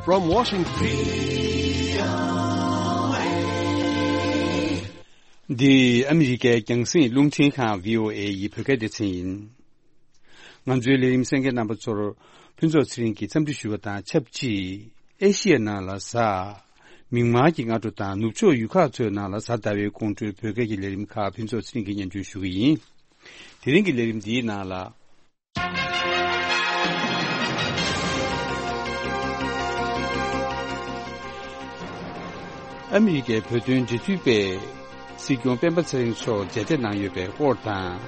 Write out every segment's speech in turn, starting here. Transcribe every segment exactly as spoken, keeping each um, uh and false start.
From Washington. འདི་ཨ་མི་རི་ཀའི་རྒྱང་སྲིང་རླུང་འཕྲིན་ཁང་བྷི་ཨོ་ཨེ་ཡི་བོད་སྐད་སྡེ་ཚན་ཡིན། ང་ཚོའི་ལས་རིམ་གསན་མཁན་རྣམ་པ་ཚོར་ཕུན་ཚོགས་ཚེ་རིང་གིས་འཚམས་འདྲི་ཞུ་བ་དང་ཆབས་ཅིག་ཨེ་ཤི་ཡའི་ནང་ལ་གཟའ་མིག་དམར་གྱི་སྔ་དྲོ་དང་ནུབ་ཕྱོགས་ཡུལ་ཁག་ཚོའི་ནང་ལ་གཟའ་ཟླ་བའི་དགོང་དྲོའི་བོད་སྐད་ཀྱི་ལས་རིམ་ཁག་ཕུན་ཚོགས་ཚེ་རིང་གིས་སྙན་སྒྲོན་ཞུ་གི་ཡིན། དེ་རིང་གི་ལས་རིམ་འདིའི་ནང་ལ། ཨ་མི་རི་ཀའི་བོད་དོན་འབྲེལ་མཐུད་པས་སྲིད་སྐྱོང་སྤེན་པ་ཚེ་རིང་མཆོག་མཇལ་འཕྲད་གནང་ཡོད་པའི་སྐོར་དང་།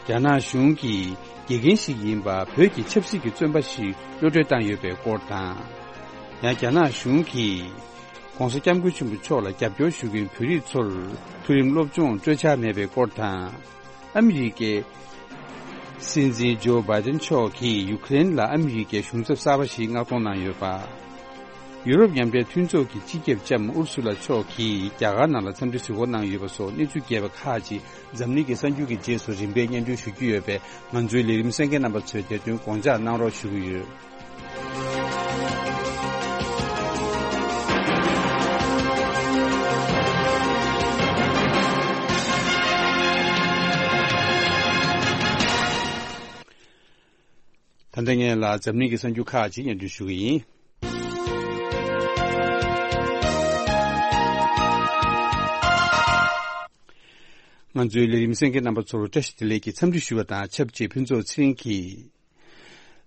རྒྱ་ནག་གཞུང་གིས་དགེ་རྒན་ཞིག་ཡིན་པ་བོད་ཀྱི་ཆབ་སྲིད་ཀྱི་བཙོན་པ་ཞིག་གློད་གྲོལ་བཏང་ཡོད་པའི་སྐོར་དང་། ཡང་རྒྱ་ནག་གཞུང་གིས་༧གོང་ས་༧སྐྱབས་མགོན་ཆེན་པོ་མཆོག་ལ་རྒྱབ་སྐྱོར་ཞུ་མཁན་བོད་རིགས་ཚོར་མཐོ་རིམ་སློབ་སྦྱོང་སྤྲོད་འཆར་མེད་པའི་སྐོར་དང་། ཨ་མི་རི་ཀའི་སྲིད་འཛིན་ཇོ་བྷའི་ཏན་མཆོག་གིས་ཡུ་ཀེ་རེན་ལ་ཨ་མི་རི་ཀའི་གཞུང་ཚབ་གསར་པ་ཞིག་མངགས་གཏོང་གནང་ཡོད་པ། ཡུ་རོབ་མཉམ་འབྲེལ་མཐུན་ཚོགས་ཀྱི་སྤྱི་ཁྱབ་ལྕམ་ཨུར་སུ་ལ་མཆོག་གིས་རྒྱ་གར་ནང་ལ་འཚམས་འདྲི་གཟིགས་སྐོར་གནང་ཡོད་པ་སོགས་གནས་ཚུལ་རྒྱས་པ་ཁག་ཅིག་འཛམ་གླིང་གི་གསར་འགྱུར་གྱི་རྗེས་སུ་རིམ་པས་སྙན་སྒྲོན་ཞུ་རྒྱུ་ཡོད་པས། ང་ཚོའི་ལས་རིམ་གསན་མཁན་རྣམ་པ་ཚོས་དེ་དོན་དགོངས་འཇགས་གནང་རོགས་ཞུ་གི་ཡོད། ད་ལྟ་ངས་ལ་འཛམ་གླིང་གི་གསར་འགྱུར་ཁག་ཅིག་སྙན་སྒྲོན་ཞུ་གི་ཡིན། ང་ཚོའི་ལས་རིམ་གསན་མཁན་རྣམ་པ་ཚོར་བཀྲ་ཤིས་བདེ་ལེགས་ཀྱི་འཚམས་འདྲི་ཞུ་བ་དང་ཆབས་ཅིག་ཕུན་ཚོགས་ཚེ་རིང་གིས་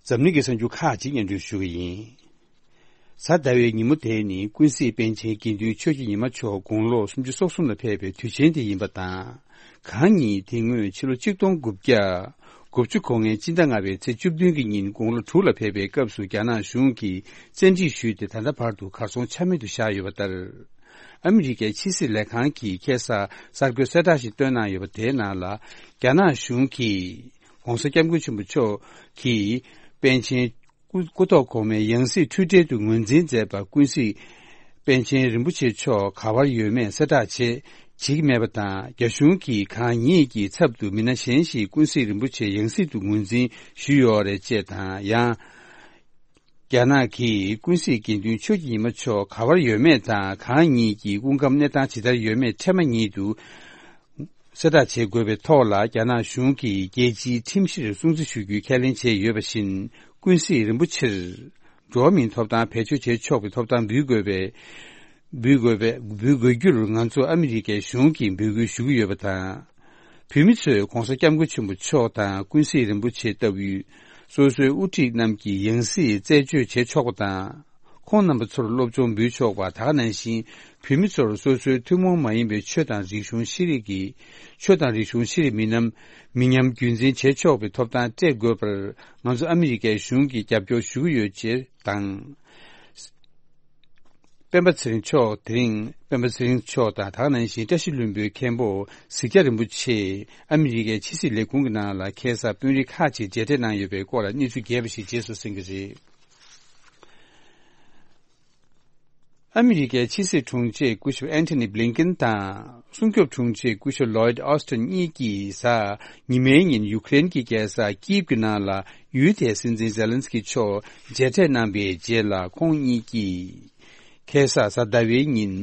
འཛམ་གླིང་གི་གསར་འགྱུར་ཁག་ཅིག་སྙན་སྒྲོན་ཞུ་གི་ཡིན། གཟའ་ཟླ་བའི་ཉིན་མོ་དེ་ནི་ཀུན་གཟིགས་པཎ་ཆེན་དགེ་འདུན་ཆོས་ཀྱི་ཉི་མ་མཆོག་དགུང་ལོ་སུམ་ཅུ་སོ་གསུམ་ལ་ཕེབས་པའི་དུས་ཆེན་དེ་ཡིན་པ་དང་། གང་ཉིད་དེ་སྔོན་ཕྱི་ལོ་ཆིག་སྟོང་དགུ་བརྒྱ་དགུ་བཅུ་གོ་ལྔའི་སྤྱི་ཟླ་ལྔ་པའི་ཚེས་བཅུ་བདུན་གྱི་ཉིན་དགུང་ལོ་དྲུག་ལ་ཕེབས་པའི་སྐབས་སུ་རྒྱ་ནག་གཞུང་གིས་བཙན་ཁྲིད་ཞུས་ཏེ་ད་ལྟ་བར་དུ་གར་སོང་ཆ་མེད་དུ་བཞག་ཡོད་པ་ལྟར། ཨ་མི་རི་ཀའི་ཕྱི་སྲིད་ལས་ཁང་གིས་ཁ་སང་གསར་འགོད་གསལ་བསྒྲགས་ཤིག་བཏོན་གནང་ཡོད་པ་དེའི་ནང་ལ། རྒྱ་ནག་གཞུང་གིས་༧གོང་ས་༧སྐྱབས་མགོན་ཆེན་པོ་མཆོག་གིས་པཎ་ཆེན་སྐུ་སྐུ་ཐོག་གོང་མའི་ཡང་སྲིད་འཁྲུལ་བྲལ་དུ་ངོས་འཛིན་མཛད་པ་ཀུན་གཟིགས་པཎ་ཆེན་རིན་པོ་ཆེ་མཆོག་ག་བར་ཡོད་མེད་གསལ་བསྒྲགས་བྱེད་བྱེད་ཀྱི་མེད་པ་དང་། རྒྱ་གཞུང་གིས་གང་ཉིད་ཀྱི་ཚབ་ཏུ་མི་སྣ་གཞན་ཞིག་ཀུན་གཟིགས་རིན་པོ་ཆེ་ཡང་སྲིད་དུ་ངོས་འཛིན་ཞུས་ཡོད་རེད་ཅེས་དང་། ཡང་རྒྱ་ནག་གིས་ཀུན་གཟིགས་དགེ་འདུན་ཆོས་ཀྱི་ཉི་མ་མཆོག་ག་བར་ཡོད་མེད་དང་། གང་ཉིད་ཀྱི་སྐུ་ཁམས་གནས་སྟངས་ཇི་ལྟར་ཡོད་མེད་འཕྲལ་མ་ཉིད་དུ་གསལ་བསྒྲགས་བྱེད་དགོས་པའི་ཐོག་ལ། རྒྱ་ནག་གཞུང་གིས་རྒྱལ་སྤྱིའི་ཁྲིམས་གཞིར་སྲུང་བརྩི་ཞུ་རྒྱུའི་ཁས་ལེན་བྱས་ཡོད་པ་བཞིན། ཀུན་གཟིགས་རིན་པོ་ཆེར་འགྲོ་བ་མིའི་ཐོབ་ཐང་བེད་སྤྱོད་བྱེད་ཆོག་པའི་ཐོབ་ཐང་འབུལ་དགོས་པའི་འབུལ་དགོས་པའི་འབུལ་དགོས་རྒྱུར་ང་ཚོ་ཨ་མི་རི་ཀའི་གཞུང་གིས་འབོད་སྐུལ་ཞུ་གི་ཡོད་པ་དང་། བོད་མི་ཚོས་༧གོང་ས་༧སྐྱབས་མགོན་ཆེན་པོ་མཆོག་དང་ཀུན་གཟིགས་རིན་པོ་ཆེ་ལྟ་བུའི་སོ་སོའི་དབུ་ཁྲིད་རྣམས་ཀྱི་ཡང་སྲིད་རྩད་གཅོད་བྱེད་ཆོག་པ་དང་། ཁོང་རྣམ་པ་ཚོར་སློབ་སྦྱོང་འབུལ་ཆོག་པ། ད་ག་ནང་བཞིན་བོད་མི་ཚོར་སོ་སོའི་ཐུན་མོང་མ་ཡིན་པའི་ཆོས་དང་རིག་གཞུང་ཤེས་རིག་གི་ཆོས་དང་རིག་གཞུང་ཤེས་རིག་མི་ཉམས་མི་ཉམས་རྒྱུན་འཛིན་བྱེད་ཆོག་པའི་ཐོབ་ཐང་སྤྲད་དགོས་པར་ང་ཚོ་ཨ་མི་རི་ཀའི་གཞུང་གིས་རྒྱབ་སྐྱོར་ཞུ་གི་ཡོད་ཅེས་དང་། སྤེན་པ་ཚེ་རིང་མཆོག་དེ་རིང་སྤེན་པ་ཚེ་རིང་མཆོག་དང་། ད་ག་ནང་བཞིན་བཀྲ་ཤིས་ལྷུན་པོའི་མཁན་པོ་གཟིག་རྒྱ་རིན་པོ་ཆེ་ཨ་མི་རི་ཀའི་ཕྱི་སྲིད་ལས་ཁུངས་ཀྱི་ནང་ལ་ཁ་སང་དཔོན་རིགས་ཁག་ཅིག་མཇལ་འཕྲད་གནང་ཡོད་པའི་སྐོར་ལ་གནས་ཚུལ་རྒྱས་པ་ཞིག་རྗེས་སུ་གསན་གྱི་རེད། ཨ་མི་རི་ཀའི་ཕྱི་སྲིད་དྲུང་ཆེ་སྐུ་ཞབས་ཨན་ཐོ་ནི་བྷི་ལིན་ཀིན་དང་སྲུང་སྐྱོབ་དྲུང་ཆེ་སྐུ་ཞབས་ལོའིད་ཨོ་སི་ཏན་གཉིས་ཀྱིས་གཟའ་ཉི་མའི་ཉིན་ཡུ་ཀེ་རེན་གྱི་རྒྱལ་ས་ཀིབ་ཀྱི་ནང་ལ་ཡུལ་དེའི་སྲིད་འཛིན་ཛེ་ལན་སི་ཀི་མཆོག་མཇལ་འཕྲད་གནང་པའི་རྗེས་ལ། ཁོང་གཉིས་ཀྱིས་ཁ་སང་གཟའ་ཟླ་བའི་ཉིན་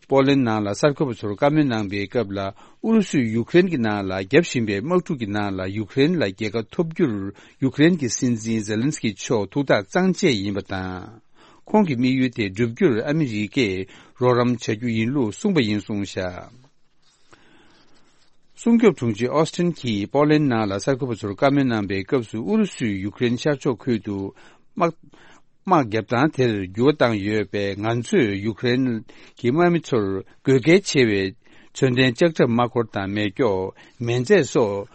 པོ་ལན་ནང་ལ་གསར་འགོད་པ་ཚོར་བཀའ་མོལ་གནང་པའི་སྐབས་ལ། ཨུ་རུ་སུས་ཡུ་ཀེ་རེན་གྱི་ནང་ལ་བརྒྱབ་བཞིན་པའི་དམག་འཁྲུག་གི་ནང་ལ་ཡུ་ཀེ་རེན་ལ་རྒྱལ་ཁ་ཐོབ་རྒྱུར་ཡུ་ཀེ་རེན་གྱི་སྲིད་འཛིན་ཛེ་ལན་སི་ཀི་མཆོག་ཐུགས་ཐག་གཙང་བཅད་ཡིན་པ་དང་། ཁོང་གི་དམིགས་ཡུལ་དེ་བསྒྲུབ་རྒྱུར་ཨ་མི་རི་ཀས་རོགས་རམ་བྱ་རྒྱུ་ཡིན་ལུགས་གསུངས་པ་ཡིན་གསུངས་བཞག་སྲུང་སྐྱོབ་དྲུང་ཆེ་ཨོ་སི་ཏིན་གྱིས་པོ་ལན་ནང་ལ་གསར་འགོད་པ་ཚོར་བཀའ་མོལ་གནང་པའི་སྐབས་སུ། ཨུ་རུ་སུས་ཡུ་ཀེ་རེན་ཤར་ཕྱོགས་ཁུལ་དུ་དམག་དམག་རྒྱབ་སྟངས་དེར་འགྱུར་བ་བཏང་ཡོད་པས། ང་ཚོས་ཡུ་ཀེ་རེན་གྱི་དམག་མི་ཚོར་དགོས་གལ་ཆེ་བའི་མཚོན་ལྡན་ལྕགས་ཁྲབ་དམག་འཁོར་དང་མེ་སྒྱོགས། མེ་མཛད་སོགས་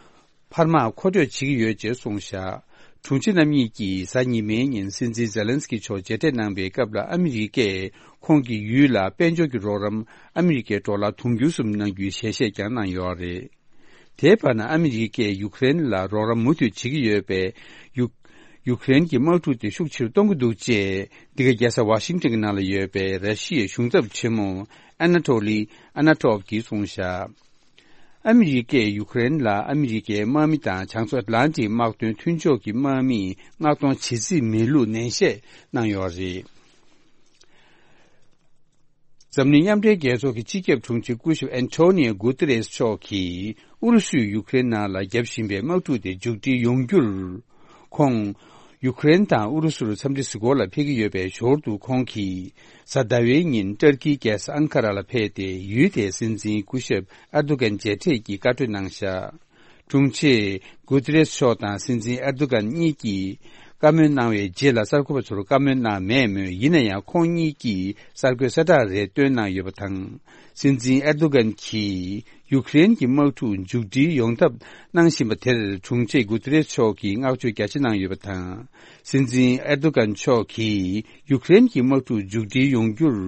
འཕར་དམག་མཁོ་སྤྲོད་བྱེད་ཀྱི་ཡོད་ཅེས་གསུངས་བཞག་དྲུང་ཆེ་རྣམ་གཉིས་ཀྱིས་གཟའ་ཉི་མའི་ཉིན་སྲིད་འཛིན་ཛེ་ལན་སི་ཀི་མཆོག་མཇལ་འཕྲད་གནང་པའི་སྐབས་ལ། ཨ་མི་རི་ཀས་ཁོང་གི་ཡུལ་ལ་དཔལ་འབྱོར་གྱི་རོགས་རམ་ཨ་མི་རི་ཀའི་ཌོ་ལར་དུང་ཕྱུར་གསུམ་གནང་རྒྱུའི་ཞལ་བཞེས་ཀྱང་གནང་ཡོད་རེད། དེའི་བར་ན། ཨ་མི་རི་ཀས་ཡུ་ཀེ་རེན་ལ་རོགས་རམ་མུ་མཐུད་བྱེད་ཀྱི་ཡོད་པས། ཡུ་ཡུ་ཀེ་རེན་གྱི་དམག་འཁྲུག་དེ་ཤུགས་ཆེ་རུ་གཏོང་གི་འདུག་ཅེས་འདི་ག་རྒྱལ་ས་ཝ་ཤིང་ཏོན་གྱི་ནང་ལ་ཡོད་པའི་ར་ཤི་ཡའི་གཞུང་ཚབ་ཆེན་མོ་ཨ་ན་ཏོ་ལི་ཨ་ན་ཏོབ་ཀྱིས་གསུངས་བཞག་ཨ་མི་རི་ཀས་ཡུ་ཀེ་རེན་ལ་ཨ་མི་རི་ཀའི་དམག་མི་དང་བྱང་མཚོ་ཨེཊ་ལན་ཊིག་དམག་དོན་མཐུན་ཕྱོགས་ཀྱི་དམག་མིས་མངགས་གཏོང་བྱེད་རྩིས་མེད་ལུགས་ནན་བཤད་གནང་ཡོད་རེད། འཛམ་གླིང་མཉམ་འབྲེལ་རྒྱལ་ཚོགས་ཀྱི་སྤྱི་ཁྱབ་དྲུང་ཆེ་སྐུ་ཞབས་ཨན་ཐོ་ནིའོ་གུ་ཏེ་རེས་མཆོག་གིས་ཨུ་རུ་སུས་ཡུཀ་རེན་ནང་ལ་བརྒྱབ་བཞིན་པའི་དམག་འཁྲུག་དེ་མཇུག་སྒྲིལ་ཡོང་རྒྱུར། ཁོང་ཡུཀ་རེན་དང་ཨུ་རུ་སུར་འཚམས་འདྲི་གཟིགས་སྐོར་ལ་ཕེབས་ཀྱི་ཡོད་པའི་ཞོར་དུ། ཁོང་གིས་གཟའ་ཟླ་བའི་ཉིན་ཏུར་ཀིའི་རྒྱལ་ས་ཨན་ཀ་ར་ལ་ཕེབས་ཏེ། ཡུལ་དེའི་སྲིད་འཛིན་སྐུ་ཞབས་ཨར་དུ་གན་མཇལ་འཕྲད་ཀྱིས་བཀའ་གྲོས་གནང་བཞག་དྲུང་ཆེ་གུ་ཏེ་རེས་མཆོག་དང་སྲིད་འཛིན་ཨར་དུ་གན་གཉིས་ཀྱིས་བཀའ་མོལ་གནང་བའི་རྗེས་ལ། གསར་འགོད་པ་ཚོར་བཀའ་མོལ་གནང་མེད་མོད། ཡིན་ན་ཡང་ཁོང་གཉིས་ཀྱིས་གསར་འགོད་གསལ་བསྒྲགས་རེ་བཏོན་གནང་ཡོད་པ་དང་། སྲིད་འཛིན་ཨེར་དོ་གན་གྱིས་ཡུཀ་རེན་གྱི་དམག་འཁྲུག་མཇུག་སྒྲིལ་ཡོང་ཐབས་གནང་བཞིན་པ་དེར། དྲུང་ཆེ་གུ་ཏེ་རེས་མཆོག་གིས་བསྔགས་བརྗོད་རྒྱ་ཆེ་གནང་ཡོད་པ་དང་། སྲིད་འཛིན་ཨེར་དོ་གན་མཆོག་གིས་ཡུཀ་རེན་གྱི་དམག་འཁྲུག་མཇུག་སྒྲིལ་ཡོང་རྒྱུར།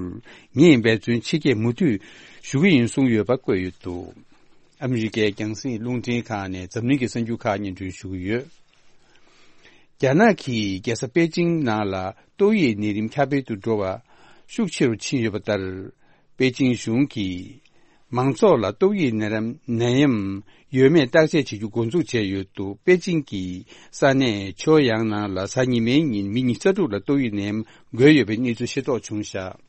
ངས་འབད་བརྩོན་ཆེ་བསྐྱེད་མུ་མཐུད་ཞུ་གི་ཡིན་གསུངས་ཡོད་པ་བཀོད་ཡོད་འདུག་ཨ་མི་རི་ཀའི་རྒྱང་སྲིང་རླུང་འཕྲིན་ཁང་ནས་འཛམ་གླིང་གི་གསར་འགྱུར་ཁག་སྙན་སྒྲོན་ཞུ་གི་ཡོད། རྒྱ་ནག་གི་རྒྱལ་ས་པེ་ཅིང་ནང་ལ་ཏོག་དབྱིབས་ནད་རིམས་ཁྱབ་སྤེལ་དུ་འགྲོ་བ་ཤུགས་ཆེ་རུ་ཕྱིན་ཡོད་པ་ལྟར། པེ་ཅིང་གཞུང་གིས་མང་ཚོགས་ལ་ཏོག་དབྱིབས་ནད་རམ་ནད་ཡམས་ཡོད་མེད་བརྟག་དཔྱད་བྱེད་རྒྱུ་འགོ་འཛུགས་བྱས་ཡོད་འདུག་པེ་ཅིང་གི་ས་གནས་ཆོ་ཡང་ནང་ལ་གཟའ་ཉི་མའི་ཉིན་མི་ཉི་ཤུ་རྩ་དྲུག་ལ་ཏོག་དབྱིབས་ནད་ཡམས་འགོས་ཡོད་པའི་གནས་ཚུལ་ཤེས་རྟོགས་བྱུང་བཞག་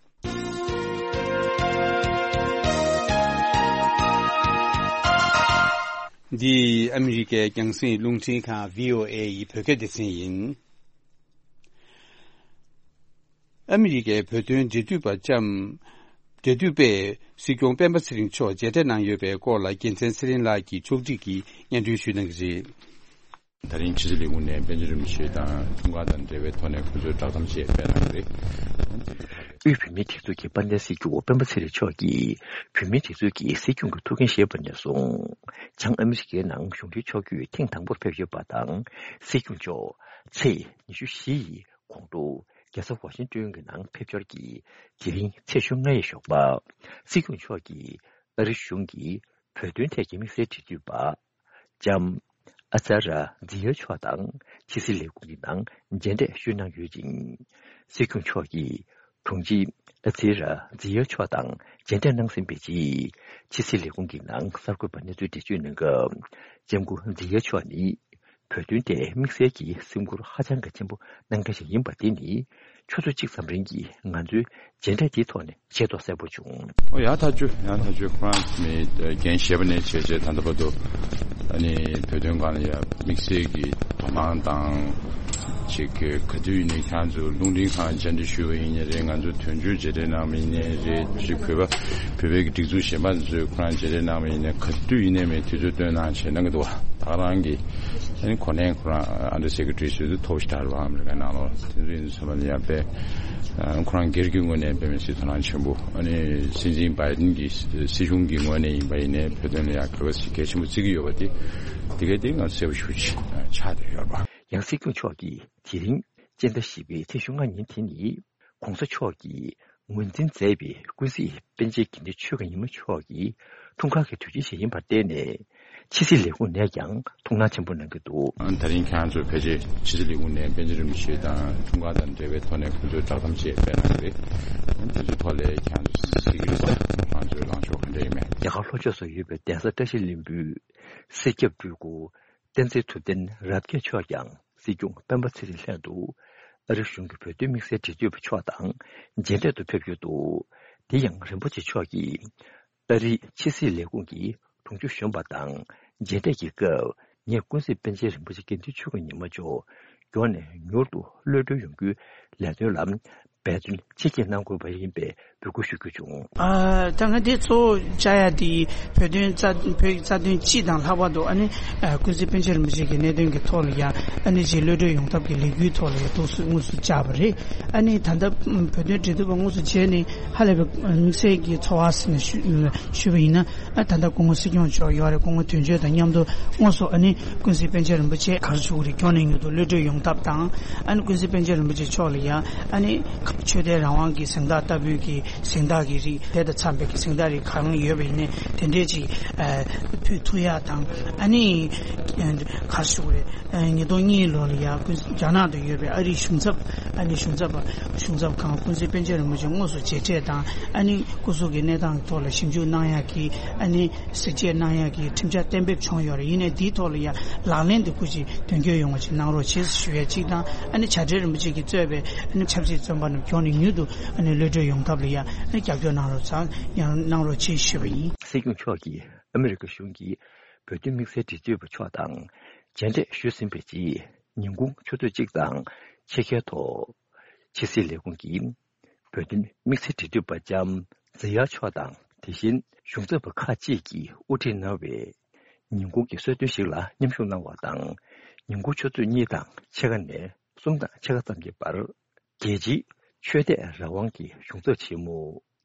འདི་ཨ་མི་རི་ཀའི་རྒྱང་སྲིང་རླུང་འཕྲིན་ཁང་བྷི་ཨོ་ཨེ་ཡི་བོད་སྐད་སྡེ་ཚན་ཡིན། ཨ་མི་རི་ཀའི་བོད་དོན་འབྲེལ་མཐུད་པ་ལྕམ། འབྲེལ་མཐུད་པས་སྲིད་སྐྱོང་སྤེན་པ་ཚེ་རིང་མཆོག་མཇལ་འཕྲད་གནང་ཡོད་པའི་སྐོར་ལ་རྒྱལ་མཚན་ཚེ་རིང་ལགས་ཀྱིས་ཕྱོགས་སྒྲིག་གིས་སྙན་སྒྲོན་ཞུ་གནང་གི་རེད། ད་རིང་ཕྱི་སྲིད་ལས་ཁུངས་ནས་པཎ་ཆེན་རིན་པོ་ཆེ་དང་འཁྲུངས་སྐར་དང་འབྲེལ་བའི་ཐོག་ནས་སྐུ་གཟུགས་བསྒྲགས་གཏམ་ཞིག་སྤེལ་གནང་གི་རེད། དབུས་བོད་མིའི་སྒྲིག་འཛུགས་ཀྱི་དཔལ་ལྡན་སྲིད་སྐྱོང་སྤེན་པ་ཚེ་རིང་མཆོག་གིས་བོད་མིའི་སྒྲིག་འཛུགས་ཀྱི་སྲིད་སྐྱོང་གི་ཐུགས་འགན་བཞེས་པ་ནས་བཟུང་། བྱང་ཨ་མི་རི་ཀའི་ནང་གཞུང་འབྲེལ་ཕྱོགས་བསྐྱོད་ཐེངས་དང་པོར་ཕེབས་ཡོད་པ་དང་། སྲིད་སྐྱོང་མཆོག་ཚེས་ཉི་ཤུ་བཞི་ཡི་དགོང་དྲོ་རྒྱལ་ས་ཝ་ཤིང་ཏོན་གྱི་ནང་ཕེབས་འབྱོར་གྱིས་དེ་རིང་ཚེས་བཅོ་ལྔ་ཡི་ཞོགས་པ། སྲིད་སྐྱོང་མཆོག་གིས་ཨ་རི་གཞུང་གི་བོད་དོན་ཐད་ཀྱི་དམིགས་བསལ་འབྲེལ་མཐུད་པ། ལྕམ་ཨ་ཙར་ར་ཛི་ཡ་མཆོག་དང་ཕྱི་སྲིད་ལས་ཁུངས་ཀྱི་ནང་མཇལ་འཕྲད་ཞུས་གནང་ཡོད་ཅིང་། སྲིད་སྐྱོང་མཆོག་གིས་དྲུང་ཆེ་ཨ་ཙར་ར་ཛི་ཡ་མཆོག་དང་མཇལ་འཕྲད་གནང་ཟིན་པའི་རྗེས། ཕྱི་སྲིད་ལས་ཁུངས་ཀྱི་ནང་གསར་འགོད་པར་གནས་ཚུལ་འགྲེལ་བརྗོད་གནང་སྐབས། ལྕམ་སྐུ་ཛི་ཡ་མཆོག་ནི་བོད་དོན་ཐད་དམིགས་བསལ་གྱི་སེམས་ཁུར་ཧ་ཅང་གི་ཆེན་པོ་གནང་མཁན་ཞིག་ཡིན་པ་དེ་ནི། ཆུ་ཚོད་གཅིག་ཙམ་རིང་གི་ང་ཚོའི་མཇལ་འཕྲད་དེའི་ཐོག་ནས་ཤེས་རྟོགས་གསལ་པོ་བྱུང་། ཨོ་ཡ་ཐག་ཆོད། ཡ་ཐག་ཆོད། ཁོ་རང་མི་འགན་བཞེས་པ་ནས་བྱས་རྗེས་ད་ལྟ་བར་དུ་ཨ་ནི་བོད་དོན་སྒང་ལ་ཡ་དམིགས་བསལ་གྱི་དོ་སྣང་དང་ཅིག་གི་ག་དུས་ཡིན་ནའི་ཁྱེད་རང་ཚོ་རླུང་འཕྲིན་ཁང་བཅར་འདྲི་ཞུས་པ་ཡིན་ནའི་རེད། ང་ཚོ་དོན་གཅོད་མཇལ་འཕྲད་གནང་བ་ཡིན་ནའི་རེད། ཅིག་བོད་པ་བོད་པའི་གི་སྒྲིག་འཛུགས་གཞན་པ་ཚོས་ཁོ་རང་མཇལ་འཕྲད་གནང་བ་ཡིན་ནའི་ག་དུས་ཡིན་ནའི་མེད་དུས་ཚོད་བཏོན་གནང་བྱས་གནང་གི་འདུག་བ། ད་ག་རང་གི་ཨ་ནི་གོ་གནས་ཁོ་རང་ཨ་འདྲ་སེ་ཀེ་ཊི་རི་ཟེར་དུས་ཐོབ་ཤི་ད་རུ་ཨ་མི་རི་ཀའི་ནང་ལོགས་དེ་ཚོ་ཡིན་ཚོད་མ་ཡ་པས། ཁོ་རང་སྒེར་གྱི་ངོས་ནས་དཔེ་མི་སྲིད་དོ་སྣང་ཆེན་པོ། ཨ་ནི་སྲིད་འཛིན་བྷའི་ཌེན་གྱི་སྲིད་གཞུང་གི་ངོས་ནས་ཡིན་པ་ཡིན་ནའི་བོད་དོན་ལ་ཡང་གལ་གལ་ཆེན་པོ་བརྩི་གི་ཡོད་པ་དེ་དེ་གའི་དེ་ང་གསལ་པོ་ཞེ་པོ་ཅིག་ཆགས་བསྡད་ཡོད་རེད་པ། ཡང་སྲིད་སྐྱོང་མཆོག་གིས་དེ་རིང་སྤྱི་ཟླ་བཞི་པའི་ཚེས་ཉི་ཤུ་རྩ་ལྔ་ཉིན་དེ་ནི་༸གོང་ས་མཆོག་གིས་ངོས་འཛིན་མཛད་པའི་ཀུན་གཟིགས་པཎ་ཆེན་དགེ་འདུན་ཆོས་ཀྱི་ཉི་མ་མཆོག་གི་འཁྲུངས་སྐར་གྱི་དུས་ཆེན་ཞིག་ཡིན་པར་བརྟེན་ནས། ཕྱི་སྲིད་ལས་ཁུངས་ནས་ཀྱང་ཐུགས་སྣང་ཆེན་པོ་གནང་གི་འདུག། ད་རིང་ཁྱེད་རང་ཚོ་ཕལ་ཆེར་ཕྱི་སྲིད་ལས་ཁུངས་ནས་པཎ་ཆེན་རིན་པོ་ཆེ་དང་འཁྲུངས་སྐར་དང་འབྲེལ་བའི་ཐོག་ནས་ཁོང་ཚོས་བསྒྲགས་གཏམ་ཅིག་སྤེལ་གནང་གི་རེད། དེ་ཚོའི་ཐོག་ལ་ཁྱེད་རང་ཚོ་གཟིགས་ཀྱི་རེད་ས། ཁོང་ཚོའི་ལངས་ཕྱོགས་ག་འདྲ་ཡིན་མིན། རྒྱ་གར་ལྷོ་ཕྱོགས་སུ་ཡོད་པའི་གདན་ས་བཀྲ་ཤིས་ལྷུན་པོའི་སྲིད་སྐྱབས་སྤྲུལ་སྐུ་བསྟན་འཛིན་ཐུབ་བསྟན་རབ་རྒྱས་མཆོག་ཀྱང་སྲིད་སྐྱོང་སྤེན་པ་ཚེ་རིང་ལྷན་དུ་ཨ་རི་གཞུང་གི་བོད་དོན་དམིགས་བསལ་འབྲེལ་མཐུད་པ་མཆོག་དང་མཇལ་འཕྲད་དུ་ཕེབས་ཡོད་འདུག། དེ་ཡང་རིན་པོ་ཆེ་མཆོག་གིས་ཨ་རིའི་ཕྱི་སྲིད་ལས་ཁུངས་ཀྱི་དྲུང་ཆེ་གཞོན་པ་དང་མཇལ་འཕྲད་ཀྱི་སྐབས། ངས་ཀུན་གཟིགས་པཎ་ཆེན་རིན་པོ་ཆེ་དགེ་འདུན་ཆོས་ཀྱི་ཉི་མ་མཆོག་མགྱོགས་ནས་མྱུར་དུ་གློད་གྲོལ་ཡོང་རྒྱུའི་ལས་དོན་ལ་འབད་བརྩོན་ཆེ་བསྐྱེད་གནང་དགོས་པ་ཡིན་པའི་འབོད་སྐུལ་ཞུ་རྒྱུ་བྱུང་། ཨ། ད་ང་འདི་གཙོ་བོ་བཅར་ཡ་དེ་བོད་དོན་རྩ་བོད་ཀྱི་རྩ་དོན་སྤྱི་དང་ལྷག་པར་དུ་ཨ་ནི་ཨ་ཀུན་གཟིགས་པཎ་ཆེན་རིན་པོ་ཆེ་གི་གནད་དོན་གྱི་ཐོག་ལ་ཡང་ཨ་ནི་ཅིག་གློད་གྲོལ་ཡོང་ཐབས་ཀྱི་ལས་འགུལ་ཐོག་ལ་ཡང་ཐུགས་སུ་དངོས་སུ་བཅར་བ་རེད། ཨ་ནི་ད་ལྟ་བོད་དོན་འབྲེལ་མཐུད་པ་དངོས་སུ་མཇལ་ནས་ཧ་ལས་པའི་དམིགས་བསལ་གྱི་ཚོར་བ་ཟེར་ནས་ཞུ་ཞུས་པ་ཡིན་ན། ཨ་ད་ལྟ་སྐུ་ངོ་སྲིད་སྐྱོང་མཆོག་ཡོད་རེད། སྐུ་ངོ་དོན་གཅོད་དང་མཉམ་དུ་དངོས་སུ་ཨ་ནི་ཀུན་གཟིགས་པཎ་ཆེན་རིན་པོ་ཆེ་ག་རེ་ཞུ་གི་རེད། མགྱོགས་ནས་མྱུར་དུ་གློད་གྲོལ་ཡོང་ཐབས་དང་། ཨ་ནི་ཀུན་གཟིགས་པཎ་ཆེན་རིན་པོ་ཆེ་མཆོག་ལ་ཡང་ཨ་ནི་ཆོས་དད་རང་དབང་གི་གཟེངས་རྟགས་ལྟ་བུའི་གི་གཟེངས་རྟགས་ཀྱི་རིགས་དེ་དང་འཚམས་པའི་གི་གཟེངས་རྟགས་རིགས་གང་ཡོད་པ་ཡིན་ནའི་དེ་འདྲས་ཅིག་ཨ་ཕུལ་ཐུབ་ཡག་དང་། ཨ་ནི་ག་རེ་ཞུ་གི་རེད། ཨ་ཉིས་སྟོང་གཉིས་ལོ་ལ་ཡང་ཀུན་རྒྱ་ནག་ཏུ་ཡོད་པའི་ཨ་རིའི་གཞུང་ཚབ། ཨ་ནི་གཞུང་ཚབ་གཞུང་ཚབ་ཁང་ཀུན་གཟིགས་པཎ་ཆེན་རིན་པོ་ཆེ་དངོས་སུ་མཇལ་འཕྲད་དང་། ཨ་ནི་སྐུ་གཟུགས་ཀྱི་གནས་སྟངས་ཐོག་ལ་ཞིབ་འཇུག་གནང་ཡག་གི་ཨ་ནི་གཟིགས་དཔྱད་གནང་ཡག་གི་ཁྲིམས་འཆར་གཏན་འབེབས་བྱུང་ཡོད་རེད། ཡིན་ནའི་འདིའི་ཐོག་ལ་ཡང་ལག་ལེན་དུ་སྐུ་མཁྱེན་དོན་འཁྱོལ་ཡོང་བ་ཅིག་གནང་རོགས་བྱེད་ཞུ་ཡ་གཅིག་དང་། ཨ་ནི་བྱ་བྲལ་རིན་པོ་ཆེ་གིས་གཙོས་པའི་ཨ་ནི་ཆབ་སྲིད་བཙོན་པ་ ཁྱོན་ནས་མྱུར་དུ་ཨ་ནི་གློད་གྲོལ་ཡོང་ཐབས་ལ་ཡ་རྒྱབ་སྐྱོར་གནང་རོགས་ཚ་གནང་རོགས་ཅེས་ཞུས་པ་ཡིན། སྲིད་སྐྱོང་མཆོག་གིས་ཨ་མི་རི་ཀ་གཞུང་གིས་བོད་དོན་དམིགས་བསལ་འབྲེལ་མཐུད་པ་མཆོག་དང་མཇལ་འཕྲད་ཞུས་ཟིན་པའི་རྗེས་ཉིན་གུང་ཆུ་ཚོད་གཅིག་དང་ཕྱེད་ཀའི་ཐོག་ཕྱི་སྲིད་ལས་ཁུངས་ཀྱི་བོད་དོན་དམིགས་བསལ་འབྲེལ་མཐུད་པ་ལྕམ་ཛི་ཡ་མཆོག་དང་དེ་བཞིན་གཞུང་ཚབ་པ་ཁག་ཅིག་གིས་དབུ་ཁྲིད་གནང་བའི་ཉིན་གུང་གི་གསོལ་སྟོན་ཞིག་ལ་མཉམ་ཞུགས་གནང་བ་དང་། ཉིན་གུང་ཆུ་ཚོད་གཉིས་དང་ཕྱེད་ཀ་ནས་གསུམ་དང་ཕྱེད་ཀ་ཙམ་གྱི་བར་རྒྱལ་སྤྱིའི་ཆོས་དད་རང་དབང་གི་གཞུང་ཚབ་ཆེན་མོ་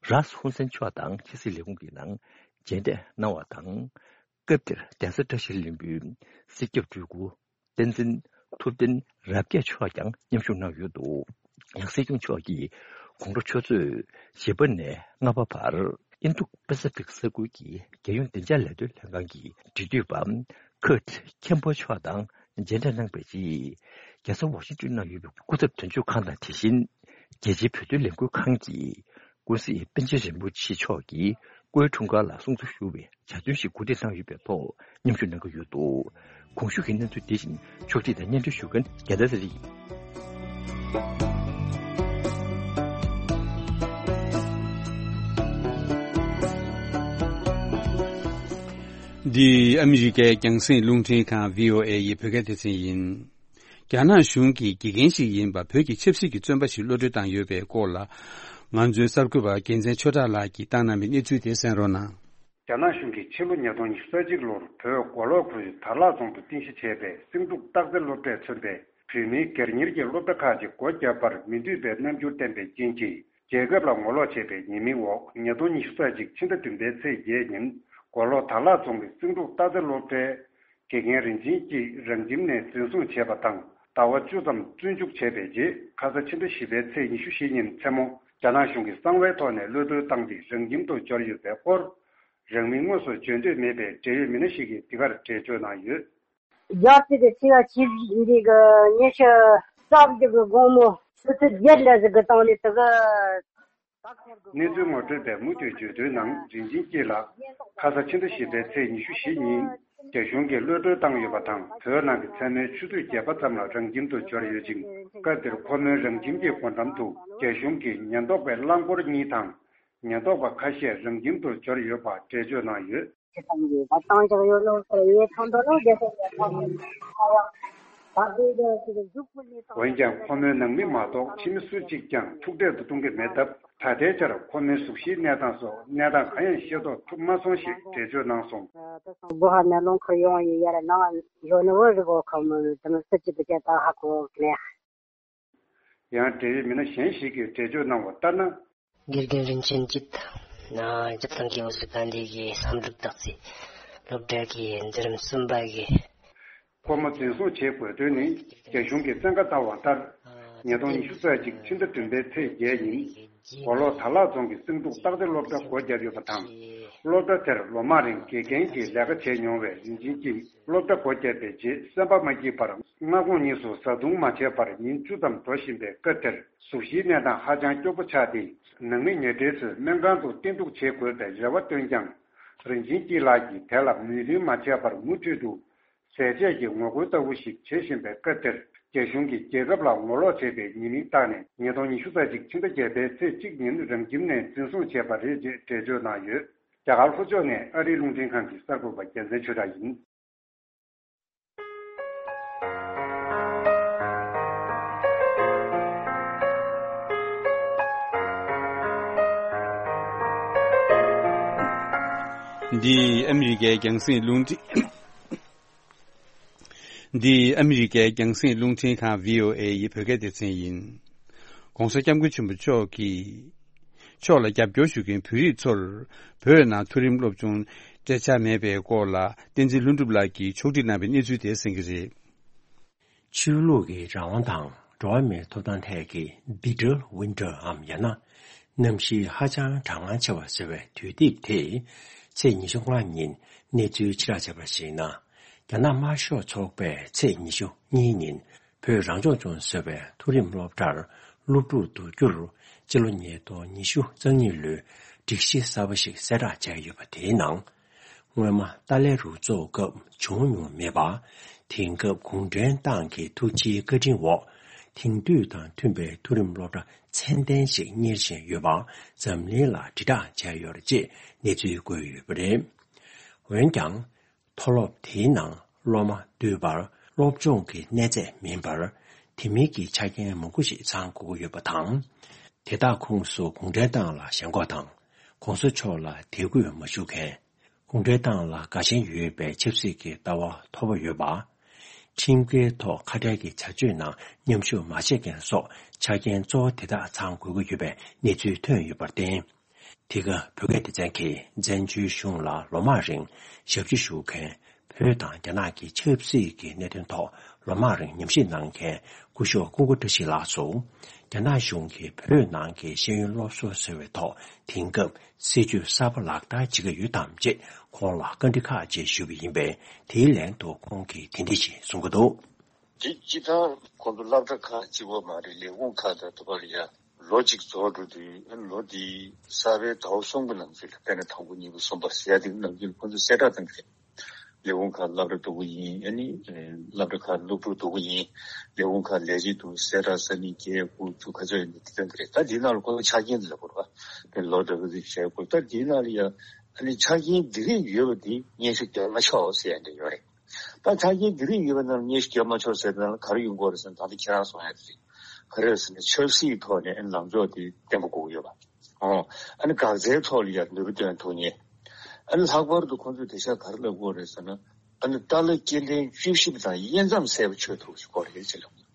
རཱས་ཧུན་སན་མཆོག་དང་ཕྱི་སྲིད་ལས་ཁུངས་ཀྱི་ནང་མཇལ་འཕྲད་གནང་བ་དང་། སྐབས་དེར་གདན་ས་བཀྲ་ཤིས་ལྷུན་པོའི་སྲིད་སྐྱོང་སྤྲུལ་སྐུ་བསྟན་འཛིན་ཐུབ་བསྟན་རབ་རྒྱས་མཆོག་ཀྱང་མཉམ་ཞུགས་གནང་ཡོད་འདུག་ཡང་སྲིད་སྐྱོང་མཆོག་གིས་དགོང་དྲོ་ཆུ་ཚོད་བཞི་པ་ནས་ལྔ་པ་བར་ཨིན་རྡུ་པ་སི་ཕིག་ས་ཁུལ་གྱི་རྒྱལ་ཡོངས་བདེ་འཇགས་ལས་དོན་ལྷན་ཁང་གི་འབྲེལ་མཐུད་པ་ཁུར་ཁེམ་པོ་མཆོག་དང་མཇལ་འཕྲད་གནང་བའི་རྗེས། རྒྱལ་ས་ཝ་ཤིང་ཏོན་ནང་ཡོད་པའི་སྐུ་ཚབ་དོན་གཅོད་ཁང་དང་དེ་བཞིན་རྒྱལ་སྤྱིའི་བོད་དོན་ལས་འགུལ་ཁང་གི་ཀུན་གཟིགས་པཎ་ཆེན་རིན་པོ་ཆེ་མཆོག་གིས་ཀོའི་འཁྲུངས་སྐར་ལ་གསུང་ཆོས་ཞུ་བའི་ཇ་ཚོན་ཞིག་གོ་སྒྲིག་གནང་ཡོད་པའི་ཐོག་མཉམ་ཞུགས་གནང་གི་ཡོད་འདུག་གོང་ཞུས་ཀྱི་གནས་ཚུལ་དེ་བཞིན་ཕྱོགས་སྒྲིག་དང་སྙན་སྒྲོན་ཞུ་མཁན་རྒྱལ་མཚན་ཚེ་རིང་ཡིན། འདི་ཨ་མི་རི་ཀའི་རྒྱང་སྲིང་རླུང་འཕྲིན་ཁང་བྷི་ཨོ་ཨེ་ཡི་བོད་སྐད་སྡེ་ཚན་ཡིན། རྒྱ་ནག་གཞུང་གིས་དགེ་རྒན་ཞིག་ཡིན་པ་བོད་ཀྱི་ཆབ་སྲིད་ཀྱི་བཙོན་པ་ཞིག་གློད་གྲོལ་བཏང་ཡོད་པའི་སྐོར་ལ། ང་ཚོའི་གསར་འགོད་པ་རྒྱལ་མཚན་ཆོས་གྲགས་ལགས་ཀྱིས་བཏང་གནང་བའི་གནས་ཚུལ་དེ་གསན་རོགས་གནང་། རྒྱ་ནག་གཞུང་གིས་ཕྱི་ལོ་ཉིས་སྟོང་ཉི་ཤུ་རྩ་གཅིག་ལོར་བོད་མགོ་ལོག་ཁུལ་དར་ལག་རྫོང་དུ་རྟེན་གཞི་བྱས་པའི་སེང་འབྲུག་སྟག་རྩེ་སློབ་གྲྭས་མཚོན་པའི་བོད་མིའི་སྒེར་གཉེར་གྱི་སློབ་གྲྭ་ཁག་ཅིག་སྒོ་བརྒྱབ་པར་མི་འདོད་པའི་རྣམ་འགྱུར་བསྟན་པའི་རྐྱེན་གྱིས། རྒྱལ་ཁབ་ལ་ངོ་ལོག་བྱས་པའི་ཉེས་མིང་འོག་ཉིས་སྟོང་ཉི་ཤུ་རྩ་གཅིག་ཕྱི་ཟླ་བདུན་པའི་ཚེས་བརྒྱད་ཉིན་མགོ་ལོག་དར་ལག་རྫོང་གི་སེང་འབྲུག་སྟག་རྩེ་སློབ་གྲྭའི་དགེ་རྒན་རིན་ཆེན་སྐྱིད་རང་ཁྱིམ་ནས་འཛིན་བཟུང་བྱས་པ་དང་ཟླ་བ་བཅུ་ཙམ་བཙོན་འཇུག་བྱས་པའི་རྗེས་ཁ་ས་ཕྱི་ཟླ་བཞི་པའི་ཚེས་ཉི་ཤུ་བཞི་ཉིན་མཚན་མོ་རྒྱ་ནག་གཞུང་གིས་གསང་བའི་ཐོག་ནས་གློད་གྲོལ་བཏང་སྟེ་རང་ཁྱིམ་དུ་འབྱོར་ཡོད་པའི་སྐོར། རང་མིང་དངོས་སུ་བརྗོད་འདོད་མེད་པའི་འབྲེལ་ཡོད་མི་སྣ་ཞིག་གིས་འདི་གར་འགྲེལ་བརྗོད་གནང་ཡོད། རྒྱལ་སྤྱི་དེ་ཕྱི་ཟླ་ཆིག་འདི་གི་ཉི་ཤུ་རྩ་བཞི་གི་དགོང་མོ་ཆུ་ཚོད་བརྒྱད་ལ་ཟིག་གི་སྟེང་ནས་དེ་གི་གནས་ཚུལ་ངོ་སྤྲོད་པས་མུ་མཐུད་བརྗོད་དོན་ནང་རིན་ཆེན་སྐྱིད་ལགས་ཁ་ས་ཕྱི་ཟླ་བཞི་པའི་ཚེས་ཉི་ཤུ་བཞི་ཉིན་རྒྱ་གཞུང་གིས་གློད་གྲོལ་བཏང་ཡོད་པ་དང་བོད་ནང་གི་མཚན་མོའི་ཆུ་ཚོད་བརྒྱད་པ་ཙམ་ལ་རང་ཁྱིམ་དུ་འབྱོར་ཡོད་ཅིང་སྐབས་དེར་ཁོ་མོའི་རང་ཁྱིམ་གྱི་སྒོ་འགྲམ་དུ་རྒྱ་གཞུང་གི་ཉེན་རྟོག་པའི་རླངས་འཁོར་གཉིས་དང་། ཉེན་རྟོག་པ་ཁ་ཤས་རང་ཁྱིམ་དུ་འབྱོར་ཡོད་པ་འགྲེལ་བརྗོད་གནང་ཡོད། ཅི་ཙམ་གྱིས་བཏང་བཞག་ཡོད་ནོ་ཟེར་ཡེ་ཐང་དོ་ནོ་རྒྱལ་སྲས་ཀྱི་ཐང་ཡང་བདག་གིས་ཀྱང་ཅིག་གཟུགས་པོ་ནི་དང་། འོན་ཀྱང་ཁོ་མོའི་ནང་མི་མ་གཏོགས་ཕྱི་མི་སུ་གཅིག་ཀྱང་ཐུག་འཕྲད་དུ་གཏོང་གི་མེད་སྟབས་ད་ལྟའི་ཆར་ཁོ་མོའི་གཟུགས་གཞིའི་གནས་སྟངས་སོགས་གནས་སྟངས་གང་ཡང་ཤེས་རྟོགས་ཐུབ་མ་སོང་ཞེས་འགྲེལ་བརྗོད་གནང་སོང་། ད་སང་སྒོ་ཧ་ནས་རླངས་འཁོར་ཡོང་ཡི་ཡར་ནང་ཡོད་ནི་བོ་རི་གོ་ཁོ་མོ་དེ་མི་སུ་གཅིག་གི་ཆེད་ད་ཧ་གོ་མེད། ཡང་འབྲེལ་ཡོད་མི་སྣ་གཞན་ཞིག་གིས་འགྲེལ་བརྗོད་གནང་བ་ལྟར་ན། དགེ་རྒན་རིན་ཆེན་སྐྱིད། ན་སྤྱིར་བཏང་གི་འོ་སི་ཀ་འདི་གི་བསམ་གྲུབ་སྟག་རྩེ་སློབ་གྲྭ་གི་འཛིན་རིམ་གསུམ་པ་གི་ཁོ་མོ་འཛིན་བཟུང་བྱེད་དགོས་དོན་ནི་རྒྱ་གཞུང་གིས་བཙན་བཀའ་བཏང་བ་ལྟར། ཉིས་སྟོང་ཉི་ཤུ་རྩ་གཅིག་ཕྱི་ཟླ་བདུན་པའི་ཚེས་བརྒྱད་ཉིན། མགོ་ལོག་དར་ལག་རྫོང་གི་སེང་འབྲུག་སྟག་རྩེ་སློབ་གྲྭ་སྒོ་བརྒྱབ་ཡོད་པ་དང་། སློབ་གྲྭ་དེར་ལོ་མང་རིང་དགེ་རྒན་གྱི་ལས་ཀ་བྱས་མྱོང་བའི་རིན་ཆེན་གྱིས་སློབ་གྲྭ་སྒོ་བརྒྱབ་པའི་རྗེས་སེམས་པ་མ་སྐྱིད་པར་སྔ་དགོང་གཉིས་སུ་བཟའ་བཏུང་མ་བྱས་པར་ཉིན་བཅུ་ཙམ་འགྲོ་བཞིན་པའི་སྐབས་དེར་གཟུགས་གཞིའི་གནས་སྟངས་ཧ་ཅང་སྐྱོ་པོ་ཆགས་ཏེ། ནང་མི་ཉེ་འབྲེལ་ཚོས་སྨན་ཁང་དུ་བསྟེན་གཏུགས་བྱེད་དགོས་པའི་རེ་བ་བཏོན་ཀྱང་། རིན་ཆེན་སྐྱིད་ལགས་ཀྱིས་དེ་ལ་མོས་མཐུན་མ་བྱས་པར་མུ་མཐུད་དུ་ཟས་བཅད་ཀྱི་ངོ་རྒོལ་ལྟ་བུ་ཞིག་བྱེད་བཞིན་པའི་སྐབས་དེར། རྒྱ་གཞུང་གིས་རྒྱལ་ཁབ་ལ་ངོ་ལོག་བྱས་པའི་ཉེས་མིང་བཏགས་ནས་ཉིས་སྟོང་ཉི་ཤུ་རྩ་གཅིག་ཕྱི་ཟླ་བརྒྱད་པའི་ཚེས་གཅིག་ཉིན་རང་ཁྱིམ་ནས་འཛིན་བཟུང་བྱས་པ་རེད་ཅེས་འགྲེལ་བརྗོད་གནང་ཡོད། རྒྱ་གར་ལྷོ་ཕྱོགས་ནས་ཨ་རིའི་རླུང་འཕྲིན་ཁང་གི་གསར་འགོད་པ་རྒྱལ་མཚན་ཆོས་གྲགས་ཡིན། འདི་ཨ་མི་རི་ཀའི་རྒྱང་སྲིང་རླུང་འཕྲིན། འདི་ཨ་མི་རི་ཀའི་རྒྱང་སྲིང་རླུང་འཕྲིན་ཁང་བྷི་ཨོ་ཨེ་ཡི་བོད་སྐད་སྡེ་ཚན་ཡིན། ༸གོང་ས་༸སྐྱབས་མགོན་ཆེན་པོ་མཆོག་གིས། མཆོག་ལ་རྒྱབ་སྐྱོར་ཞུ་མཁན་བོད་རིགས་ཚོར། བོད་ནང་མཐོ་རིམ་སློབ་སྦྱོང་སྤྲད་འཆར་མེད་པའི་སྐོར་ལ་བསྟན་འཛིན་ལྷུན་གྲུབ་ལགས་ཀྱིས་ཕྱོགས་སྒྲིག་གནང་བའི་གནས་ཚུལ་དེ་གསན་གྱི་རེད། ཆོས་ལུགས་ཀྱི་རང་དབང་དང་འགྲོ་བ་མིའི་ཐོབ་ཐང་ཐད་ཀྱི་Digital Winter འམ་ཡང་ན་གནམ་གཤིས་ཧ་ཅང་གྲང་ངར་ཆེ་བ་ཟེར་བའི་དུས་དེབ་དེས་ཚེས་ཉི་ཤུ་ལྔ་ཉིན་གནས་ཚུལ་ཕྱིར་བསྒྲགས་བྱས་པར་གཞིགས་ན། རྒྱ་ནག་དམར་ཤོག་ཚོགས་པས་ཚེས་ཉི་ཤུ་གཉིས་ཉིན་བོད་རང་སྐྱོང་ལྗོངས་ཟེར་བའི་མཐོ་རིམ་སློབ་གྲྭར་སློབ་ཕྲུག་བསྡུ་རྒྱུར་སྤྱི་ལོ་ཉིས་སྟོང་ཉི་ཤུ་རྩ་གཉིས་ལོའི་སྒྲིག་གཞི་གསར་པ་ཞིག་གསལ་བསྒྲགས་བྱས་ཡོད་པ་དེའི་ནང་། སྔོན་མ་ཏཱ་ལའི་རུ་ཚོགས་སྐབས་བྱུང་མྱོང་མེད་པ། དེང་སྐབས་གུང་ཁྲན་ཏང་གི་ཐུགས་རྗེའི་བཀའ་དྲིན་འོག་ དེང་དུས་དང་མཐུན་པའི་མཐོ་རིམ་སློབ་གྲྭ་ཚད་ལྡན་ཞིག་གཉེར་བཞིན་ཡོད་པ་འཛམ་གླིང་ལ་དྲིལ་བསྒྲགས་བྱས་ཡོད་རེད་ཅེས་གནས་ཚུལ་བཀོད་ཡོད་པ་རེད། འོན་ཀྱང་། མཐོ་སློབ་དེའི་ནང་སློབ་མ་འདུས་པར་སློབ་སྦྱོང་གི་གནས་ཚད་མིན་པར། དེ་མིན་གྱི་ཆ་རྐྱེན་མང་པོ་ཞིག་ཚང་དགོས་ཀྱི་ཡོད་པ་དང་། དེ་དག་ཁོངས་སུ་གུང་ཁྲན་ཏང་ལ་ཞེན་ཁོག་དང་། ༸གོང་ས་མཆོག་ལ་དད་གུས་མ་ཞུ་མཁན། གུང་ཁྲན་ཏང་ལ་དགའ་ཞེན་ཡོད་པའི་ཆབ་སྲིད་ཀྱི་ལྟ་བ་མཐོ་པོ་ཡོད་པ། ཁྲིམས་འགལ་ཐོག་ཁ་བྲལ་གྱི་བྱ་སྤྱོད་ནང་མཉམ་ཞུགས་མ་བྱེད་མཁན་སོགས་ཆ་རྐྱེན་གཙོ་བོ་དེ་དག་ཚང་དགོས་ཀྱི་ཡོད་པའི་གནས་ཚུལ་ཐོན་ཡོད་པར་བརྟེན། དེ་ག་བོད་སྐད་སྡེ་ཚན་གྱིས་བཙན་བྱོལ་གཞུང་ལ་ལོ་མང་རིང་ཞབས་ཕྱི་ཞུ་མཁན། བོད་དང་རྒྱ་ནག་གི་ཆབ་སྲིད་ཀྱི་གནད་དོན་ཐོག་ལོ་མང་རིང་ཉམས་ཞིབ་གནང་མཁན་སྐུ་ཞབས་ཀུན་དགའ་བཀྲ་ཤིས་ལགས་སུ། རྒྱ་ནག་གཞུང་གིས་བོད་ནང་གི་ཤེས་ཡོན་སློབ་གསོ་ཟེར་བའི་ཐོག་དེང་སྐབས་སྲིད་ཇུས་གསར་པ་ལག་བསྟར་བྱེད་ཀྱི་ཡོད་དམ་ཅེས་ཁོང་ལ་བཀའ་འདྲི་ཁག་ཅིག་ཞུས་པ་ཡིན་པས། དེའི་ལན་དུ་ཁོང་གིས་དེ་འདྲ་ཞིག་གསུང་གི་འདུག། དེ་སྤྱིར་བཏང་ཁོང་ཚོ་སློབ་གྲྭ་ཁག་གཅིག་པོ་མ་རེད། ལས་ཁུངས་ཁག་དང་དུ་བ་ལ་ཡ་ལོ་གཅིག་རྫོགས་འགྲོ་དུས་ལོ་འདིའི་གསར་པའི་ཟླ་བ་གསུམ་གྱི་ནང་ཚུད་ལ། དཔེར་ན་དང་པོ་གཉིས་པ་གསུམ་པ་ཟེར་ཡ་དེ་ནང་ཚུད་ཁོང་ཚོས་གསལ་བསྒྲགས་བཏང་གི་རེད། ལས་ཁུངས་ཁག་སློབ་གྲྭ་སྡུག་པོ་ཡིན། ཨ་ནི་སློབ་གྲྭ་ཁག་སློབ་ཕྲུག་སྡུག་པོ་ཡིན། ལས་ཁུངས་ཁག་ལས་བྱེད་སྡུག་གསལ་བསྒྲགས་ས་ནི་བརྒྱད་དགུ་བཅུ་ཁ་ཚོད་ཡིན་དེ་བཏང་གི་རེད། ད་དེའི་ནང་ལ་ཁོང་ཚོ་ཆ་རྐྱེན་དེ་ལ་བོར་བ་དེ་ལོ་འདྲ་པོ་ཞིག་བྱས་དགོས། ད་དེའི་ནང་ལ་ཡ་ཨ་ནི་ཆ་རྐྱེན་འདི་རིགས་ཡོད་པ་དེ་སྙན་ཞུ་བརྒྱབ་མ་ཆོག་ཟེར་ཡ་འདྲ་ཡོད་རེད། ད་ཆ་རྐྱེན་འདི་རིགས་ཡོད་པ་རྣམས་སྙན་ཞུ་བརྒྱབ་མ་ཆོག་ཟེར་ན་ག་རེ་ཡོང་གི་རེད་ཟེར་ན། ད་ལྟ་ཁྱེད་རང་གསུང་ཡ་དེ་རེད། ག་རེ་རེད་ཟེར་ན་ཆབ་སྲིད་ཐོག་ནས་ལངས་ཕྱོགས་དེ་བརྟན་པོ་དགོས་ཀྱི་ཡོད་པ། ཨོ། ཨ་ནི་འགག་རྩའི་ཐོག་ལ་ཡང་ནུས་པ་བཏོན་ཐུབ་མཁན། ཨ་ནི་ལྷག་པར་དུ་ཁོང་ཚོས་དེང་སང་ག་རེ་ལབ་དགོས་རེད་ཟེར་ན། ཨ་ནི་ཏཱ་ལའི་སྐྱེ་ཕྲེང་བཅུ་བཞི་པ་དང་དབྱེ་མཚམས་གསལ་པོ་ཆོད་ཐུབ་ཀྱི་སྐོར་རེད་ཟེར་ལབ། བྱས་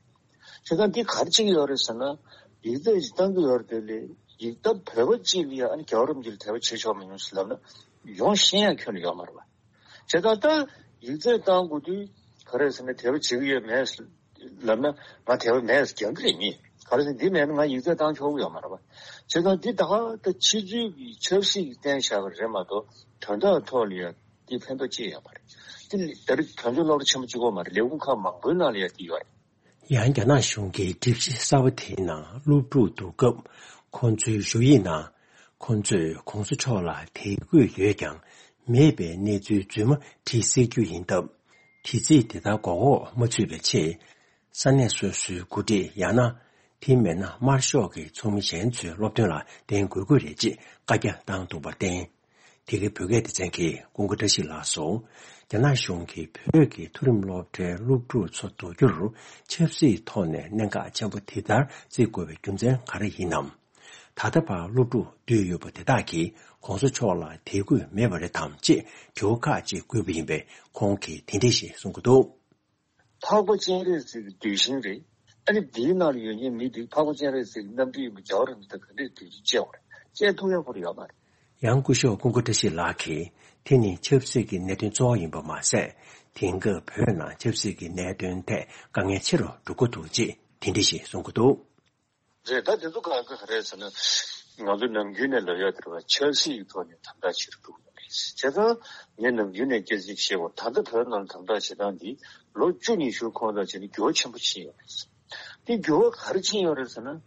ཙང་འདི་ག་རེ་བྱེད་ཀྱི་ཡོད་རེད་ཟེར་ན། ཡིག་ཚད་ཅིག་བཏང་གི་ཡོད་རེད། དེ་ལས་ཡིག་ཐོག་བོད་པ་གཅིག་ལ་ཡང་ཨ་ནི་རྒྱལ་བ་རིན་པོ་ཆེ་ལ་དད་པ་བྱེད་ཆོག་མི་ཉུང་ཞིག་ལབ་ན་ཡོང་ཤེས་ཡ་ཁྱོན་ནས་ཡོད་མ་རེད་པ། བྱས་ཙང་ད་ཡིག་ཚད་བཏང་དགོས་དུས་ག་རེ་ཟེར་ན་དད་པ་བྱེད་ཀྱི་ཡོད་མེད་ལབ་ན་ང་དད་པ་མེད་ཟེར་རྒྱག་གི་རེད་མི། ག་རེ་ཟེར་འདི་མེད་ན་ང་ཡིག་ཚད་བཏང་ཆོག་གི་ཡོད་མ་རེད་པ། བྱས་ཙང་འདི་ད་ག་ད་ཕྱི་ཚུལ་གྱི་ཆབ་སྲིད་ཀྱི་བསྟན་བཞག་པ་རེད་མ་གཏོགས་དོན་དག་ཐོག་ལ་ཡང་འདི་ཕན་ཐོགས་ཅི་ཡོད་མ་རེད། འདི་ད་རེས་བོད་ལྗོངས་སློབ་གྲྭ་ཆེན་པོ་གཅིག་པོ་མ་རེད། ལས་ཁུངས་ཁག་མང་པོའི་ནང་ལ་ཡང་འདི་ཡོད་རེད། ཡང་རྒྱ་ནག་གཞུང་གིས་སྒྲིག་གཞི་གསར་པ་དེའི་ནང་སློབ་ཕྲུག་བསྡུ་སྐབས་ཁོང་ཚོའི་ཞུ་ཡིག་ནང་ཁོང་ཚོས་གོང་ས་མཆོག་ལ་དད་གུས་ཡོད་ཀྱང་མེད་པའི་གནས་ཚུལ་རྫུན་མ་བྲིས་སྲིད་རྒྱུ་ཡིན་སྟབས། དེ་ཚིག་དེ་ལྟར་མགོ་འོག་མ་ཚུད་པའི་ཆེད། ས་གནས་སོ་སོའི་འགོ་ཁྲིད་ཡང་ན། དེ་མིན་ན་དམར་ཤོག་གི་ཚོགས་མི་གཞན་ཚོའི་སློབ་སྟོན་ལ་བརྟེན་དགོས་ཀྱི་རེད་ཅེས་བཀའ་རྒྱ་བཏང་འདུག་པར་བརྟེན། དེ་གའི་བོད་སྐད་སྡེ་ཚན་གྱིས་ཀུན་དགའ་བཀྲ་ཤིས་ལགས་སུ། རྒྱ་ནག་གཞུང་གིས་བོད་ཀྱི་མཐོ་རིམ་སློབ་གྲྭའི་སློབ་ཕྲུག་ཚོ་བསྡུ་རྒྱུར་ཆབ་སྲིད་ཐོག་ནས་གནད་འགག་ཆེན་པོ་དེ་ལྟར་བརྩི་དགོས་པའི་རྒྱུ་མཚན་ག་རེ་ཡིན་ནམ། ད་ལྟ་བར་སློབ་ཕྲུག་བསྡུས་ཡོད་པ་དེ་དག་གིས་གོང་ས་མཆོག་ལ་དད་གུས་མེད་པ་རེད་དམ་ཅེས་དྲི་བ་ཁག་ཅིག་བཀོད་པ་ཡིན་པས། ཁོང་གིས་དེ་འདྲ་ཞིག་གསུང་གི་འདུག། འཕགས་པ་སྤྱན་རས་གཟིགས་ཀྱི་གདུལ་ཞིང་རེད། ཨ་ནི་འདིའི་ནང་ལ་ཡོད་མཁན་མི་འདི་འཕགས་པ་སྤྱན་རས་གཟིགས་ཀྱི་རྣམ་སྤྲུལ་ཡིན་པ་རྒྱལ་བ་རིན་པོ་ཆེ་ག་འདྲས་དུས་ཀྱི་སྐྱེ་བ་རེད། སྐྱེ་ཐུབ་ཡག་པོ་རེད་ཡོད་མ་རེད། ཡང་སྐུ་ཞབས་ཀུན་དགའ་བཀྲ་ཤིས་ལགས་ཀྱིས་དེ་ནི་ཆབ་སྲིད་ཀྱི་གནད་དོན་གཙོ་བོ་ཡིན་པ་མ་ཟད། དེང་སྐབས་བོད་ནང་ཆབ་སྲིད་ཀྱི་གནད་དོན་ཐད་དཀའ་ངལ་ཆེ་རུ་འགྲོ་གི་འདུག་ཅེས་དེ་འདྲ་ཞིག་གསུང་གི་འདུག། རེད། ད་དེ་ཚོ་ག་ག་རེད་ཟེར་ན། ང་ཚོ་ནམ་རྒྱུན་ནས་ལབ་ཡག་དེ་རེད་བ། ཆབ་སྲིད་ཀྱི་ཐོག་ནས་དམ་དྲག་བྱེད་རུ་འགྲོ་གི་ཡོད་རེད། བྱས་ཙང་ངས་ནམ་རྒྱུན་ནས་སྐད་ཆ་བཤད་པ། ད་ལྟ་བོད་ནང་ལ་དམ་དྲག་བྱེད་སྟངས་འདི་ལོ་བཅུ་ཉི་ཤུ་གོང་དང་བྱས་ནས་འགྱུར་བ་ཆེན་པོ་ཕྱིན་ཡོད་རེད། དེ་འགྱུར་བ་ག་རེ་ཕྱིན་ཡོད་རེད་ཟེར་ན།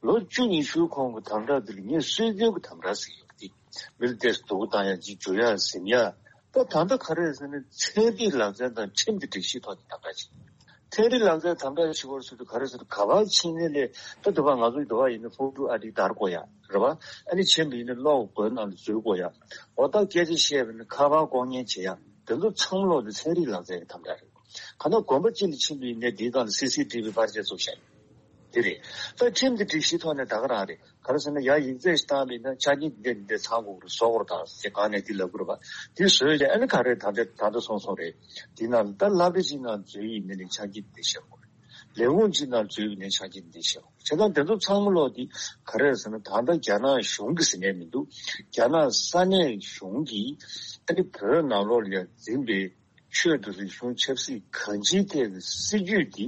ལོ་བཅུ་ཉི་ཤུ་གོང་གི་དམ་དྲག་འདི་ལ་ངས་སྲོལ་རྒྱུན་གྱི་དམ་དྲག་ཟེར་གྱི་ཡོད་རེད། མི་ལ་ཏོག་ཙམ་སྡུག་པོ་བཏང་ཡག་ཅིག་འཇུ་ཡག་ཟིན་ཡག་ད་ད་ལྟ་ག་རེ་རེད་ཟེར་ན་ཚན་རིག་ལག་རྩལ་དང་ཁྲིམས་ཀྱི་སྒྲིག་གཞིའི་ཐོག་ནས་དམ་དྲག་བྱེད། ཚན་རིག་ལག་རྩལ་དམ་དྲག་བྱེད་པར་སོང་དུས་ག་རེ་ཟེར་ན། ག་པར་ཕྱིན་ནའི་ལས་ད་དུ་བ་ང་ཚོ་དུ་བ་ཡིན་ན་ཕུག་ཀྲུའུ་ཨ་ཏི་དར་དགོས་ཡ་རེད་བ། ཨ་ནི་ཆེན་པོ་ཡིན་ན་གློག་སྒོའི་ནང་དུ་འཛུལ་དགོས་ཡ། འོ་ད་སྐད་ཆ་བཤད་པ་ཡིན་ན་ཁ་པར་ལྐོག་ཉན་བྱེད་ཡ། དེ་ཚོ་ཚང་མ་ལོག་དེ་ཚན་རིག་ལག་རྩལ་གྱི་དམ་དྲག་རེད། ག་ན་དགོན་པ་གཅིག་ལ་ཕྱིན་པ་ཡིན་ནའི་དེའི་སྒང་ལ་སི་སི་ཊི་ཝི་པར་ཆས་བཙུགས་བཞག་ཡོད། དེ་རེད། ད་ཁྲིམས་ཀྱི་སྒྲིག་གཞིའི་ཐོག་ནས་ད་ག་རང་རེད། ག་རེ་ཟེར་ན་ཡ་ཡིག་ཚད་ཞིག་བཏང་བ་ཡིན་ན་ཆ་རྐྱེན་འདི་འདྲ་འདི་འདྲ་ཚང་དགོས་རེད། བཟོ་དགོས་རེད་ད་ཟེར་སྒང་ནས་འདི་ལབ་དགོས་རེད་པ། འདི་བཟོས་ཀྱང་ཨ་ནི་ག་རེ་ད་ལྟ་ད་ལྟ་སོང་སོང་རེད། འདི་ནང་ལ་ད་སློབ་གྲྭ་གཅིག་ནང་འཛུལ་ཡིན་ནའི་ཆ་རྐྱེན་འདི་བཞག་དགོས་རེད། ལས་ཁུངས་གཅིག་ནང་འཛུལ་ཡིན་ནའི་ཆ་རྐྱེན་འདི་བཞག་དགོས་རེད། བྱས་ཙང་དེ་ཚོ་ཚང་མ་ལོག་འདི་ག་རེ་ཟེར་ན་ད་ལྟ་རྒྱ་ནག་གཞུང་གི་ཟེར་ནས་མི་འདུག། རྒྱ་ནག་ས་གནས་གཞུང་གིས་ཨ་ནི་བོད་ནང་ལོགས་ལ་ཡ་འཛིན་པའི་ཆོས་དང་རིག་གཞུང་ཆབ་སྲིད་གང་ཅིའི་ཐད་ཀྱི་སྲིད་ཇུས་འདི་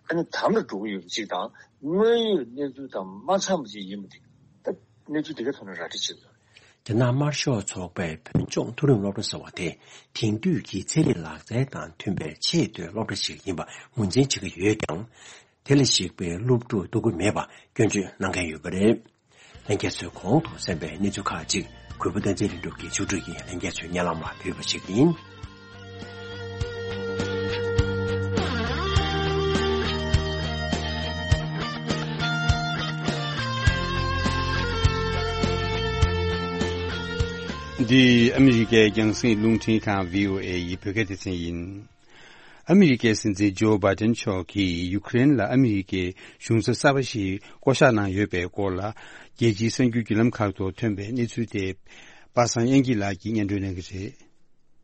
ཨ་ནི་དམ་ལ་འགྲོ་གི་ཡོད་པ་ཅིག་དང་། དངོས་ཡོད་གནས་ཚུལ་དང་མ་འཚམས་པ་ཅིག་ཡིན་པ་འདི་ད་གནས་ཚུལ་འདི་ག་ཐོག་ནས་ར་སྤྲོད་བྱེད་དགོས། རྒྱ་ནག་དམར་ཤོག་ཚོགས་པའི་བོད་ལྗོངས་མཐོ་རིམ་སློབ་གྲྭ་ཟེར་བ་དེ་དེང་དུས་ཀྱི་ཚན་རིག་ལག་རྩལ་དང་མཐུན་པའི་ཆེས་མཐོའི་སློབ་གྲྭ་ཞིག་ཡིན་པ་ངོས་འཛིན་བྱེད་ཀྱི་ཡོད་ཀྱང་། དེ་ལ་གཞིགས་པའི་སློབ་ཕྲུག་བསྡུ་གི་མེད་པ་སྐྱོན་བརྗོད་གནང་མཁན་ཡོད་པ་རེད། ལྷན་རྒྱས་ཚོས་གོང་དུ་གསན་པའི་གནས་ཚུལ་ཁག་ཅིག་གུས་པ་བསྟན་འཛིན་ལྷུན་གྲུབ་ཀྱིས་ཕྱོགས་བསྒྲིགས་ཀྱིས་ལྷན་རྒྱས་ཚོའི་སྙན་ལམ་ལ་ཕུལ་བ་ཞིག་ཡིན། འདི་ཨ་མི་རི་ཀའི་རྒྱང་སྲིང་རླུང་འཕྲིན་ཁང་བྷི་ཨོ་ཨེ་ཡི་བོད་སྐད་སྡེ་ཚན་ཡིན། ཨ་མི་རི་ཀའི་སྲིད་འཛིན་ཇོ་བྷའི་ཏན་མཆོག་གིས་ཡུ་ཀེ་རེན་ལ་ཨ་མི་རི་ཀའི་གཞུང་ཚབ་གསར་པ་ཞིག་བསྐོ་གཞག་གནང་ཡོད་པའི་སྐོར་ལ། རྒྱལ་སྤྱིའི་གསར་འགྱུར་བརྒྱུད་ལམ་ཁག་ཏུ་ཐོན་པའི་གནས་ཚུལ་དེ། པ་སངས་དབྱངས་སྐྱིད་ལགས་ཀྱིས་སྙན་སྒྲོན་གནང་གི་རེད།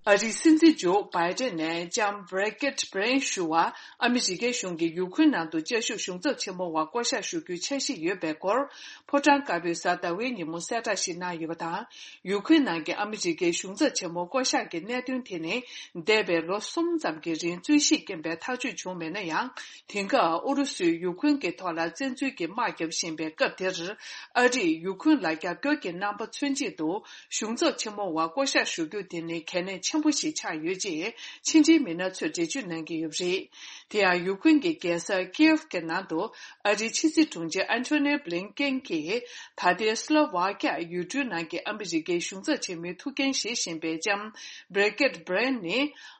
ཨ་རིའི་སྲིད་འཛིན་ཇོ་བྷའི་ཏན་ནས་ལྕམ་བྷི་རི་ཀེད་བྷི་རེན་ཞུ་བ་ཨ་མི་རི་ཀའི་གཞུང་གིས་ཡུ་ཁུན་ནང་དུ་བཅའ་བཞུགས་གཞུང་ཚབ་ཆེན་མོ་བ་བསྐོ་གཞག་ཞུ་རྒྱུའི་འཆར་གཞི་ཡོད་པའི་སྐོར། ཕོ་བྲང་དཀར་པོའི་གཟའ་ཟླ་བའི་ཉིན་མོ་གསལ་བསྒྲགས་ཤིག་གནང་ཡོད་པ་དང་། ཡུ་ཁུན་ནང་གི་ཨ་མི་རི་ཀའི་གཞུང་ཚབ་ཆེན་མོ་བསྐོ་གཞག་གི་གནད་དོན་དེ་ནི། འདས་པའི་ལོ་གསུམ་ཙམ་གྱི་རིང་རྩོད་གཞིས་རྐྱེན་པས་ཐག་གཅོད་བྱུང་མེད་ན་ཡང་། དེང་སྐབས་ཨུ་རུ་སུས་ཡུ་ཁུན་གྱི་ཐོག་ལ་བཙན་འཛུལ་གྱིས་དམག་བརྒྱབ་བཞིན་པའི་སྐབས་དེར། ཨ་རིས་ཡུ་ཁུན་ལ་རྒྱབ་སྐྱོར་གྱི་རྣམ་པ་མཚོན་ཆེད་དུ། གཞུང་ཚབ་ཆེན་མོ་བ་བསྐོ་གཞག་ཞུ་རྒྱུ་དེ་ནི་གལ་གནད་ཆེན་པོ་ཞིག་ཆགས་ཡོད་ཅེས་ཕྱི་འབྲེལ་མི་སྣ་ཚོས་འགྲེལ་བརྗོད་གནང་གི་ཡོད་པ་རེད། དེ་ཡང་ཡུ་ཁུན་གྱི་རྒྱལ་ས་ཀི་ཡེབ་ཀྱི་ནང་དུ་ཨ་རིའི་ཕྱི་སྲིད་དྲུང་ཆེ་ཨན་ཐོ་ནི་བྷི་ལིན་ཀེན་གྱིས་ད་ལྟའི་སི་ལོ་ཝཱ་ཀྱ་ཡུལ་གྲུའི་ནང་གི་ཨ་མི་རི་ཀའི་གཞུང་ཚབ་ཆེན་མོའི་ཐུགས་འགན་བཞེས་བཞིན་པའི་ལྕམ་བྷི་རི་ཀེད་བྷི་རེན་ནི།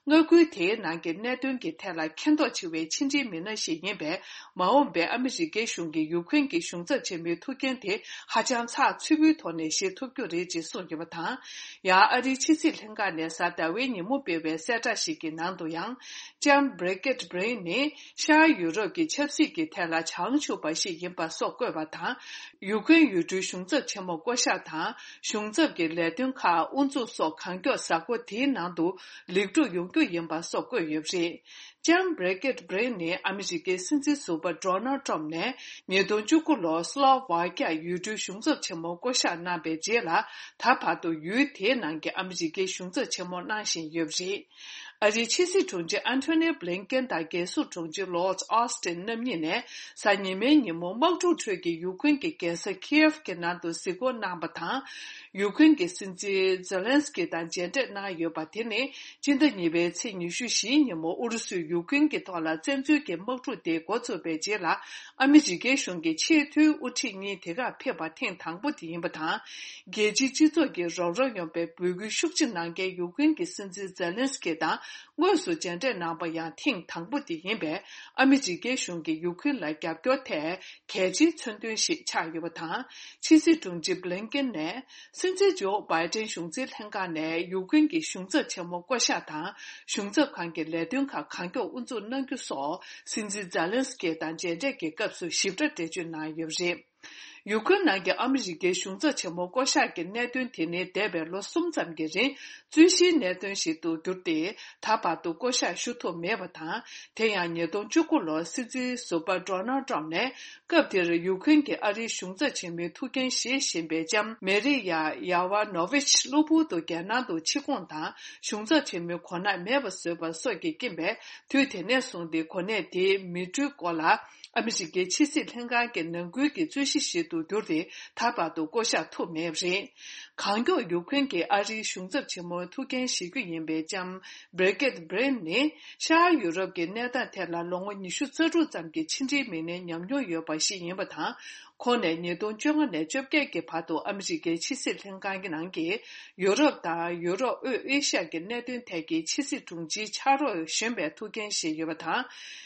མངའ་ཁུལ་དེའི་ནང་གི་གནད་དོན་གྱི་ཐད་ལ་མཁྱེན་རྟོགས་ཆེ་བའི་ཕྱི་འབྲེལ་མི་སྣ་ཞིག་ཡིན་པས། མ་འོངས་པའི་ཨ་མི་རི་ཀའི་གཞུང་གིས་ཡུ་ཁུན་གྱི་གཞུང་ཚབ་ཆེན་མོའི་ཐུགས་འགན་དེ་ཧ་ཅང་ཚགས་ཚུད་པོའི་ཐོག་ནས་བཞེས་ཐུབ་རྒྱུ་རེད་ཅེས་གསུངས་ཡོད་པ་དང་། ཡང་ཨ་རིའི་ཕྱི་སྲིད་ལྷན་ཁང་ནས་གཟའ་ཟླ་བའི་ཉིན་མོ་སྤེལ་བའི་གསལ་བསྒྲགས་ཤིག་གི་ནང་དུ་ཡང་། ལྕམ་བྷི་རི་ཀེད་བྷི་རེན་ནི་ཤར་ཡུ་རོབ་ཀྱི་ཆབ་སྲིད་ཀྱི་ཐད་ལ་བྱང་ཆུབ་པ་ཞིག་ཡིན་པ་སོགས་བཀོད་པ་དང་། ཡུ་ཀེན་ཡུལ་གྲུའི་གཞུང་ཚབ་ཆེན་མོ་བསྐོ་གཞག་དང་། གཞུང་ཚབ་ཀྱི་ལས་དོན་ཁག་དབུ་འཛུགས་སོགས་གང་མགྱོགས་གཟའ་འཁོར་དེའི་ནང་དུ་ལེགས་གྲུབ་ཡོང་རྒྱུ་ཡིན་པ་སོགས་བཀོད་ཡོད་པ་རེད། ལྕམ་བྷི་རི་ཀེད་བྷི་རེན་ནི་ཨ་མི་རི་ཀའི་སྲིད་འཛིན་ཟུར་པ་ཌོ་ནལ་ཊམ་ནས་ཉིས་སྟོང་བཅུ་དགུ་ལོར་སི་ལོ་ཝཱ་ཀྱ་ཡུལ་གྲུའི་གཞུང་ཚབ་ཆེན་མོ་བསྐོ་གཞག་གནང་པའི་རྗེས་ལ། ད་བར་དུ་ཡུལ་དེའི་ནང་གི་ཨ་མི་རི་ཀའི་གཞུང་ཚབ་ཆེན་མོ་གནང་བཞིན་ཡོད་པ་རེད། ཨ་རིའི་ཕྱི་སྲིད་དྲུང་ཆེ་ཨན་ཐོ་ནི་བྷི་ལིན་ཀེན་དང་རྒྱལ་སྲུང་དྲུང་ཆེ་ལོར་ཌི་ཨོ་སི་ཏིན་རྣམ་གཉིས་ནས་གཟའ་ཉི་མའི་ཉིན་མོ་དམག་འཁྲུག་ཁྲོད་ཀྱི་ཡུ་ཁུན་གྱི་རྒྱལ་ས་ཁི་ཡེབ་ཀྱི་ནང་དུ་གཟིགས་སྐོར་གནང་པ་དང་། ཡུ་ཁུན་གྱི་སྲིད་འཛིན་ཛེ་ལན་སི་ཀི་དང་མཇལ་འཕྲད་གནང་ཡོད་པ་དེ་ནི། སྤྱི་ཟླ་གཉིས་པའི་ཚེས་ཉི་ཤུ་བཞིའི་ཉིན་མོ་ཨུ་རུ་སུས་ཡུ་ཁུན་གྱི་ཐོག་ལ་བཙན་འཛུལ་གྱི་དམག་འཁྲུག་དེ་འགོ་བཙུགས་པའི་རྗེས་ལ། ཨ་མི་རི་ཀའི་གཞུང་གིས་ཆེས་མཐོའི་དབུ་ཁྲིད་གཉིས་དེ་གར་ཕེབས་པ་ཐེངས་དང་པོ་དེ་ཡིན་པ་དང་། རྒྱལ་སྤྱིའི་སྤྱི་ཚོགས་ཀྱིས་རོགས་རམ་ཡོང་བའི་འབོད་སྐུལ་ཤུགས་ཆེ་གནང་མཁན་ཡུ་ཀེན་གྱི་སྲིད་འཛིན་ཛེ་ལན་སི་ཀི་དང་དངོས་སུ་མཇལ་འཕྲད་གནང་པ་ཡང་ཐེངས་དང་པོ་དེ་ཡིན་པས། ཨ་མི་རི་ཀའི་གཞུང་གིས་ཡུ་ཀེན་ལ་རྒྱབ་སྐྱོར་ཐད་གལ་ཆེའི་མཚོན་དོན་ཞིག་ཆགས་ཡོད་པ་དང་། ཕྱི་སྲིད་དྲུང་ཆེ་བྷི་ལིན་ཀེན་ནས། སྲིད་འཛིན་ཇོ་བྷའི་ཏན་གཞུང་འཛིན་ལྷན་ཁང་ནས་ཡུ་ཀེན་གྱི་གཞུང་ཚབ་ཆེན་མོ་བསྐོ་གཞག་དང་། གཞུང་ཚབ་ཁང་གི་ལས་དོན་ཁག་གང་མགྱོགས་དབུ་འཛུགས་གནང་རྒྱུ་སོགས། སྲིད་འཛིན་ཛེ་ལན་སི་ཀི་དང་མཇལ་འཕྲད་ཀྱི་སྐབས་སུ་ཞིབ་ཕྲ་འགྲེལ་བརྗོད་གནང་ཡོད་པ་རེད། ཡུ་ཀེན་ནང་གི་ཨ་མི་རི་ཀའི་གཞུང་ཚབ་ཆེན་མོ་བསྐོ་གཞག་གི་གནད་དོན་དེ་ནི་འདས་པའི་ལོ་གསུམ་ཙམ་གྱི་རིང་རྩོད་གཞིའི་གནད་དོན་ཞིག་ཏུ་གྱུར་ཏེ། ད་བར་དུ་བསྐོ་གཞག་ཞུ་ཐུབ་མེད་པ་དང་། དེ་ཡང་ཉིས་སྟོང་བཅུ་དགུ་ལོར་སྲིད་འཛིན་ཟུར་པ་ཌོ་ནལ་ཊམ་ནས་སྐབས་དེར་ཡུ་ཀེན་གྱི་ཨ་རིའི་གཞུང་ཚབ་ཆེན་མོའི་ཐུགས་འགན་བཞེས་བཞིན་པའི་ལྕམ་མེ་རི་ཡ་ཡ་ཝ་ནོ་ཝིཆ་གློ་བུར་དུ་རྒྱལ་ནང་དུ་ཕྱིར་འཁོར་དང་གཞུང་ཚབ་ཆེན་མོའི་གོ་གནས་མེད་པ་བཟོས་པ་སོགས་ཀྱི་རྐྱེན་པས། དུས་དེ་ནས་བཟུང་སྟེ་གོ་གནས་དེའི་མི་འགྲུལ་སྐོར་ལ། ཨ་མི་རི་ཀའི་ཕྱི་སྲིད་ལྷན་ཁང་གི་ནང་ཁུལ་གྱི་རྩོད་གཞི་ཞིག་ཏུ་གྱུར་ཏེ། ད་བར་དུ་བསྐོ་གཞག་ཐུབ་མེད་པ་རེད། གང་མགྱོགས་ཡུ་ཀེན་གྱི་ཨ་རིའི་གཞུང་ཚབ་ཆེན་མོའི་ཐུགས་འགན་བཞེས་རྒྱུ་ཡིན་པའི་ལྕམ་བྷི་རི་ཀེད་བྷི་རེན་ནི། ཤར་ཡུ་རོབ་ཀྱི་གནས་སྟངས་ཐད་ལ་ལོ་ངོ་ཉི་ཤུ་རྩ་དྲུག་ཙམ་གྱི་ཕྱི་འབྲེལ་མི་སྣའི་ཉམས་མྱོང་ཡོད་པ་ཞིག་ཡིན་པ་དང་། ཁོང་ནས་ཉིས་སྟོང་བཅོ་ལྔ་ནས་བཅོ་བརྒྱད་ཀྱི་བར་དུ་ཨ་མི་རི་ཀའི་ཕྱི་སྲིད་ལྷན་ཁང་གི་ནང་གི་ཡུ་རོབ་དང་ཡུ་རོབ་དབུས་ཨེ་ཤ་ཡ་གི་གནད་དོན་ཐད་ཀྱི་ཕྱི་སྲིད་དྲུང་ཆེའི་ཕྱག་རོགས་གཞོན་པའི་ཐུགས་འགན་བཞེས་ཡོད་པ་དང་།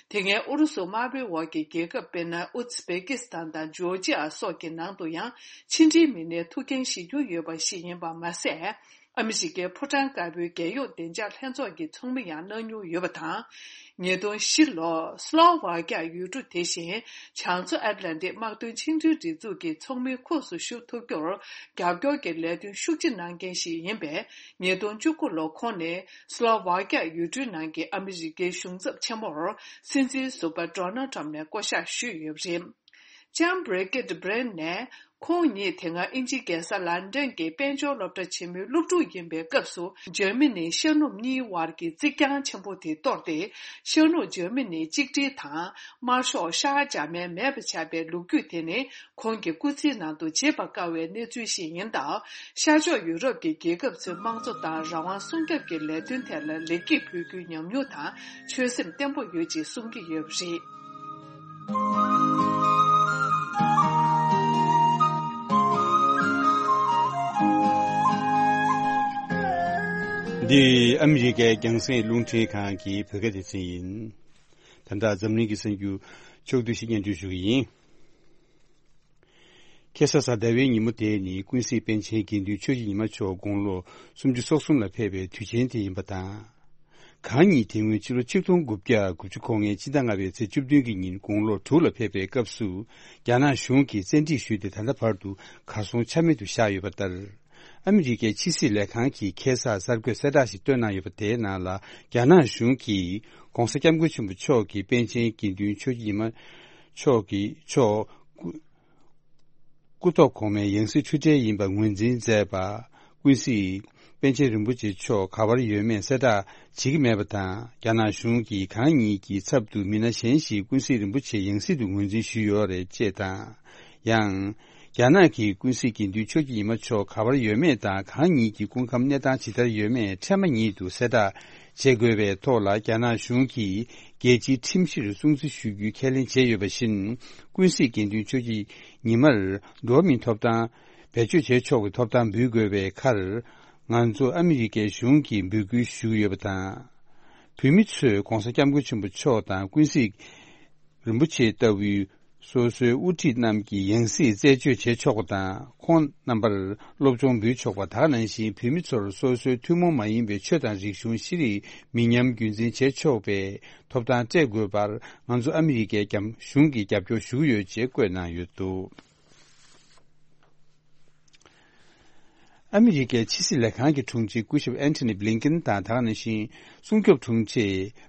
དེ་སྔའི་ཨུ་རུ་སུ་དམར་པོའི་འོག་གི་རྒྱལ་ཁབ་དཔེར་ན་ཨུ་ཛི་བེ་ཀི་སི་ཐན་དང་ཇོར་ཇི་ཡ་སོགས་ཀྱི་ནང་དུ་ཡང་ཕྱི་འབྲེལ་མི་སྣའི་ཐུགས་འགན་བཞེས་མྱོང་ཡོད་པ་ཞིག་ཡིན་པ་མ་ཟད། ཨ་མི་རི་ཀའི་ཕོ་བྲང་དཀར་པོའི་རྒྱལ་ཡོངས་བདེ་འཇགས་ལྷན་ཚོགས་ཀྱི་ཚོགས་མི་ཡང་གནང་མྱོང་ཡོད་པ་དང་། ཉིས་སྟོང་བཞི་ལོར་སི་ལོ་ཝཱ་ཀྱ་ཡུལ་གྲུ་དེ་བཞིན་བྱང་མཚོ་ཨེཊ་ལན་ཊིག་དམག་དོན་ཆིངས་འགྲོལ་སྒྲིག་འཛུགས་ཀྱི་ཚོགས་མིའི་ཁོངས་སུ་ཞུགས་ཐུབ་རྒྱུར་རྒྱབ་སྐྱོར་གྱི་ལས་དོན་ཤུགས་ཆེ་གནང་མཁན་ཞིག་ཡིན་པས། ཉིས་སྟོང་བཅུ་དགུ་ལོར་ཁོང་ནི་སི་ལོ་ཝཱ་ཀྱ་ཡུལ་གྲུའི་ནང་གི་ཨ་མི་རི་ཀའི་གཞུང་ཚབ་ཆེན་མོར་སྲིད་འཛིན་ཟུར་པ་ཌོ་ནལ་ཊམ་ནས་བསྐོ་གཞག་ཞུས་ཡོད་པ་རེད། ལྕམ་བྷི་རི་ཀེད་བྷི་རེན་ནས་ཁོང་ཉིད་དེ་སྔ་དབྱིན་ཇིའི་རྒྱལ་ས་ལན་ཌན་གྱི་དཔལ་འབྱོར་སློབ་གྲྭ་ཆེན་མོའི་སློབ་ཕྲུག་ཡིན་པའི་སྐབས་སུ། འཇར་མ་ནིའི་ཤར་ནུབ་གཉིས་དབར་གྱི་རྩིག་གྱང་ཆེན་པོ་དེ་གཏོར་ཏེ། ཤར་ནུབ་འཇར་མ་ནི་གཅིག་སྒྲིལ་དང་། དམར་ཤོག་ཤར་འཇར་མན་མེད་པ་བྱས་པའི་ལོ་རྒྱུས་དེ་ནི། ཁོང་གི་སྐུ་ཚེའི་ནང་དུ་བརྗེད་པར་དཀའ་བའི་གནས་ཚུལ་ཞིག་ཡིན་སྟབས། ཤར་ཕྱོགས་ཡུ་རོབ་ཀྱི་རྒྱལ་ཁབ་ཚོའི་དམངས་གཙོ་དང་རང་དབང་སྲུང་སྐྱོབ་ཀྱི་ལས་དོན་ཐད་ལ་ལེགས་སྐྱེས་ཕུལ་རྒྱུའི་ཉམས་མྱོང་དང་ཆོད་སེམས་བརྟན་པོ་ཡོད་ཅེས་གསུང་གི་ཡོད་པ་རེད། འདི་ཨ་མི་རི་ཀའི་རྒྱང་སྲིང་རླུང་འཕྲིན་ཁང་གི་བོད་སྐད་སྡེ་ཚན་ཡིན། ད་ལྟ་འཛམ་གླིང་གི་གསར་འགྱུར་ཕྱོགས་བསྡུས་ཤིག་སྙན་སྒྲོན་ཞུ་གི་ཡིན། ཁ་སང་གཟའ་ཟླ་བའི་ཉིན་མོ་དེ་ནི་ཀུན་གཟིགས་པཎ་ཆེན་དགེ་འདུན་ཆོས་ཀྱི་ཉི་མ་མཆོག་དགུང་ལོ་སུམ་ཅུ་སོ་གསུམ་ལ་ཕེབས་པའི་དུས་ཆེན་དེ་ཡིན་པ་དང་། གང་ཉིད་དེ་སྔོན་ཕྱི་ལོ་ཆིག་སྟོང་དགུ་བརྒྱ་དགུ་བཅུ་གོ་ལྔའི་ཕྱི་ཟླ་ལྔ་པའི་ཚེས་བཅུ་བདུན་གྱི་ཉིན་དགུང་ལོ་དྲུག་ལ་ཕེབས་པའི་སྐབས་སུ། རྒྱ་ནག་གཞུང་གིས་བཙན་ཁྲིད་ཞུས་ཏེ་ད་ལྟ་བར་དུ་གར་སོང་ཆ་མེད་དུ་བཞག་ཡོད་པ་ལྟར། ཨ་མི་རི་ཀའི་ཕྱི་སྲིད་ལས་ཁང་གིས་ཁ་སང་གསར་འགོད་གསལ་བསྒྲགས་ཤིག་བཏོན་གནང་ཡོད་པ་དེའི་ནང་ལ། རྒྱ་ནག་གཞུང་གིས་༧གོང་ས་༧སྐྱབས་མགོན་ཆེན་པོ་མཆོག་གི་པཎ་ཆེན་དགེ་འདུན་ཆོས་ཀྱི་ཉི་མ་མཆོག་གི་མཆོག་སྐུ་སྐུ་ཐོག་གོང་མའི་ཡང་སྲིད་འཁྲུལ་བྲལ་ཡིན་པ་ངོས་འཛིན་མཛད་པ། ཀུན་གཟིགས་པཎ་ཆེན་རིན་པོ་ཆེ་མཆོག་ག་པར་ཡོད་མེད་གསལ་བསྒྲགས་བྱེད་ཀྱི་མེད་པ་དང་། རྒྱ་ནག་གཞུང་གིས་གང་ཉིད་ཀྱི་ཚབ་ཏུ་མི་སྣ་གཞན་ཞིག་ཀུན་གཟིགས་རིན་པོ་ཆེ་ཡང་སྲིད་དུ་ངོས་འཛིན་ཞུས་ཡོད་རེད་ཅེས་དང་། ཡང་། རྒྱ་ནག་གིས་ཀུན་གཟིགས་དགེ་འདུན་ཆོས་ཀྱི་ཉི་མ་མཆོག་ག་པར་ཡོད་མེད་དང་། གང་ཉིད་ཀྱི་སྐུ་ཁམས་གནས་སྟངས་ཇི་ལྟར་ཡོད་མེད་ཕྲལ་མ་ཉིད་དུ་གསལ་བསྒྲགས་བྱེད་དགོས་པའི་ཐོག་ལ། རྒྱ་ནག་གཞུང་གིས་རྒྱལ་སྤྱིའི་ཁྲིམས་གཞིར་སྲུང་བརྩི་ཞུ་རྒྱུའི་ཁས་ལེན་བྱས་ཡོད་པ་བཞིན། ཀུན་གཟིགས་དགེ་འདུན་ཆོས་ཀྱི་ཉི་མར་འགྲོ་བ་མིའི་ཐོབ་ཐང་བེད་སྤྱོད་བྱེད་ཆོག་པའི་ཐོབ་ཐང་འབུལ་དགོས་པའི་ཁར། ང་ཚོ་ཨ་མི་རི་ཀའི་གཞུང་གིས་འབོད་སྐུལ་ཞུ་གི་ཡོད་པ་དང་། བོད་མི་ཚོས་༧གོང་ས་༧སྐྱབས་མགོན་ཆེན་པོ་མཆོག་དང་ཀུན་གཟིགས་རིན་པོ་ཆེ་ལྟ་བུའི་སོ་སོའི་དབུ་ཁྲིད་རྣམས་ཀྱི་ཡང་སྲིད་རྩད་གཅོད་བྱེད་ཆོག་པ་དང་། ཁོང་རྣམ་པར་སློབ་སྦྱོང་འབུལ་ཆོག་པ། དེ་ག་ནང་བཞིན་བོད་མི་ཚོར་སོ་སོའི་ཐུན་མོང་མ་ཡིན་པའི་ཆོས་དང་རིག་གཞུང་ཤེས་རིག་མི་ཉམས་རྒྱུན་འཛིན་བྱེད་ཆོག་པའི་ཐོབ་ཐང་སྤྲད་དགོས་པར་ང་ཚོ་ཨ་མི་རི་ཀའི་རྒྱ་གཞུང་གིས་རྒྱབ་སྐྱོར་ཞུ་གི་ཡོད་ཅེས་བཀོད་གནང་ཡོད་འདུག་ཨ་མི་རི་ཀའི་ཕྱི་སྲིད་ལས་ཁང་གི་དྲུང་ཆེ་སྐུ་ཞབས་ཨན་ཐོ་ནི་བྷི་ལིན་ཀེན་དང་། དེ་ག་ནང་བཞིན་སྲུང་སྐྱོབ་དྲུང་ཆེ་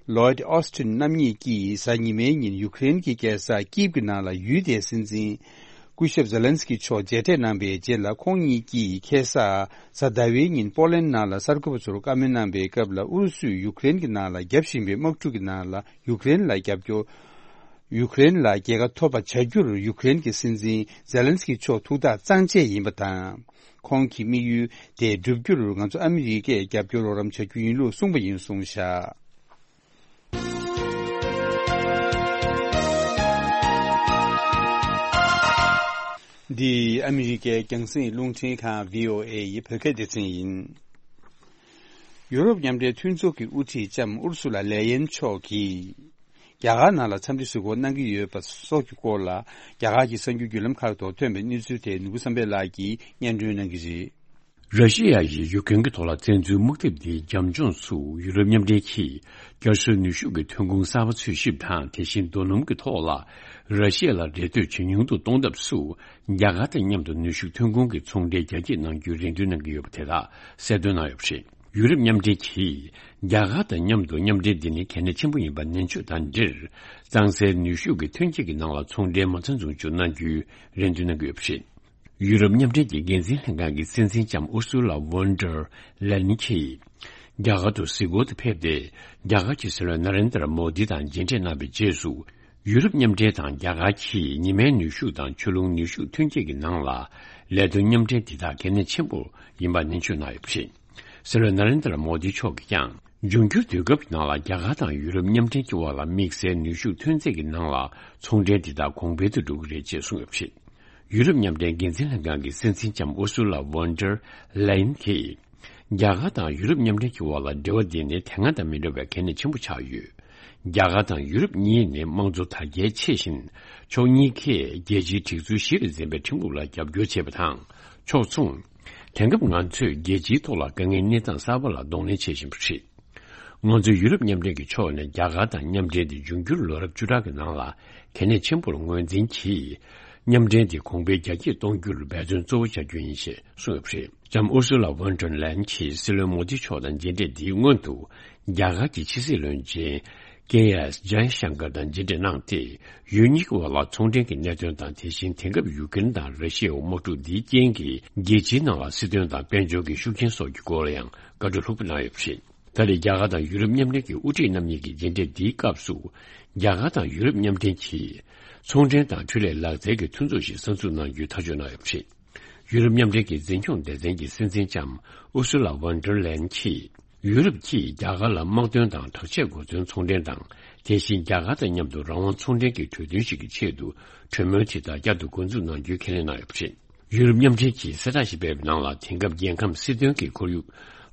ལོའིད་ཨོ་སི་ཊིན་རྣམ་གཉིས་ཀྱིས་གཟའ་ཉི་མའི་ཉིན་ཡུ་ཀེ་རེན་གྱི་རྒྱལ་ས་ཀིབ་ཀྱི་ནང་ལ་ཡུལ་དེའི་སྲིད་འཛིན་སྐུ་ཞབས་ཛེ་ལན་སི་ཀི་མཆོག་མཇལ་འཕྲད་གནང་པའི་རྗེས་ལ། ཁོང་གཉིས་ཀྱིས་ཁ་སང་གཟའ་ཟླ་བའི་ཉིན་པོ་ལན་ནང་ལ་གསར་འགོད་པ་ཚོར་བཀའ་མོལ་གནང་པའི་སྐབས་ལ། ཨུ་རུ་སུས་ཡུ་ཀེ་རེན་གྱི་ནང་ལ་རྒྱབ་བཞིན་པའི་དམག་འཁྲུག་གི་ནང་ལ་ཡུ་ཀེ་རེན་ལ་རྒྱབ་སྐྱོར། ཡུ་ཀེ་རེན་ལ་རྒྱལ་ཁ་ཐོབ་པ་བྱ་རྒྱུར་ཡུ་ཀེ་རེན་གྱི་སྲིད་འཛིན་ཛེ་ལན་སི་ཀི་མཆོག་ཐུགས་ཐག་གཙང་བཅད་ཡིན་པ་དང་། ཁོང་གི་དམིགས་ཡུལ་དེ་བསྒྲུབ་རྒྱུར་ང་ཚོ་ཨ་མི་རི་ཀས་རྒྱབ་སྐྱོར་རོགས་རམ་བྱ་རྒྱུ་ཡིན་ལུགས་གསུངས་པ་ཡིན་གསུངས་བཞག་འདི་ཨ་མི་རི་ཀའི་རྒྱང་སྲིང་རླུང་འཕྲིན་ཁང་བྷི་ཨོ་ཨེ་ཡི་བོད་སྐད་སྡེ་ཚན་ཡིན། ཡུ་རོབ་མཉམ་འབྲེལ་མཐུན་ཚོགས་ཀྱི་དབུ་ཁྲིད་ལྕམ་ཨུར་སུ་ལ་ལེ་ཡན་མཆོག་གིས། རྒྱ་གར་ནང་ལ་འཚམས་འདྲི་གཟིགས་སྐོར་གནང་གི་ཡོད་པ་སོགས་ཀྱི་སྐོར་ལ། རྒྱ་གར་གྱི་གསར་འགྱུར་བརྒྱུད་ལམ་ཁག་ཐོག་ཐོན་པའི་གནས་ཚུལ་དེ་ནོར་བུ་བསམ་འཕེལ་ལགས་ཀྱིས་སྙན་སྒྲོན་གནང་གི་རེད། ར་ཤི་ཡ་ཡིས་ཡུ་ཀེན་གྱི་ཐོག་ལ་བཙན་འཛུལ་དམག་འཐབ་འདིའི་རྒྱབ་ལྗོངས་སུ་ཡུ་རོབ་མཉམ་འབྲེལ་གྱིས་བསྐྱར་གསོའི་ནུས་ཤུགས་ཀྱི་ཐོན་ཁུངས་གསར་པ་འཚོལ་ཞིབ་དང་། དེ་བཞིན་རྡོ་སྣུམ་གྱི་ཐོག་ལ་ར་ཤི་ཡ་ལ་འགྲེམས་སྟོན་ཇེ་ཉུང་དུ་གཏོང་ཐབས་སུ། རྒྱ་གར་དང་མཉམ་དུ་ནུས་ཤུགས་ཐོན་ཁུངས་ཀྱི་ཚོང་འབྲེལ་རྒྱ་སྐྱེད་གནང་རྒྱུའི་རེ་འདུན་གནང་གི་ཡོད་པ་དེ་དག་གསལ་སྟོན་གནང་ཡོད་པ་རེད། ཡུ་རོབ་མཉམ་འབྲེལ་གྱིས་རྒྱ་གར་དང་མཉམ་དུ་མཉམ་འབྲེལ་འདི་ནི་གལ་གནད་ཆེན་པོ་ཡིན་པ་ནན་བརྗོད་དང་འབྲེལ། གཙང་སེལ་ནུས་ཤུགས་ཀྱི་ཐོན་སྐྱེད་ཀྱི་ནང་ལ་ཚོང་འབྲེལ་མ་རྩ་འཛུགས་སྐྲུན་གནང་རྒྱུའི་རེ་འདུན་གནང་གི་ཡོད་པ་རེད། ཡུ་རོབ་མཉམ་འབྲེལ་གྱི་འགན་འཛིན་ལྷན་ཁང་གི་སྲིད་འཛིན་ལྕམ་ཨུར་སུ་ལ་ཝོན་ཌར་ལེན་གྱིས། རྒྱ་གར་དུ་གཟིགས་སྐོར་དུ་ཕེབས་ཏེ། རྒྱ་གར་གྱི་སྲིད་བློན་ན་རེན་དར་མོ་དི་དང་མཇལ་འཕྲད་གནང་བའི་རྗེས་སུ། ཡུ་རོབ་མཉམ་འབྲེལ་དང་རྒྱ་གར་གྱིས་ཉི་མའི་ནུས་ཤུགས་དང་ཆུ་རླུང་ནུས་ཤུགས་ཐོན་སྐྱེད་ཀྱི་ནང་ལ་ལས་དོན་མཉམ་འབྲེལ་འདི་དག་གལ་གནད་ཆེན་པོ་ཡིན་པ་ནན་བརྗོད་གནང་ཡོད་པ་རེད། སྲིད་བློན་ན་རེན་དར་མོ་དི་མཆོག་གིས་ཀྱང་། འབྱུང་འགྱུར་དུས་སྐབས་ཀྱི་ནང་ལ་རྒྱ་གར་དང་ཡུ་རོབ་མཉམ་འབྲེལ་གྱི་དབར་ལ་དམིགས་བསལ་ནུས་ཤུགས་ཐོན་རྫས་ཀྱི་ནང་ལ་ཚོང་འབྲེལ་འདི་དག་གོང་འཕེལ་དུ་འགྲོ་གི་རེད་ཅེས་གསུངས་ཡོད་པ་རེད། ཡུ་རོབ་མཉམ་འབྲེལ་འགན་འཛིན་ལྷན་ཁང་གི་སྲིད་འཛིན་ལྕམ་ཨུར་སུ་ལ་ཝོན་ཌར་ལེ་ཡན་གྱིས། རྒྱ་གར་དང་ཡུ་རོབ་མཉམ་འབྲེལ་གྱི་དབར་ལ་འབྲེལ་བ་འདི་ནི་དེ་སྔ་དང་མི་འདྲ་བའི་གལ་གནད་ཆེན་པོ་ཆགས་ཡོད། རྒྱ་གར་དང་ཡུ་རོབ་གཉིས་ནི་དམངས་གཙོ་དར་རྒྱས་ཆེ་ཞིང་། ཕྱོགས་གཉིས་ཀས་རྒྱལ་སྤྱིའི་སྒྲིག་འཛུགས་གཞི་ལ་འཛིན་པའི་ཁྲིམས་ལུགས་ལ་རྒྱབ་སྐྱོར་བྱེད་པ་དང་། ཕྱོགས་མཚུངས། དེང་སྐབས་ང་ཚོས་རྒྱལ་སྤྱིའི་ཐོག་ལ་དཀའ་ངལ་གནས་སྟངས་གསར་པ་ལ་གདོང་ལེན་བྱེད་བཞིན་པ་རེད། ང་ཚོས་ཡུ་རོབ་མཉམ་འབྲེལ་གྱི་ཕྱོགས་ནས་རྒྱ་གར་དང་མཉམ་འབྲེལ་དེ་འབྱུང་འགྱུར་ལོ་རབས་བཅུ་ཕྲག་གི་ནང་ལ་གལ་གནད་ཆེན་པོར་ངོས་འཛིན་གྱིས། མཉམ་འབྲེལ་དེ་གོང་འཕེལ་རྒྱ་སྐྱེད་གཏོང་རྒྱུར་འབད་བརྩོན་གཙོ་བོ་བྱ་རྒྱུ་ཡིན་ཞེས་གསུངས་ཡོད་པ་རེད། ལྕམ་ཨུར་སུ་ལ་ཝོན་ཌར་ལེན་གྱིས་སྲིད་བློན་མོ་དི་མཆོག་དང་མཇལ་འཕྲད་འདིའི་སྔོན་དུ། རྒྱ་གར་གྱི་ཕྱི་སྲིད་བློན་ཆེན་ཀེ་ཨེས་ཇའི་ཤང་ཀར་དང་མཇལ་འཕྲད་གནང་སྟེ། ཡུལ་གཉིས་ཀྱི་དབར་ལ་ཚོང་འབྲེལ་གྱི་གནད་དོན་དང་། དེ་བཞིན་དེང་སྐབས་ཡུ་ཀེ་རེན་དང་ར་ཤི་ཡའི་དམག་འཁྲུག་འདིའི་རྐྱེན་གྱིས་རྒྱལ་སྤྱིའི་ནང་ལ་སྲིད་དོན་དང་དཔལ་འབྱོར་གྱི་ཤུགས་རྐྱེན་སོགས་ཀྱི་སྐོར་ལ་ཡང་བཀའ་འཁྲོལ་ལྷུག་པོ་གནང་ཡོད་པ་རེད། ད་རེས་རྒྱ་གར་དང་ཡུ་རོབ་མཉམ་འབྲེལ་གྱི་དབུ་ཁྲིད་རྣམ་གཉིས་ཀྱི་མཇལ་འཕྲད་འདིའི་སྐབས་སུ། རྒྱ་གར་དང་ཡུ་རོབ་མཉམ་འབྲེལ་གྱིས་ཚོང་འབྲེལ་དང་འཕྲུལ་ལས་ལག་རྩལ་གྱི་མཐུན་ཚོགས་ཤིག་གསར་འཛུགས་གནང་རྒྱུའི་ཐག་གཅོད་གནང་ཡོད་པ་རེད། ཡུ་རོབ་མཉམ་འབྲེལ་གྱི་འཛིན་སྐྱོང་སྡེ་ཚན་གྱི་སྲིད་འཛིན་ལྕམ་ཨུར་སུ་ལ་ཝོན་ཌར་ལེན་གྱིས། ཡུ་རོབ་ཀྱིས་རྒྱ་གར་ལ་དམག་དོན་དང་དྲག་ཆས་གོ་མཚོན་ཚོང་འབྲེལ་དང་། དེ་བཞིན་རྒྱ་གར་དང་མཉམ་དུ་རང་དབང་ཚོང་འབྲེལ་གྱི་གྲོས་མཐུན་ཞིག་གི་ཆེད་དུ་གྲོས་མོལ་དེ་དག་བསྐྱར་དུ་འགོ་འཛུགས་གནང་རྒྱུའི་ཁས་ལེན་གནང་ཡོད་པ་རེད། ཡུ་རོབ་མཉམ་འབྲེལ་གྱིས་གསལ་བསྒྲགས་ཤིག་སྤེལ་བའི་ནང་ལ། དེང་སྐབས་རྒྱལ་ཁམས་སྲིད་དོན་གྱི་ཁོར་ཡུག་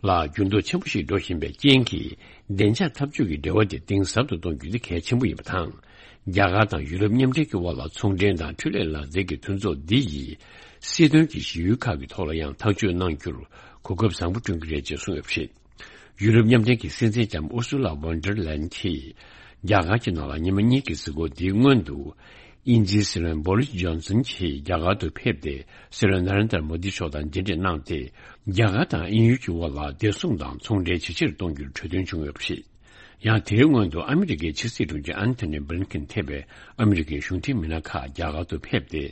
ལ་འགྱུར་ལྡོག་ཆེན་པོ་ཞིག་འགྲོ་བཞིན་པའི་རྐྱེན་གྱིས། བདེ་འཇགས་འཐབ་ཇུས་ཀྱི་འབྲེལ་བ་དེ་གཏིང་ཟབ་ཏུ་གཏོང་རྒྱུ་དེ་གལ་ཆེན་པོ་ཡིན་པ་དང་། རྒྱ་གར་དང་ཡུ་རོབ་མཉམ་འབྲེལ་གྱི་དབར་ལ་ཚོང་འབྲེལ་དང་འཕྲུལ་ལས་ལག་རྩལ་གྱི་མཐུན་ཚོགས་འདི་ཡིས་སྲིད་དོན་གྱི་གཞི་ཡུལ་ཁག་གི་ཐོག་ལ་ཡང་ཐག་གཅོད་གནང་རྒྱུར་གོ་སྐབས་བཟང་པོ་བསྐྲུན་གྱི་རེད་ཅེས་གསུངས་ཡོད་པ་རེད། ཡུ་རོབ་མཉམ་འབྲེལ་གྱི་སྲིད་འཛིན་ལྕམ་ཨུར་སུ་ལ་ཝོན་ཌར་ལན་གྱིས་རྒྱ་གར་གྱི་ནང་ལ་ཉི་མ་གཉིས་ཀྱི་གཟའ་འཁོར་འདིའི་སྔོན་དུ། དབྱིན་ཇིའི་སྲིད་བློན་བོ་རིས་ཇོན་སན་གྱིས་རྒྱ་གར་དུ་ཕེབས་ཏེ་སྲིད་བློན་ན་རེན་དར་མོ་དི་མཆོག་དང་མཇལ་འཕྲད་གནང་སྟེ། རྒྱ་གར་དང་དབྱིན་ཡུལ་གྱི་དབར་ལ་བདེ་སྲུང་དང་ཚོང་འབྲེལ་ཇེ་ཆེར་གཏོང་རྒྱུར་གྲོས་མཐུན་བྱུང་ཡོད་པ་རེད། ཡང་དེའི་སྔོན་དུ་ཨ་མི་རི་ཀའི་ཕྱི་སྲིད་དྲུང་ཆེ་ཨན་ཐོ་ནི་བྷི་ལིན་ཀིན་ཐེ་བའི་ཨ་མི་རི་ཀའི་གཞུང་འབྲེལ་མི་སྣ་ཁག་རྒྱ་གར་དུ་ཕེབས་ཏེ།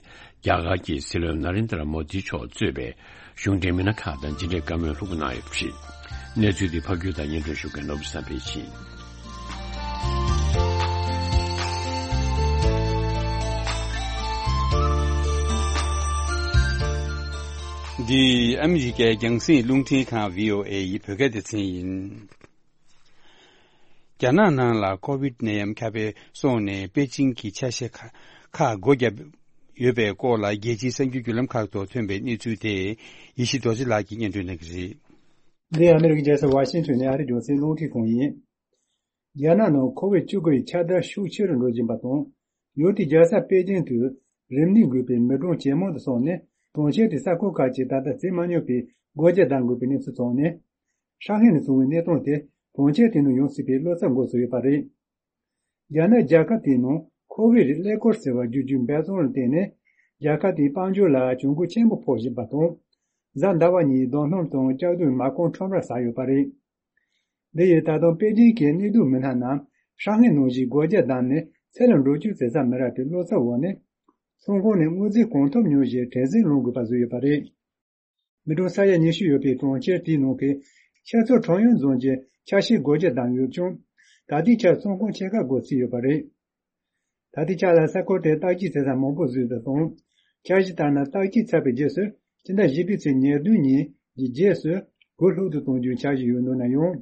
རྒྱ་གར་གྱི་སྲིད་བློན་ན་རེན་དར་མོ་དི་མཆོག་གཙོས་པའི་གཞུང་འབྲེལ་མི་སྣ་ཁག་དང་མཇལ་འཕྲད་བཀའ་མོལ་ལྷུག་པོ་གནང་ཡོད་པ་རེད། གནས་ཚུལ་འདི་ཕབ་སྒྱུར་དང་སྙན་སྒྲོན་ཞུ་མཁན་ནོར་བུ་བསམ་འཕེལ་ཡིན། འདི་ཨ་མི་རི་ཀའི་རྒྱང་སྲིང་རླུང་འཕྲིན་ཁང་བྷི་ཨོ་ཨེ་ཡི་བོད་སྐད་སྡེ་ཚན་ཡིན། རྒྱ་ནག་ནང་ལ་ཀོ་བིད་ནད་ཡམས་ཁྱབ་སྤེལ་སོང་ནས་པེ་ཅིང་གི་ཆ་ཤས་ཁ་ཁག་སྒོ་བརྒྱབ་ཡོད་པའི་སྐོར་ལ་རྒྱལ་སྤྱིའི་གསར་འགྱུར་བརྒྱུད་ལམ་ཁག་ཐོག་ཐོན་པའི་གནས་ཚུལ་དེ་ཡེ་ཤེས་རྡོ་རྗེ་ལགས་ཀྱིས་སྙན་སྒྲོན་གནང་གི་རེད། འདི་ཨ་མི་རི་ཀའི་རྒྱལ་ས་ཝ་ཤིང་ཊོན་ནས་ཨ་རིའི་རྒྱང་སྲིང་རླུང་འཕྲིན་ཁང་ཡིན། རྒྱ་ནག་ནང་ཁོ་བིད་བཅུ་དགུ་ཡི་ཁྱབ་གདལ་ཤུགས་ཆེ་རུ་འགྲོ་བཞིན་པ་དང་། ཡུལ་དེའི་རྒྱལ་ས་པེ་ཅིང་དུ་རིམས་ནད་འགོས་པའི་མི་གྲངས་ཇེ་མང་དུ་སོང་ནས་གྲོང་ཁྱེར་དེའི་ས་ཁུལ་ཁག་ཅིག་ད་ལྟ་བརྩི་མ་མྱོང་པའི་སྒོ་རྒྱག་བཏང་དགོས་པའི་གནས་ཚུལ་ཐོན་ནས། ཧྲང་ཧའེ་ནས་བྱུང་བའི་གནས་སྟངས་དེ་གྲོང་ཁྱེར་དེ་ནང་ཡོང་སྲིད་པའི་བློ་འཚབ་འགོ་ཚུགས་ཡོད་པ་རེད། རྒྱ་ནག་རྒྱལ་ཁབ་དེའི་ནང་ཁོ་བིད་ཀླད་ཀོར་ཟེར་བ་འགོས་རྒྱུའི་འབད་བརྩོན་ལ་བརྟེན་ནས་རྒྱལ་ཁབ་དེའི་དཔལ་འབྱོར་ལ་གྱོང་གུན་ཆེན་པོ་ཕོག་བཞིན་པ་དང་། གཟའ་ཟླ་བ་ཉིན་རྡོ་སྣུམ་དང་ལྕགས་རྡུལ་མ་རྐང་ཁྲོམ་ར་ཟག་ཡོད་པ་རེད། འདི་ཡིས་ད་དུང་པེ་ཅིང་གི་གནས་སྡོད་མི་སྣ་རྣམས་ཧྲང་ཧའེ་ནང་བཞིན་སྒོ་རྒྱག་བསྡམས་ནས་ཚེ་ལ་འགྲོ་སྐྱོད་བྱེད་ས་མི་རག་པའི་བློ་འཚབ་འོག་ནས། ཚོང་ཁང་ནས་དངུལ་རྩིས་གང་ཐུབ་ཉོ་བཞིན་བྲེལ་ཟིང་སློང་དགོས་པ་བཟོས་ཡོད་པ་རེད། མི་གྲངས་ས་ཡ་ཉི་ཤུ་ཡོད་པའི་གྲོང་ཁྱེར་དེའི་ནང་གི་ཤར་ཕྱོགས་ཁྲང་ཡོན་རྫོང་གི་ཆ་ཤས་སྒོ་རྒྱག་བསྡམས་ཡོད་ཀྱང་། ད་ལྟའི་ཆར་ཚོང་ཁང་ཆེ་ཁག་སྒོ་ཚུགས་ཡོད་པ་རེད། ད་ལྟའི་ཆར་ལ་ས་ཁུལ་དེར་བརྟག་དཔྱད་བྱེད་ས་མང་པོ་བཟོས་པ་དང་། འཆར་གཞི་ལྟར་ན་བརྟག་དཔྱད་ཚར་བའི་རྗེས་སུ་སྤྱི་ཟླ་བཞི་པའི་ཚེས་ཉེར་བདུན་ཉིན་གྱི་རྗེས་སུ་སྒོ་ལྷུག་ཏུ་གཏོང་རྒྱུའི་འཆར་གཞི་ཡོད་འདུག་ན་ཡང་།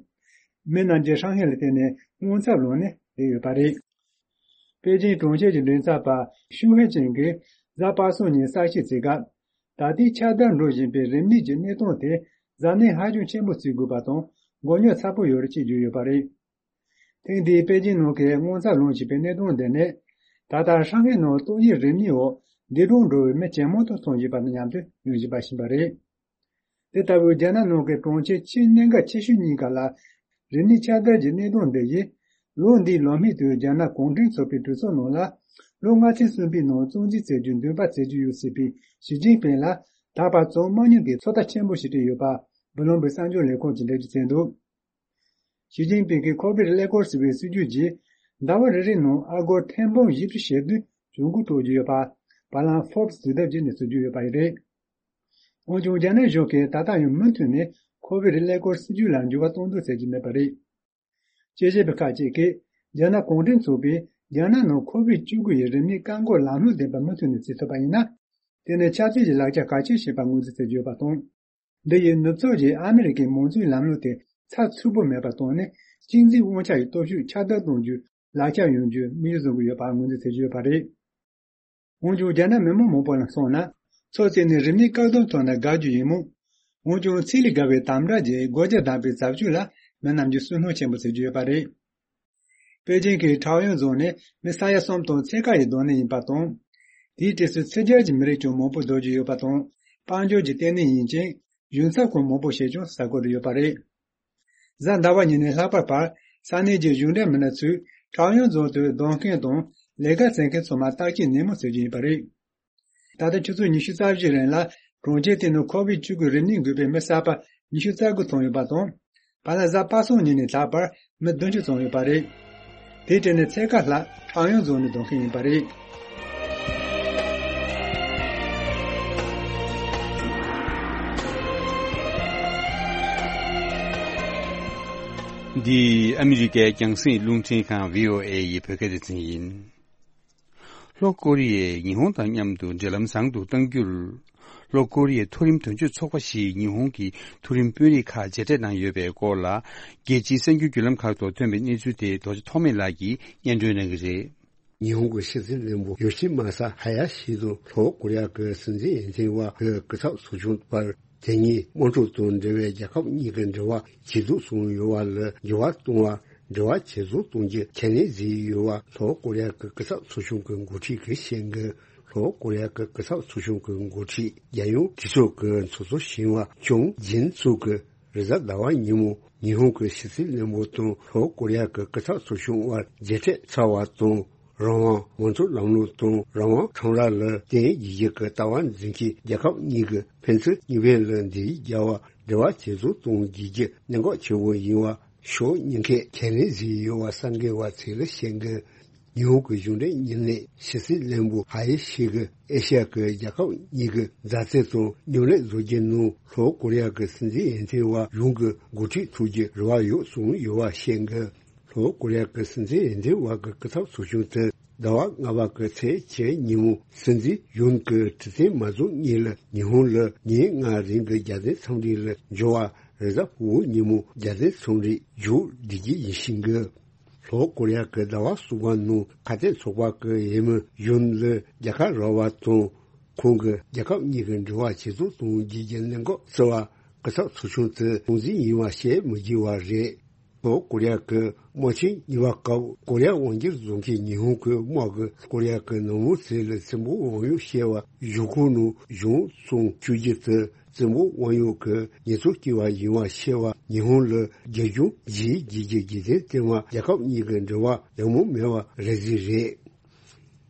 མི་རྣམས་ཀྱིས་ཧྲང་ཧའེ་ལ་བརྟེན་ནས་དངངས་འཚབ་ལངས་ནས་བསྡད་ཡོད་པ་རེད། པེ་ཅིང་གྲོང་ཁྱེར་གྱི་མགྲིན་ཚབ་པ་ཤུ་ཧེ་ཅིང་གིས་གཟའ་པ་སངས་ཉིན་གསལ་བཤད་བྱས་སྐབས། ད་ལྟའི་ཁྱབ་གདལ་འགྲོ་བཞིན་པའི་རིམས་ནད་ཀྱི་གནས་སྟངས་དེ་གཟབ་ནན་ཧ་ཅང་ཆེན་པོ་བྱེད་དགོས་པ་དང་མགོ་རྙོག་ཚ་པོ་ཡོད་རེད་ཅེས་བརྗོད་ཡོད་པ་རེད། ཐེངས་འདིའི་པེ་ཅིང་ནང་གི་དངངས་འཚབ་ལངས་བཞིན་པའི་གནས་སྟངས་འདི་ནི། ད་ལྟ་ཧྲང་ཧའེ་ནང་ཏོག་དབྱིབས་རིམས་ནད་འོག་འདས་གྲོངས་འགྲོ་བའི་མི་ཇེ་མང་དུ་སོང་བཞིན་པ་དང་མཉམ་དུ་ཡོང་བཞིན་པ་ཞིག་ཡིན་པ་རེད། དེ་ལྟ་བུའི་རྒྱ་ནག་ནང་གི་གྲོང་ཁྱེར་ཆེས་གནད་འགག་ཆེ་ཤོས་གཉིས་ཀ་ལ་རིམས་ནད་ཁྱབ་གདལ་གྱི་གནས་སྟངས་འདི་ཡིས། ལོ་འདིའི་ལོ་སྨད་དུ་རྒྱ་ནག་གུང་ཁྲན་ཚོགས་པའི་གྲོས་ཚོགས་ནང་ལ། ལོ་ལྔ་ཚན་གསུམ་པའི་ནང་རྩ་འཛུགས་བྱེད་རྒྱུའི་འདུན་པ་བྱེད་ཀྱི་ཡོད་ཟེར་བའི་ཞི་ཅིན་ཕིང་ལ་ད་བར་བྱུང་མ་མྱོང་པའི་ཚོད་ལྟ་ཆེན་པོ་ཞིག་སྤྲད་ཡོད་པ། བྷི་ལུམ་བྷག་གསར་འགྱུར་ལས་ཁང་གིས་འགྲེལ་བརྗོད་བྱས་འདུག་ཞི་ཅིན་ཕིང་གིས་ཁོ་བིད་ཀླད་ཀོར་ཟེར་བའི་སྲིད་ཇུས་ཀྱིས་ཟླ་བ་རེ་རེའི་ནང་ཨ་སྒོར་ཐེར་འབུམ་བཞི་བཅུ་ཞེ་བདུན་གྱོང་གུན་སྤྲོད་ཀྱི་ཡོད་པ། བར་ལམ་Forbes་དུས་དེབ་ཀྱིས་གནས་ཚུལ་བརྗོད་ཡོད་པ་རེད། འོན་ཀྱང་རྒྱ་ནག་གཞུང་གིས་ད་ལྟ་ཡང་མུ་མཐུད་ནས་ཁོ་བིད་ཀླད་ཀོར་སྲིད་ཇུས་ལ་འགྱུར་བ་གཏོང་འདོད་བྱེད་ཀྱི་མེད་པ་རེད། དཔྱད་ཞིབ་པ་ཁག་ཅིག་གིས་རྒྱ་ནག་གུང་ཁྲན་ཚོགས་པས་རྒྱ་ནག་ནང་ཁོ་བིད་བཅུ་དགུ་ཡི་རིམས་ནད་བཀག་འགོག་ལམ་ལྷོང་ལྡན་པ་མུ་མཐུད་ནས་བྱེད་ཐུབ་པ་ཡིན་ན། དེ་ནི་ཆབ་སྲིད་ཀྱི་ལག་ཆ་གལ་ཆེན་ཞིག་ཡིན་པར་ངོས་འཛིན་བྱེད་ཀྱི་ཡོད་པ་དང་། འདི་ཡིས་ནུབ་ཕྱོགས་ཀྱིས་ཨ་མི་རི་ཀའི་མང་གཙོའི་ལམ་ལུགས་དེ་ཚགས་ཚུད་པོ་མེད་པར་བཏང་ནས་གཅིག་འཛིན་དབང་ཆ་ཡི་སྟོབས་ཤུགས་ཁྱབ་གདལ་གཏོང་རྒྱུའི་ལག་ཆ་ཡོང་རྒྱུར་དམིགས་ཡུལ་བཟུང་གི་ཡོད་པར་ངོས་འཛིན་བྱེད་ཀྱི་ཡོད་པ་རེད། འོན་ཀྱང་རྒྱ་ནག་མི་མང་མང་པོ་ལ་སོང་ན། ཚོད་བྱས་ནས་རིམས་ནད་བཀག་སྡོམ་ཐོབ་ན་དགའ་རྒྱུ་ཡིན་མོད། འོན་ཀྱང་ཚད་ལས་བརྒལ་བའི་དམ་དྲག་གིས་སྒོ་རྒྱག་བསྡད་པའི་བྱ་སྤྱོད་ལ་མི་རྣམས་ཀྱིས་སུན་སྣང་ཆེན་པོ་བྱེད་ཀྱི་ཡོད་པ་རེད། པེ་ཅིང་གི་ཁྲའོ་ཡོན་རྫོང་ནི་མི་ས་ཡ་གསུམ་དང་ཕྱེད་ཀ་ཡི་སྡོད་གནས་ཡིན་པ་དང་། དེའི་གྲས་སུ་ཕྱི་རྒྱལ་གྱི་མི་རིགས་ཀྱང་མང་པོ་སྡོད་ཀྱི་ཡོད་པ་དང་། དཔལ་འབྱོར་གྱི་ལྟེ་གནས་ཡིན་ཅིང་གཞུང་ཚབ་ཁང་མང་པོ་ཞིག་ཀྱང་ས་ཁུལ་དུ་ཡོད་པ་རེད། གཟའ་ཟླ་བ་ཉིན་ནས་ལྷག་པར་བར་ས་གནས་ཀྱི་གཞུང་འབྲེལ་མི་སྣ་ཚོས་ཁྲའོ་ཡོན་རྫོང་དུ་སྡོད་མཁན་དང་ལས་ཀ་བྱེད་མཁན་ཚང་མར་བརྟག་དཔྱད་ནན་མོ་བྱེད་རྒྱུ་ཡིན་པ་རེད། ད་ལྟ་ཆུ་ཚོད་ཉི་ཤུ་རྩ་བཞིའི་རིང་ལ་གྲོང་ཁྱེར་དེ་ནང་ཁོ་བིད་བཅུ་དགུ་རིམས་ནད་འགོས་པའི་མི་གསར་པ་ཉི་ཤུ་རྩ་དགུ་ཐོན་ཡོད་པ་དང་། བར་ལ་གཟའ་པ་སངས་ཉིན་ནས་ལྷག་པར་མི་བདུན་ཅུ་ཙམ་ཡོད་པ་རེད། དེའི་གྲས་ནས་ཕྱེད་ཀ་ལྷག་ཁྲའོ་ཡོན་རྫོང་ནས་སྡོད་མཁན་ཡིན་པ་རེད། འདི་ཨ་མི་རི་ཀའི་རྒྱང་སྲིང་རླུང་འཕྲིན་ཁང་བྷི་ཨོ་ཨེ་ཡི་བོད་སྐད་སྡེ་ཚན་ཡིན། ལྷོ་ཀོ་རི་ཡས་ཉི་ཧོང་དང་མཉམ་དུ་འབྲེལ་ལམ་བཟང་དུ་གཏང་རྒྱུར། ལྷོ་ཀོ་རི་ཡའི་མཐོ་རིམ་དོན་གཅོད་ཚོགས་པ་ཞིག་ཉི་ཧོང་གི་མཐོ་རིམ་དཔོན་རིགས་ཁག་མཇལ་འཕྲད་གནང་ཡོད་པའི་སྐོར་ལ། རྒྱལ་སྤྱིའི་གསར་འགྱུར་བརྒྱུད་ལམ་ཁག་ཐོག་ཐོན་པའི་གནས་ཚུལ་དེ་རྡོ་རྗེ་ཐོགས་མེད་ལགས་ཀྱིས་སྙན་སྒྲོན་གནང་གི་རེད། ཉི་ཧོང་གི་ཕྱི་སྲིད་བློན་པོ་ཡོ་ཤི་མ་ས་ཧ་ཡ་ཤི་དང་ལྷོ་ཀོ་རི་ཡ་གི་སྲིད་འཛིན་འོས་འཕེན་པ་ཧུའེ་སྐུ་ཚབ་ཚོགས་ཆུང་བར། དེ་ཉིད་དམག་འཁྲུག་དང་འབྲེལ་བའི་རྒྱལ་ཁབ་གཉིས་ཀྱི་འབྲེལ་བ་ཇེ་སྡུག་སོང་ཡོད་པ་ལ་འགྱུར་བ་གཏོང་བ། འབྲེལ་བ་ཇེ་བཟང་གཏོང་རྒྱུ་ཁས་ལེན་བཟོས་ཡོད་པ་ལྷོ་ཀོ་རི་ཡ་གི་སྐུ་ཚབ་ཚོགས་ཆུང་གི་འགོ་ཁྲིད་ཀྱིས་བཤད་འདུག་ལྷོ་ཀོ་རི་ཡ་གི་སྐུ་ཚབ་ཚོགས་ཆུང་གི་འགོ་ཁྲིད་རྒྱལ་ཡོངས་གྲོས་ཚོགས་ཀྱི་ཚོགས་གཙོ་གཞོན་པ་ཅུང་ཇིན་ཙུའུ་གིས་རེས་གཟའ་ཟླ་བ་ཉིན་མོ་ཉི་ཧོང་གི་ཕྱི་སྲིད་བློན་པོ་དང་ལྷོ་ཀོ་རི་ཡ་གི་སྐུ་ཚབ་ཚོགས་ཆུང་དབར་མཇལ་འཕྲད་ཚར་བ་དང་། རང་དབང་མང་གཙོ་ལམ་ལུགས་དང་རང་དབང་ཁྲོམ་ར་ལ་བརྟེན་རྒྱུ་གི་ལྟ་བ་འཛིན་མཁན་རྒྱལ་ཁབ་གཉིས་ཀྱི་ཕན་ཚུན་གཉིས་ཕན་ལ་འབྲེལ་ཡོད་འབྲེལ་བ་ཇེ་བཟང་གཏོང་རྒྱུ་གནད་འགག་ཆེ་བོ་ཡིན་པ་ཕྱོགས་གཉིས་ཀས་ཁས་ལེན་བཟོས་ཡོད་པ་གསར་འགོད་པ་ཚོས་ལ་བཤད་འདུག་ཉི་ཧོང་གི་གཞུང་འབྲེལ་མྱི་སྣས་ཕྱི་སྲིད་བློན་པོ་ཧ་ཡེ་ཤི་གིས་ཨེ་ཤ་ཡ་གི་རྒྱལ་ཁབ་གཉིས་ཀྱི་མཛའ་བརྩེ་དང་མཉམ་ལས་བཟོ་རྒྱུ་ནང་ལྷོ་ཀོ་རི་ཡ་གི་སྲིད་འཛིན་འོས་ཐོན་པ་ཡུན་གྱི་འགོ་ཁྲིད་ཐུག་རྒྱུའི་རེ་བ་ཡོད་གསུངས་ཡོད་པ་བཤད་འདུག་ལྷོ་ཀོ་རི་ཡ་གི་སྲིད་འཛིན་འོས་ཐོན་པ་གི་སྐུ་ཚབ་ཚོགས་ཆུང་དེ་ཟླ་བ་ལྔ་པ་གི་ཚེས་བཅུ་ཉིན་མོ་སྲིད་འཛིན་ཡུན་གྱི་ཁྲི་སྟེང་མ་འཛོམས་སྔོན་ལ་ཉི་ཧོང་ལ་ཉིན་ལྔ་རིང་གི་རྒྱལ་དོན་འཚམས་འདྲི་ལ་འབྱོར་བ་རེས་གཟའ་ཕུར་བུ་ཉིན་མོ་རྒྱལ་དོན་འཚམས་འདྲི་མཇུག་སྒྲིལ་རྒྱུ་ཡིན་ཞིང་གི། ལྷོ་ཀོ་རི་ཡ་གི་ཟླ་བ་གསུམ་པ་ནང་ཁ་གཏད་ཚོགས་པ་གི་འོས་མི་ཡུན་ལ་རྒྱལ་ཁ་རག་པ་དང་། ཁོང་གིས་རྒྱལ་ཁབ་གཉིས་ཀྱི་འབྲེལ་བ་ཇེ་བཟང་གཏོང་རྒྱུ་གི་གནད་འགག་བརྩི་བ་སྐུ་ཚབ་ཚོགས་ཆུང་དེ་དམིགས་བསལ་ཡིན་པ་བཤད་མི་དགོས་པ་རེད། ལྷོ་ཀོ་རི་ཡ་གི་དམག་ཆེན་གཉིས་པ་སྐབས་ཀོ་རི་ཡ་དབང་སྒྱུར་བཟོ་མཁན་ཉི་ཧོང་གི་དམག་གིས་ཀོ་རི་ཡ་གི་ནང་མི་ཚོ་ལ་བཙན་པོ་དབང་གཡོག་བྱས་པ་གཞུག་གུ་ནང་གཞུང་བཙོང་བཅུག་རྒྱུ་དེ་བཙན་པོ་དབང་གཡོག་གི་ཉེས་རྩོད་བཀལ་བ་ཡིན་པ་བཤད་པ་ཉི་ཧོང་ལ་རྒྱ་གཞུང་རྗེས་འཇུག་གི་རྒྱུ་རྐྱེན་དེ་མ་རྒྱལ་ཁབ་གཉིས་ཀྱི་འབྲེལ་བ་ཡག་མོ་མེད་པ་རེད་ཟེར་རེད།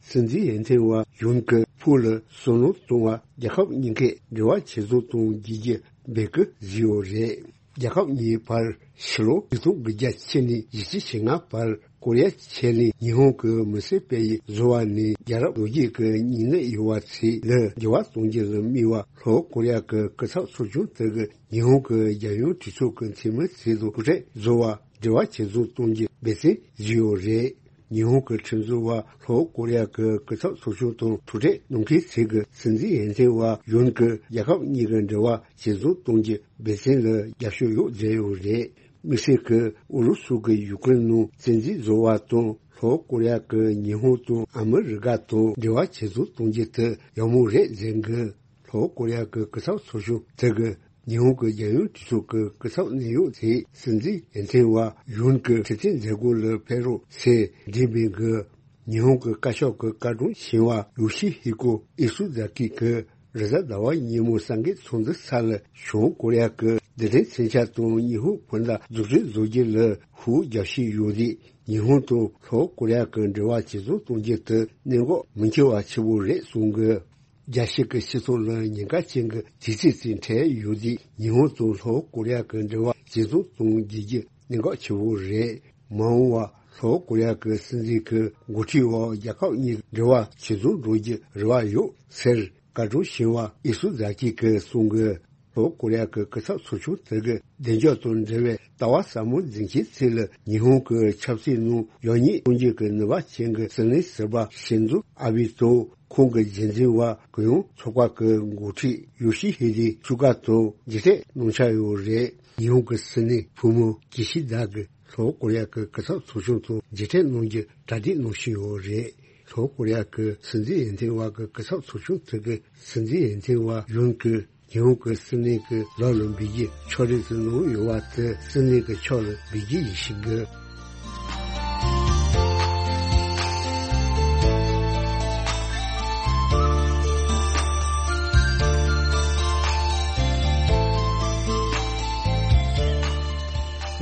སྲིད་འཛིན་འོས་ཐོན་པ་ཡུན་གྱི་ཕུགས་ལ་བསམ་བློ་གཏོང་བ་རྒྱལ་ཁབ་གཉིས་ཀས་འབྲེལ་བ་ཇེ་བཟང་གཏོང་རྒྱུ་གི་འབོད་སྐུལ་བཟོས་ཡོད་རེད། རྒྱལ་ཁབ་གཉིས་བར་ཕྱི་ལོ་ཆིག་སྟོང་དགུ་བརྒྱ་ཕྱེད་ནས་བཞི་བཅུ་ཞེ་ལྔ་བར་ཀོ་རི་ཡ་ཆེ་གླིང་ཉི་ཧོང་གི་མི་སེར་སྤེལ་ཡུལ་བཟོ་བ་ནས་རྒྱལ་རབས་ལོ་རྒྱུས་ཀྱི་མྱི་སྣ་ཡོད་པ་ཚོ་ལ་འགྱུར་བ་གཏོང་རྒྱུ་ལ་དམིགས་པ་ལྷོ་ཀོ་རི་ཡ་གི་སྐུ་ཚབ་ཚོགས་ཆུང་དེ་གིས་ཉི་ཧོང་གི་རྒྱལ་ཡོངས་གྲོས་ཚོགས་ཀྱི་འཐུས་མི་ཚོ་དང་ཐུག་འཕྲད་བཟོ་བ་འབྲེལ་བ་ཇེ་བཟང་གཏོང་རྒྱུ་འབད་བརྩོན་བཟོས་ཡོད་རེད། ཉི་ཧོང་གི་ཁྲིམས་བཟོ་བ་ལྷོ་ཀོ་རི་ཡ་གི་སྐུ་ཚབ་ཚོགས་ཆུང་དང་ཐུག་འཕྲད་གནང་མཁན་ཚོས་ཀྱི་སྲིད་འཛིན་འོས་ཐོན་པ་ཡུན་གྱི་རྒྱལ་ཁབ་གཉིས་ཀྱི་འབྲེལ་བ་ཇེ་བཟང་གཏོང་རྒྱུ་འབད་བརྩོན་ལ་རྒྱབ་སྐྱོར་ཡོད་བརྗོད་ཡོད་རེད། དམིགས་བསལ་གྱི་ཨུ་རུ་སུ་གི་ཡུ་ཀེ་རེན་ནང་བཙན་འཛུལ་བཟོ་བ་དང་ལྷོ་ཀོ་རི་ཡ་གི་ཉི་ཧོང་དང་ཨ་མི་རི་ཀ་དང་འབྲེལ་བ་ཇེ་བཟང་གཏོང་རྒྱུ་དེ་ཡག་མོ་རེད་ཟེར་གི། ལྷོ་ཀོ་རི་ཡ་གི་སྐུ་ཚབ་ཚོགས་ཆུང་དེ་གི་ཉི་ཧོང་གི་རྒྱལ་ཡོངས་གྲོས་ཚོགས་ཀྱི་སྐུ་ཚབ་གནད་ཡོད་དེ་སྲིད་འཛིན་འོས་ཐོན་པ་ཡུན་གྱི་ཁྲི་སྟེང་མཛད་སྒོ་ལ་ཕེབས་རོགས་ཟེར་འདྲི་མིན་གི། ཉི་ཧོང་གི་བཀའ་ཤག་གི་བཀའ་དྲུང་ཞིང་བ་ཡོ་ཤི་ཧི་ཀོ་ཨི་སུ་ཛ་ཀི་གིས་རེས་གཟའ་ཟླ་བ་ཉིན་མོ་གསར་འགོད་ཚོགས་འདུ་ས་ལ་བྱང་ཀོ་རི་ཡ་གི་རྡུལ་ཕྲན་མཚོན་ཆ་དང་ཉི་ཧོང་བོད་ཟླ་འཛུགས་སྐྲུན་བཟོ་རྒྱུ་ལ་ཤུགས་རྒྱབ་བཞིན་ཡོད་དུས་ཉི་ཧོང་དང་ལྷོ་ཀོ་རི་ཡ་གི་འབྲེལ་བ་ཇེ་བཟང་གཏོང་རྒྱུ་དེ་གནད་འགག་མི་འཁྱོལ་བ་ཆེ་བོ་རེད་གསུངས་གི། རྒྱལ་སྤྱི་གི་སྤྱི་ཚོགས་ལ་ཉེན་ཁ་ཅན་གྱི་དུས་ཚོད་ཅིག་འཕྲད་ཡོད་དུས་ཉི་ཧོང་དང་ལྷོ་ཀོ་རི་ཡ་གི་འབྲེལ་བ་ཇེ་བཟང་གཏོང་རྒྱུ་གི་གནད་འགག་ཆེ་བོ་རེད། མ་འོངས་པ་ལྷོ་ཀོ་རི་ཡ་གི་སྲིད་འཛིན་གྱི་འགོ་ཁྲིད་འོག་རྒྱལ་ཁབ་གཉིས་འབྲེལ་བ་ཇེ་བཟང་འགྲོ་རྒྱུ་རེ་བ་ཡོད་ཟེར་བཀའ་དྲུང་ཞིང་བ་ཨི་སུ་ཛ་ཀི་གིས་གསུངས་གི། ལྷོ་ཀོ་རི་ཡ་གི་སྐུ་ཚབ་ཚོགས་ཆུང་དེ་གི་བདེ་འཇགས་དང་འབྲེལ་བའི་ལྟ་བ་ཟབ་མོ་འཛིན་མཁན་ཚོ་ལ་ཉི་ཧོང་གི་ཆབ་སྲིད་ནང་ཡོད་ཉེས་གཏོང་རྒྱུ་གི་ནུས་པ་ཅན་གྱི་སྲིད་བློན་ཟུར་པ་ཤིན་ཛོ་ཨ་བྷེ་དང་ཁོང་གི་རྗེས་འཛིན་པ་གུ་ཡངས་ཚོགས་པ་གི་འགོ་ཁྲིད་ཡོ་ཤི་ཧི་དེ་སུ་ག་དང་མཇལ་འཕྲད་གནང་འཆར་ཡོད་རེད། ཉི་ཧོང་གི་སྲིད་བློན་བུ་མོ་ཀི་ཤི་དཱ་གིས་ལྷོ་ཀོ་རི་ཡ་གི་སྐུ་ཚབ་ཚོགས་ཆུང་དང་མཇལ་འཕྲད་གནང་རྒྱུ་གྲ་སྒྲིག་གནང་བཞིན་ཡོད་རེད། ལྷོ་ཀོ་རི་ཡ་གི་སྲིད་འཛིན་འོས་ཐོན་པ་གི་སྐུ་ཚབ་ཚོགས་ཆུང་དེ་གི་སྲིད་འཛིན་འོས་ཐོན་པ་ཡུན་གྱིས་ཉི་ཧོང་གི་སྲིད་བློན་གྱི་ལག་ལ་འབུལ་རྒྱུ་ཕྱོགས་རིས་སུ་གནང་ཡོད་པ་དེ་སྲིད་བློན་གྱི་ཕྱོགས་ལ་འབུལ་རྒྱུ་ཡིན་ཞིང་གི།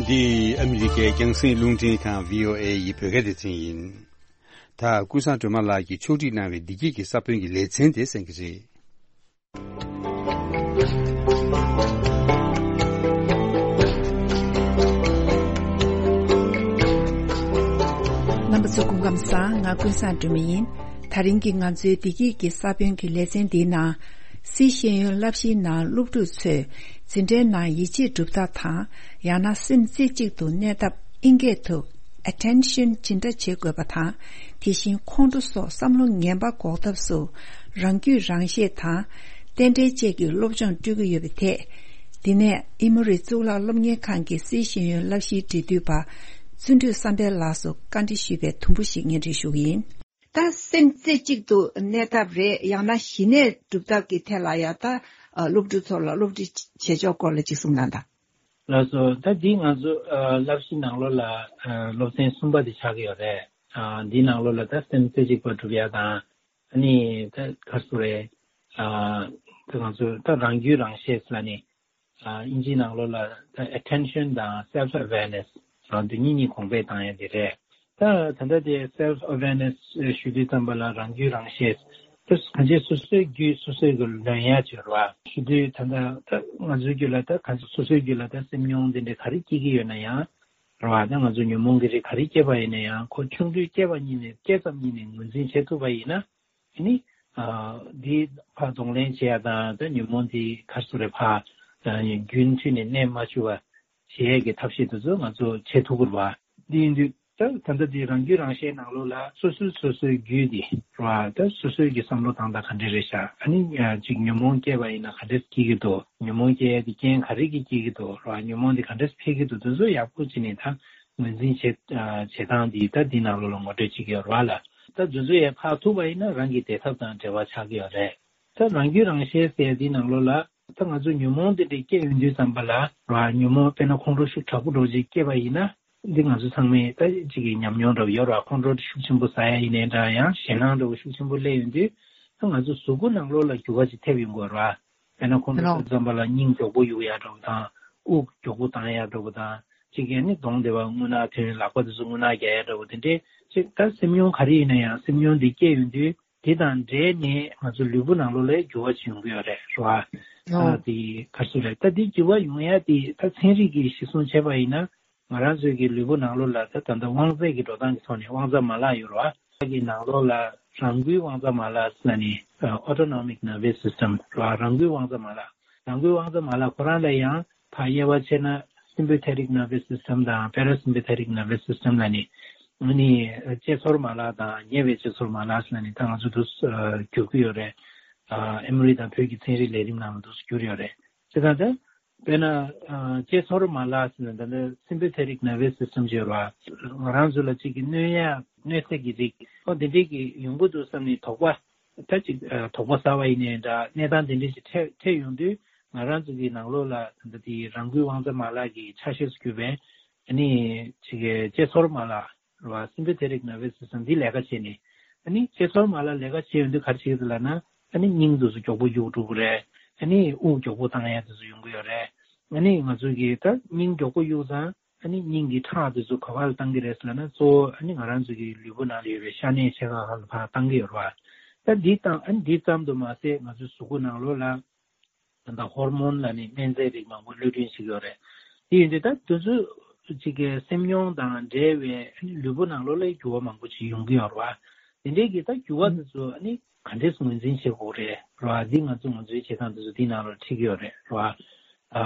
འདི་ཨ་མི་རི་ཀའི་རྒྱང་སྲིང་རླུང་འཕྲིན་ཁང་བྷི་ཨོ་ཨེ་ཡི་བོད་སྐད་སྡེ་ཚན་ཡིན། ད་ཀུན་བཟང་སྒྲོལ་མ་ལགས་ཀྱིས་ཕྱོགས་སྒྲིག་གནང་བའི་བདེ་སྐྱིད་ཀྱི་ས་བོན་གྱི་ལེ་ཚན་དེ་གསན་གྱི་རེད། རྣམ་པ་ཚོ་སྐུ་ཁམས་བཟང་། ང་ཀུན་བཟང་སྒྲོལ་མ་ཡིན། ད་རིང་གི་ང་ཚོའི་བདེ་སྐྱིད་ཀྱི་ས་བོན་གྱི་ལེ་ཚན་འདིའི་ནང་། སཱི་ཤེས་ཡོན་བསླབ་གཞིའི་ནང་སློབ་ཕྲུག་ཚོས་འཛིན་གྲྭའི་ནང་ཡིད་ཆེས་སྒྲུབ་ཐབས་དང་། ཡང་ན་སེམས་རྩེ་གཅིག་ཏུ་གནས་ཐབས་ཨིན་སྐད་དུ། Attention ཇི་འདྲ་བྱེད་དགོས་པ་དང་། དེ་བཞིན་ཁོང་ཁྲོ་སོགས་བསམ་བློ་ངན་པ་འགོག་ཐབས་སུ། རང་རྒྱུད་རང་ཤེས་དང་། རྟེན་འབྲེལ་བཅས་ཀྱི་སློབ་སྦྱོང་སྤྲོད་ཀྱི་ཡོད་པའི་ཐད། འདི་ནས་ཨི་མོ་རི་གཙུག་ལག་སློབ་གཉེར་ཁང་གི་སཱི་ཤེས་ཡོན་བསླབ་གཞིའི་འབྲེལ་མཐུད་པ། བརྩོན་འགྲུས་བསམ་འཕེལ་ལགས་སུ་བཀའ་འདྲི་ཞུས་པའི་དུམ་བུ་ཞིག་སྙན་སྒྲོན་ཞུ་གི་ཡིན། ད་སེམས་རྩེ་གཅིག་ཏུ་གནས་ཐབས་རེད། ཡང་ན་ཞི་གནས་སྒྲུབ་ཐབས་ཀྱི་ཐད་ལ་ཡང་ད་སློབ་ཕྲུག་ཚོ་ལ་སློབ་ཁྲིད་བྱེད་ཕྱོགས་སྐོར་ལ་ཅིག་གསུངས་གནང་དང་། ལགས་སོ། ད་འདི་ང་ཚོ་ཨ་བསླབ་གཞི་ནང་ལོགས་ལ་ཨ་སློབ་ཚན་གསུམ་པ་དེ་ཆགས་ཀྱི་ཡོད་རེད། ཨ་འདི་ནང་ལོགས་ལ་ད་སེམས་རྩེ་གཅིག་པ་སྒྲུབ་ཡ་དང་། ཨ་ནི་ད་ག་རེ་ཟེར་རེད། ཨ་ད་ང་ཚོ་ད་རང་རྒྱུད་རང་ཤེས་ལ་ནི་ཨ་དབྱིན་ཇིའི་ནང་ལོགས་ལ་ད་attention དང་self awareness རང་འདི་གཉིས་གཉིས་གོང་འཕེལ་བཏང་ཡ་དེ་རེད། ད་ད་ལྟ་དེ་self awareness ཞུ་དུས་ཙམ་པ་ལ་རང་རྒྱུད་རང་ཤེས། ད་གང་ཅི་སོ་སོའི་རྒྱུད་སོ་སོའི་གི་ལོན་ཡ་ཅིག་རེད་བ། ཞུ་དུས་ད་ལྟ་ད་ང་ཚོའི་རྒྱུད་ལ་ད་གང་ཅི་སོ་སོའི་རྒྱུད་ལ་ད་སེམས་མྱོང་དེ་འདྲ་ག་རེ་སྐྱེ་གི་ཡོད་ན་ཡང་རེད་བ། ད་ང་ཚོ་ཉོན་མོངས་ཀྱི་རིགས་ག་རེ་སྐྱེས་པ་ཡིན་ན་ཡང་ཁོ་ཆུང་དུས་སྐྱེས་པ་ཉིད་ནས་སྐྱེས་ཙམ་ཉིད་ནས་ངོས་འཛིན་བྱེད་ཐུབ་པ་ཡིན་ན། དེ་ནི་ཨ་འདི་ཕར་གདོང་ལེན་བྱེད་ཡ་དང་ད་ཉོན་མོངས་འདི་ག་རེ་ཟེར་རེད་ཕར་ཨ་རྒྱུན་མཐུད་ནས་གནས་མ་བཅུག་པ་བྱེད་ཡས་ཀྱི་ཐབས་ཤེས་དེ་ཚོ་ང་ཚོ་བྱེད་ཐུབ་ཀྱི་རེད་བ། འདི་ཡིན་དུས་ད་ད་ལྟ་འདི་རང་རྒྱུད་རང་ཤེས་ནང་ལོགས་ལ་སོ་སོའི་སོ་སོའི་རྒྱུད་འདི་རེད་བ། ད་སོ་སོའི་གི་བསམ་བློ་བཏང་སྟངས་ག་འདྲ་རེད་ཤག་ཨ་ནི་ཨ་ཅིག་ཉོན་མོངས་སྐྱེས་པ་ཡིན་ན་ག་འདྲས་སྐྱེ་གི་འདུག་ཉོན་མོངས་སྐྱེ་ཡས་དེ་རྐྱེན་ག་རེ་གིས་སྐྱེ་གི་འདུག་རེད་བ། ཉོན་མོངས་འདི་ག་འདྲས་འཕེལ་གི་འདུག་དེ་ཚོ་ཡག་པོ་བྱས་ནས་ད་ངོས་འཛིན་བྱེད་ཨ་བྱེད་སྟངས་འདི་ད་འདི་ནང་ལོགས་ལ་ངོ་སྤྲོད་བྱེད་ཀྱི་ཡོད་རེད་བ་ལ། ད་དེ་ཚོ་ཡང་ཕར་ཐུག་པ་ཡིན་ན་རང་གི་བདེ་ཐབས་དང་འབྲེལ་བ་ཆགས་ཀྱི་ཡོད་རེད། ད་རང་རྒྱུད་རང་ཤེས་ཟེར་ཡ་འདི་ནང་ལོགས་ལ་ད་ང་ཚོ་ཉོན་མོངས་འདི་འདྲ་སྐྱེ་ཡོང་དུས་ཙམ་པ་ལ་ར་ཉོན་མོངས་དཔེར་ན་ཁོང་ཁྲོ་ཤུགས་དྲག་པོ་འདྲ་ཅིག་སྐྱེས་པ་ཡིན་ན། འདི་ང་ཚོ་ཚང་མས་ད་ཅིག་གི་ཉམས་མྱོང་འདྲ་པོ་ཡོད་ར། ཁོང་ཁྲོ་ཤུགས་ཆེན་པོ་ཟ་ཡ་ཡིན་ནའི་འདྲ་ཡང་ཞེད་སྣང་འདྲ་པོ་ཤུགས་ཆེན་པོ་སླེབས་ཡོང་དུས་ད་ང་ཚོ་གཟུགས་པོ་ནང་ལོགས་ལ་འགྱུར་བ་ཅིག་ཐེབས་ཡོང་གི་ཡོད་ར། དཔེར་ན་ཁོང་ཁྲོ་ལོ། ཤུགས་ཙམ་པ་ལ་སྙིང་མགྱོགས་པོ་གཡུག་ཡ་འདྲ་པོ་དང་། དབུགས་མགྱོགས་པོ་བཏང་ཡ་འདྲ་པོ་དང་། ཅིག་གིས་ནི་གདོང་དེ་བ་རྔུལ་ནག་ཐོན། ལག་པ་དེ་ཚོ་རྔུལ་ནག་རྒྱག་ཡ་འདྲ་པོ་དེ་འདྲས་ཅིག་ད་སེམས་མྱོང་ག་རེ་ཡིན་ན་ཡང་སེམས་མྱོང་འདི་སྐྱེ་ཡོང་དུས་དེ་དང་འབྲེལ་ནས་ང་ཚོ་ལུས་པོ་ནང་ལོགས་ལ་འགྱུར་བ་ཅིག་ཡོང་གི་ཡོད་རེད་ར། ཨ་དེ་ག་རེ་ཟེར་རེད། ད་དེ་འགྱུར་བ་ཡོང་ཡ་དེ་ད་ཚན་རིག་གིས་གཞི་བཟུང་བྱས་པ་ཡིན་ན། ང་རང་ཚོའི་གི་ལུས་པོ་ནང་ལོགས་ལ་ད་ད་ལྟ་དབང་རྩ་གི་འགྲོ་སྟངས་ཀྱི་ཐོག་ནས་དབང་རྩ་མ་ལག་ཡོད་རེད་བ། གི་ནང་ལོགས་ལ་རང་འགུལ་དབང་རྩ་མ་ལག་ཟེར་ནས་ཨ་autonomic nervous system རེད་བ། རང་འགུལ་དབང་རྩ་མ་ལག་རང་འགུལ་དབང་རྩ་མ་ལག་ཁོ་རང་ལ་ཡང་ཕར་དབྱེ་བ་ཕྱེ་ན་sympathetic nervous system དང་parasympathetic nervous system ལ་ནི་ཨ་ནི་ལྕེ་ཚོར་མ་ལག་དང་ཉེ་བའི་ལྕེ་ཚོར་མ་ལག་ཟེར་ནས་ད་ང་ཚོ་འདུག་སེ་ཨ་སྒྱུར་གྱི་ཡོད་རེད། ཨ་ཨེ་མོ་རི་དང་བོད་ཀྱི་ཚན་རིག་ལས་རིམ་ནང་ལ་འདུག་སེ་བསྒྱུར་ཡོད་རེད། བྱས་ཙང་ད། དཔེར་ན། ཨ་ལྕེ་ཚོར་མ་ལག་ཟེར་ན་ད་ནི་sympathetic nervous system ཅིག་ཡོད་རེད་བ། ང་རང་ཚོ་ལ་གཅིག་གི་གནོད་ཡ་གནོད་འཚེ་གི་རིགས་ཨོ་དེ་འདྲས་ཀྱི་ཡོང་གི་འདུག་བསམ་ནས་དོགས་པ། ད་ཅིག་ཨ་དོགས་པ་ཟ་བ་ཡིན་ནའི་འདྲ་གནས་སྟངས་དེ་འདྲས་ཅིག་འཕྲད་འཕྲད་ཡོང་དུས་ང་རང་ཚོ་གི་ནང་ལོགས་ལ་ད་ལྟ་དེ་རང་འགུལ་དབང་རྩ་མ་ལག་གི་ཆ་ཤས་སུ་གྱུར་པའི་ཨ་ནི་ཅིག་གི་ལྕེ་ཚོར་མ་ལག་རེད་བ། sympathetic nervous system འདི་ལས་ཀ་བྱས་ནས། ཨ་ནི་ལྕེ་ཚོར་མ་ལག་ལས་ཀ་བྱས་ཡོང་དུས་ག་རེ་བྱེད་ཀྱི་འདུག་ལབ་ན། ཨ་ནི་སྙིང་དེ་ཚོ་མགྱོགས་པོ་གཡུག་འགྲོ་གི་རེད། ཨ་ནི་དབུགས་མགྱོགས་པོ་བཏང་ཡ་དེ་ཚོ་ཡོང་གི་ཡོད་རེད། ཨ་ནི་ང་ཚོ་གིས་ད་སྙིང་མགྱོགས་པོ་གཡུག་ཙང་ཨ་ནི་སྙིང་གི་ཁྲག་དེ་ཚོ་ག་པར་བཏང་གི་རེད་ཟེར་ལབ་ན། གཙོ་བོ་ཨ་ནི་ང་རང་ཚོ་གི་ལུས་པོ་ནང་ལ་ཡོད་པའི་ཤ་གནད་ཆེ་ཁག་ཁག་ལ་ཕར་བཏང་གི་ཡོད་རེད་བ། ད་འདི་བཏང་ཨ་ནི་འདི་ཙམ་དུ་མ་ཟད་ང་ཚོའི་གཟུགས་པོ་ནང་ལོགས་ལ། ད་ལྟ་ཧོར་མོན་ལབ་ནས་སྨན་རྫས་རིགས་མང་པོ་གློད་གྲོལ་བྱེད་ཀྱི་ཡོད་རེད། དེ་ཡིན་དུས་ད་དུས་ཚོད་ཅིག་གི་སེམས་མྱོང་དང་འབྲེལ་བའི་ལུས་པོ་ནང་ལོགས་ལ་འགྱུར་བ་མང་པོ་ཅིག་ཡོང་གི་ཡོད་རེད་བ། དེ་འདྲའི་གི་ད་འགྱུར་བ་དེ་ཚོ་ཨ་ནི་ག་འདྲས་ངོས་འཛིན་བྱེད་དགོས་རེད་རེད་བ། འདི་ང་ཚོ་ངོས་འཛིན་བྱེད་སྟངས་དེ་ཚོ་འདི་ནང་ལ་འཁྲིད་ཀྱི་ཡོད་རེད་རེད་བ། ཨ་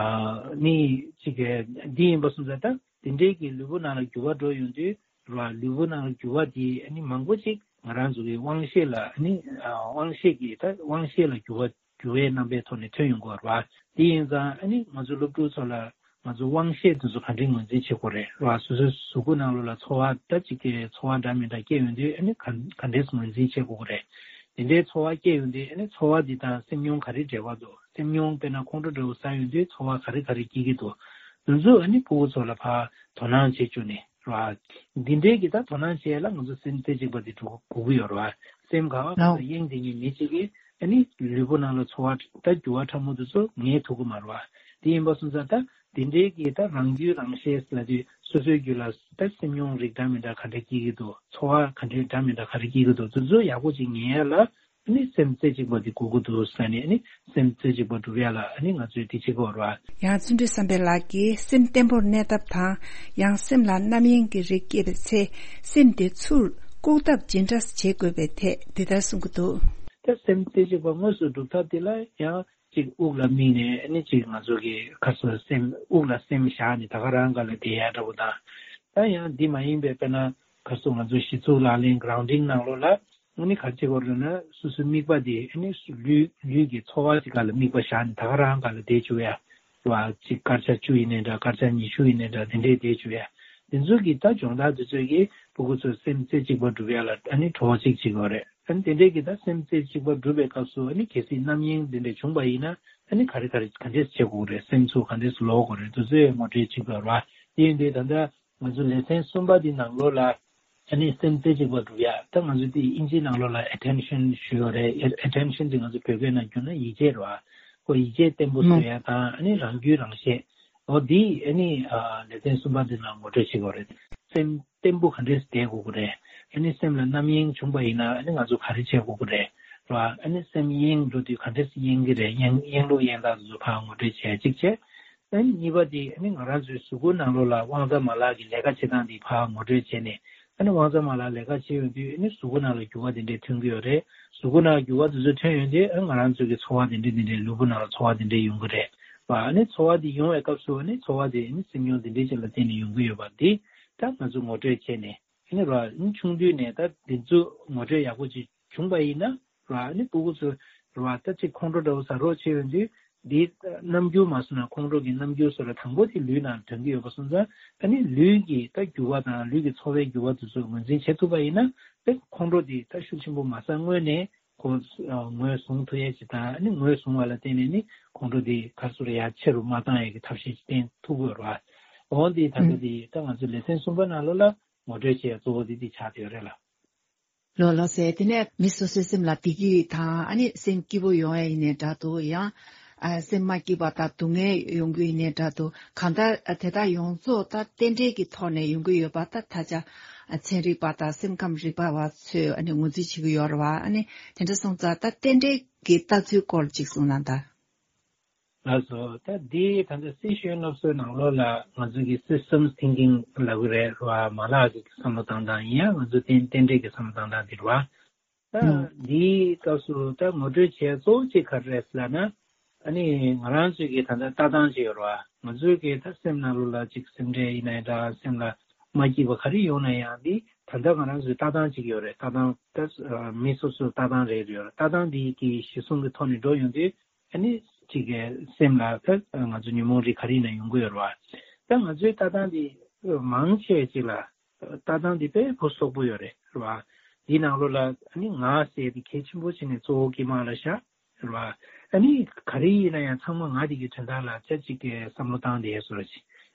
ནི་ཅིག་གི་འདི་ཡིན་པ་སོང་ཙང་ད་དེ་འདྲའི་གི་ལུས་པོ་ནང་ལ་འགྱུར་བ་འགྲོ་ཡོང་དུས་རེད་བ། ལུས་པོ་ནང་ལ་འགྱུར་བ་དེ་ཨ་ནི་མང་པོ་ཅིག་ང་རང་ཚོ་གི་དབང་ཤེས་ལ་ཨ་ནི་ཨ་དབང་ཤེས་ཀྱི་ད་དབང་ཤེས་ལ་འགྱུར་བ་འགྱུར་བའི་རྣམ་པའི་ཐོག་ནས་ཐོན་ཡོང་གི་ཡོད་རེད་བ། དེ་ཡིན་ཙང་ཨ་ནི་ང་ཚོ་སློབ་ཕྲུག་ཚོ་ལ་ང་ཚོ་དབང་ཤེས་དེ་ཚོ་ག་འདྲས་ངོས་འཛིན་བྱེད་དགོས་རེད་རེད་བ། སོ་སོའི་གཟུགས་པོ་ནང་ལོགས་ལ་ཚོར་བ་ད་ཅིག་གི་ཚོར་བ་འདྲ་མི་འདྲ་སྐྱེ་ཡོང་དུས་ཨ་ནི་ག་ག་འདྲས་ངོས་འཛིན་བྱེད་དགོས་ཀྱི་རེད། དེ་འདྲའི་ཚོར་བ་སྐྱེ་ཡོང་དུས་ཨ་ནི་ཚོར་བ་འདི་དང་སེམས་མྱོང་ག་རེ་འབྲེལ་བ་འདུག་སེམས་མྱོང་དཔེར་ན་ཁོང་ཁྲོ་འདྲ་བོ་ཟ་ཡོང་དུས་ཚོར་བ་ག་རེ་ག་རེ་སྐྱེ་གི་འདུག་དེ་ཚོ་ཨ་ནི་ཕྲུ་གུ་ཚོ་ལ་ཕར་དོ་སྣང་བྱེད་བཅུག་ནས་རེད་བ། འདི་འདྲའི་གི་ད་དོ་སྣང་བྱེད་ཡ་ལ་ང་ཚོ་སེམས་རྩེ་གཅིག་པ་འདི་དགོས་ཀྱི་ཡོད་རེད་བ། སེམས་ག་བ་ག་ལའོ། ས་གཡེང་བསྡད་མཁན་མི་གཅིག་གིས་ཨ་ནི་ལུས་པོ་ནང་ལ་ཚོར་བ་ད་འགྱུར་བ་ཕྲ་མོ་དེ་ཚོ་ངེས་ཐུབ་ཀྱི་མ་རེད་བ། དེ་ཡིན་པ་སོང་ཙང་ད་དེ་འདྲའི་གི་ད་རང་རྒྱུད་རང་ཤེས་ལབ་དུས་སོ་སོའི་རྒྱུད་ལ་ད་སེམས་མྱོང་རིགས་འདྲ་མི་འདྲ་ག་འདྲ་སྐྱེ་གི་འདུག་ཚོར་བ་ག་འདྲའི་འདྲ་མི་འདྲ་ག་རེ་སྐྱེ་གི་འདུག་དེ་ཚོ་ཡག་པོ་ཅིག་ངེས་ཡ་ལ་ཨ་ནི་སེམས་རྩེ་གཅིག་པ་དེ་དགོས་ཀྱི་འདུག་ཟེར་ནས་ཨ་ནི་སེམས་རྩེ་གཅིག་པ་སྒྲུབ་ཡ་ལ་ཨ་ནི་ང་ཚོས་དེ་བྱེད་དགོས་རེད་བ། ཡང་བརྩོན་འགྲུས་བསམ་འཕེལ་ལགས་ཀྱིས་སེམས་བརྟན་པོར་གནས་ཐབས་དང་། ཡང་སེམས་ལ་རྣམ་གཡེང་གི་རིགས་སྐྱེས་པའི་ཚེ་སེམས་དེ་ཚུར་བཀུག་ཐབས་ཇི་འདྲ་བྱེད་དགོས་པའི་ཐད་འདི་ལྟར་གསུང་གི་འདུག་ད་སེམས་རྩེ་གཅིག་པ་དངོས་སུ་སྒྲུབ་ཐབས་དེ་ལ་ཡང་ཅིག་དབུགས་ལ་དམིགས་ནས་ཨ་ནི་ཅིག་ང་ཚོ་གི་ཁ་སོ་སེམས་དབུགས་ལ་སེམས་བཞག་ནས་ད་ག་རང་སྒང་ལ་བསྡད་ཡ་འདྲ་པོ་དང་། ད་ཡང་འདི་མ་ཡིན་པའི་དཔེར་ན། ག་སོ་ང་ཚོ་གཞི་ཚུགས་ལག་ལེན་གྲའུན་ཌིང་ནང་ལོགས་ལ་ཨ་ནི་ག་ཅི་གོ་རེད་ན་སོ་སོའི་དམིགས་པ་དེ་ཨ་ནི་ལུས་ལུས་ཀྱི་ཚོར་བ་ཅིག་སྒང་ལ་དམིགས་པ་བཞག་ནས་ད་ག་རང་སྒང་ལ་བསྡད་བཅུག་ཡ། རེད་བ། ཅིག་སྐར་ཆ་བཅུ་ཡིན་ནའི་འདྲ་སྐར་ཆ་ཉི་ཤུ་ཡིན་ནའི་འདྲ་དེ་འདྲས་བསྡད་བཅུག་ཡ། དེ་ཚོ་གི་ད་སྦྱོང་བརྡར་དེ་ཚོ་གིས་ཕྲུ་གུ་ཚོ་སེམས་རྩེ་གཅིག་པ་སྒྲུབ་ཡ་ལ་ཨ་ནི་གྲོགས་ཅིག་བྱེད་ཀྱི་ཡོད་རེད། ཨ་ནི་དེ་འདྲའི་གི་ད་སེམས་རྩེ་གཅིག་པ་སྒྲུབ་པའི་སྐབས་སུ་ཨ་ནི་གལ་སྲིད་རྣམ་གཡེང་དེ་འདྲ་བྱུང་པ་ཡིན་ན་ཨ་ནི་ག་རེ་ག་རེ་ག་འདྲས་བྱེད་དགོས་རེད། སེམས་ཚུར་ག་འདྲས་ལོག་དགོས་རེད། དེ་ཚོའི་ངོ་སྤྲོད་བྱེད་དགོས་རེད་བ། དེ་ཡིན་དུས་ད་ལྟ་ང་ཚོ་ལེ་ཚན་གསུམ་པ་འདི་ནང་ལོགས་ལ་ཨ་ནི་སེམས་རྩེ་གཅིག་པ་སྒྲུབ་ཡ། ད་ང་ཚོ་དེ་དབྱིན་ཇིའི་ནང་ལོགས་ལ་attention ཞུ་ཡོད་རེད། attention དེ་ང་ཚོ་བོད་སྐད་ནང་བསྒྱུར་ན་ཡིད་ཆེས་རེད་བ། ཁོ་ཡིད་ཆེས་བརྟན་པོ་བཟོ་ཡ་དང་ཨ་ནི་རང་རྒྱུད་རང་ཤེས། འོ་འདི་ཨ་ནི་ལེ་ཚན་གསུམ་པ་འདི་ནང་ངོ་སྤྲོད་བྱེད་དགོས་རེད། སེམས་བརྟན་པོ་ག་འདྲས་བསྡད་དགོས་ཀྱི་རེད། ཨ་ནི་སེམས་ལ་རྣམ་གཡེང་བྱུང་པ་ཡིན་ན་ཨ་ནི་ང་ཚོ་ག་རེ་བྱེད་དགོས་ཀྱི་རེད། རེད་བ། ཨ་ནི་སེམས་གཡེང་འགྲོ་དུས་ག་འདྲས་གཡེང་གི་རེད། གཡེང་གཡེང་ལུགས་གཡེང་སྟངས་དེ་ཚོ་ཕར་ངོ་སྤྲོད་བྱེད་ཡ་གཅིག་བྱས། ཨ་ནི་གཉིས་པ་དེ་ཨ་ནི་ང་རང་ཚོའི་གཟུགས་པོ་ནང་ལོགས་ལ་དབང་རྩ་མ་ལག་གི་ལས་ཀ་བྱེད་སྟངས་དེ་ཕར་ངོ་སྤྲོད་བྱས་ནས། ཨ་ནི་དབང་རྩ་མ་ལག་ལས་ཀ་བྱེད་ཡོང་དུས་ཨ་ནི་གཟུགས་པོ་ནང་ལ་འགྱུར་བ་དེ་འདྲས་ཐོན་གྱི་ཡོད་རེད། གཟུགས་པོ་ནང་འགྱུར་བ་དེ་ཚོ་ཐོན་ཡོང་དུས་ཨ་ང་རང་ཚོ་གི་ཚོར་བ་དེ་འདྲས་དེ་འདྲས་ལུས་པོ་ནང་ལ་ཚོར་བ་དེ་འདྲས་ཡོང་གི་རེད་བ། ཨ་ནི་ཚོར་བ་དེ་ཡོང་བའི་སྐབས་སུ་ཨ་ནི་ཚོར་བ་དེ་ཨ་ནི་སེམས་མྱོང་དེ་འདྲས་ཅིག་ལ་བརྟེན་ནས་ཡོང་གི་ཡོད་པ་འདི་ད་ང་ཚོ་ངོ་སྤྲོད་བྱས་ནས་ཨ་ནི་ར་ཨ་ནི་ཆུང་དུས་ནས་ད་དེ་ཚོ་ངོ་སྤྲོད་ཡག་པོ་ཅིག་བྱུང་པ་ཡིན་ན་ར་ཨ་ནི་སྤུ་གུ་ཚོ་ར་ད་ཅིག་ཁོང་ཁྲོ་འདྲ་བོ་ཟ་རོགས་བྱས་ཡོང་དུས། འདིའི་རྣམ་འགྱུར་མ་སོང་ན་ཁོང་ཁྲོ་གི་རྣམ་འགྱུར་སོགས་ལ་དང་པོ་དེ་ལུས་ནང་ཐོན་གྱི་ཡོད་པ་སོང་ཙང་ཨ་ནི་ལུས་ཀྱི་ད་འགྱུར་བ་དང་ལུས་ཀྱི་ཚོར་བའི་འགྱུར་བ་དེ་ཚོ་ངོས་འཛིན་བྱེད་ཐུབ་པ་ཡིན་ན་དེ་ཁོང་ཁྲོ་དེ་ད་ཤུགས་ཆེན་པོ་མ་ཟ་སྔོན་ནས་ཁོ་ངོས་བཟུང་ཐུབ་ཡས་ཅིག་དང་ཨ་ནི་ངོས་བཟུང་བ་ལ་བརྟེན་ནས་ནི་ཁོང་ཁྲོ་དེ་ག་ཚོད་ཡར་ཆེ་རུ་མ་བཏང་ཡས་ཀྱི་ཐབས་ཤེས་ཅིག་བསྟེན་ཐུབ་ཀྱི་ཡོད་རེད་བ། འོ་འདི་ད་ལྟ་དེ་ད་ང་ཚོ་ལེ་ཚན་གསུམ་པ་ནང་ལོགས་ལ་ངོ་སྤྲོད་བྱེད་ཡས་གཙོ་བོ་དེ་དེ་ཆགས་བསྡད་ཡོད་རེད་ལ། ལོ་ལོ་ཟེར། དེ་ནས་མི་སོ་སོའི་སེམས་ལ་བདེ་སྐྱིད་དང་ཨ་ནི་སེམས་སྐྱིད་པོ་ཡོང་ཡ་ཡིན་ནའི་འདྲ་འདུག་ཡང་ཨ་སེམས་མ་སྐྱིད་པ་དང་སྡུག་བསྔལ་ཡོང་རྒྱུ་ཡིན་ནའི་འདྲ་འདུག་གང་ལྟར་ཨ་དེ་དག་ཡོངས་རྫོགས་ད་རྟེན་འབྲེལ་གྱི་ཐོག་ནས་ཡོང་གི་ཡོད་པ་ད་ད་ཆ་ཨ་ཚན་རིག་པ་དང་སེམས་ཁམས་རིག་པ་བ་ཚོས་ཨ་ནི་ངོས་འཛིན་བྱེད་ཀྱི་ཡོད་རེད་བ། ཨ་ནི་དེ་འདྲ་སོང་ཙང་ད་རྟེན་འབྲེལ་གྱི་ལྟ་ཚུལ་སྐོར་ཅིག་གསུངས་ན་ད། ལགས་སོ། ད་འདི་ད་ལྟ་སི་ཤོན་སློབ་གསོའི་ནང་ལོགས་ལ་ང་ཚོ་གི་systems thinking ལབ་ཀྱི་རེད་བ། མ་ལག་གི་བསམ་བློ་བཏང་སྟངས་ཡིན་ཡང་ང་ཚོ་རྟེན་རྟེན་འབྲེལ་གྱི་བསམ་བློ་བཏང་སྟངས་འདི་རེད་བ། ད་འདིའི་སྐབས་སུ་ད་ངོ་སྤྲོད་བྱས་གཙོ་བོ་གཅིག་ག་རེ་རེད་ཟེར་ལབ་ན། ཨ་ནི་ང་རང་ཚོའི་གི་ད་ལྟ་ལྟ་སྟངས་ཅིག་ཡོད་རེད་བ། ང་ཚོའི་གི་ད་སེམས་ནང་ལོགས་ལ་ཅིག་སེམས་ཁྲལ་ཡིན་ནའི་འདྲ། སེམས་ལ་མ་སྐྱིད་པ་ག་རེ་ཡོང་ན་ཡང་འདི་ད་ལྟ་ང་རང་ཚོའི་ལྟ་སྟངས་ཅིག་ཡོད་རེད། ལྟ་སྟངས་ད་མི་སོ་སོའི་ལྟ་སྟངས་རེ་རེ་ཡོད་རེད། ལྟ་སྟངས་འདི་གི་གཞི་བཟུང་གི་ཐོག་ནས་འགྲོ་ཡོང་དུས། ཨ་ནི་ཅིག་གི་སེམས་ལ་ད་ང་ཚོ་ཉོན་མོངས་རིགས་ག་རེ་ཡིན་ན་ཡོང་གི་ཡོད་རེད་བ། ད་ང་ཚོའི་ལྟ་སྟངས་འདི་མང་ཆེ་ཅིག་ལ་ལྟ་སྟངས་འདི་དཔེ་ཕུན་སུམ་ཚོགས་པོ་ཡོད་རེད་རེད་བ། འདིའི་ནང་ལོགས་ལ་ཨ་ནི་ང་ཟེར་དེ་གལ་ཆེན་པོ་བྱས་ནས་གཙོ་བོ་དཀྱིལ་མ་ལ་བཞག་རེད་བ། ཨ་ནི་ག་རེ་ཡིན་ན་ཡང་ཚང་མ་ང་དེ་གི་དོན་དག་ལ་ཅག་ཅིག་གི་བསམ་བློ་བཏང་བསྡད་བཟོ་འདྲ་ཅིག་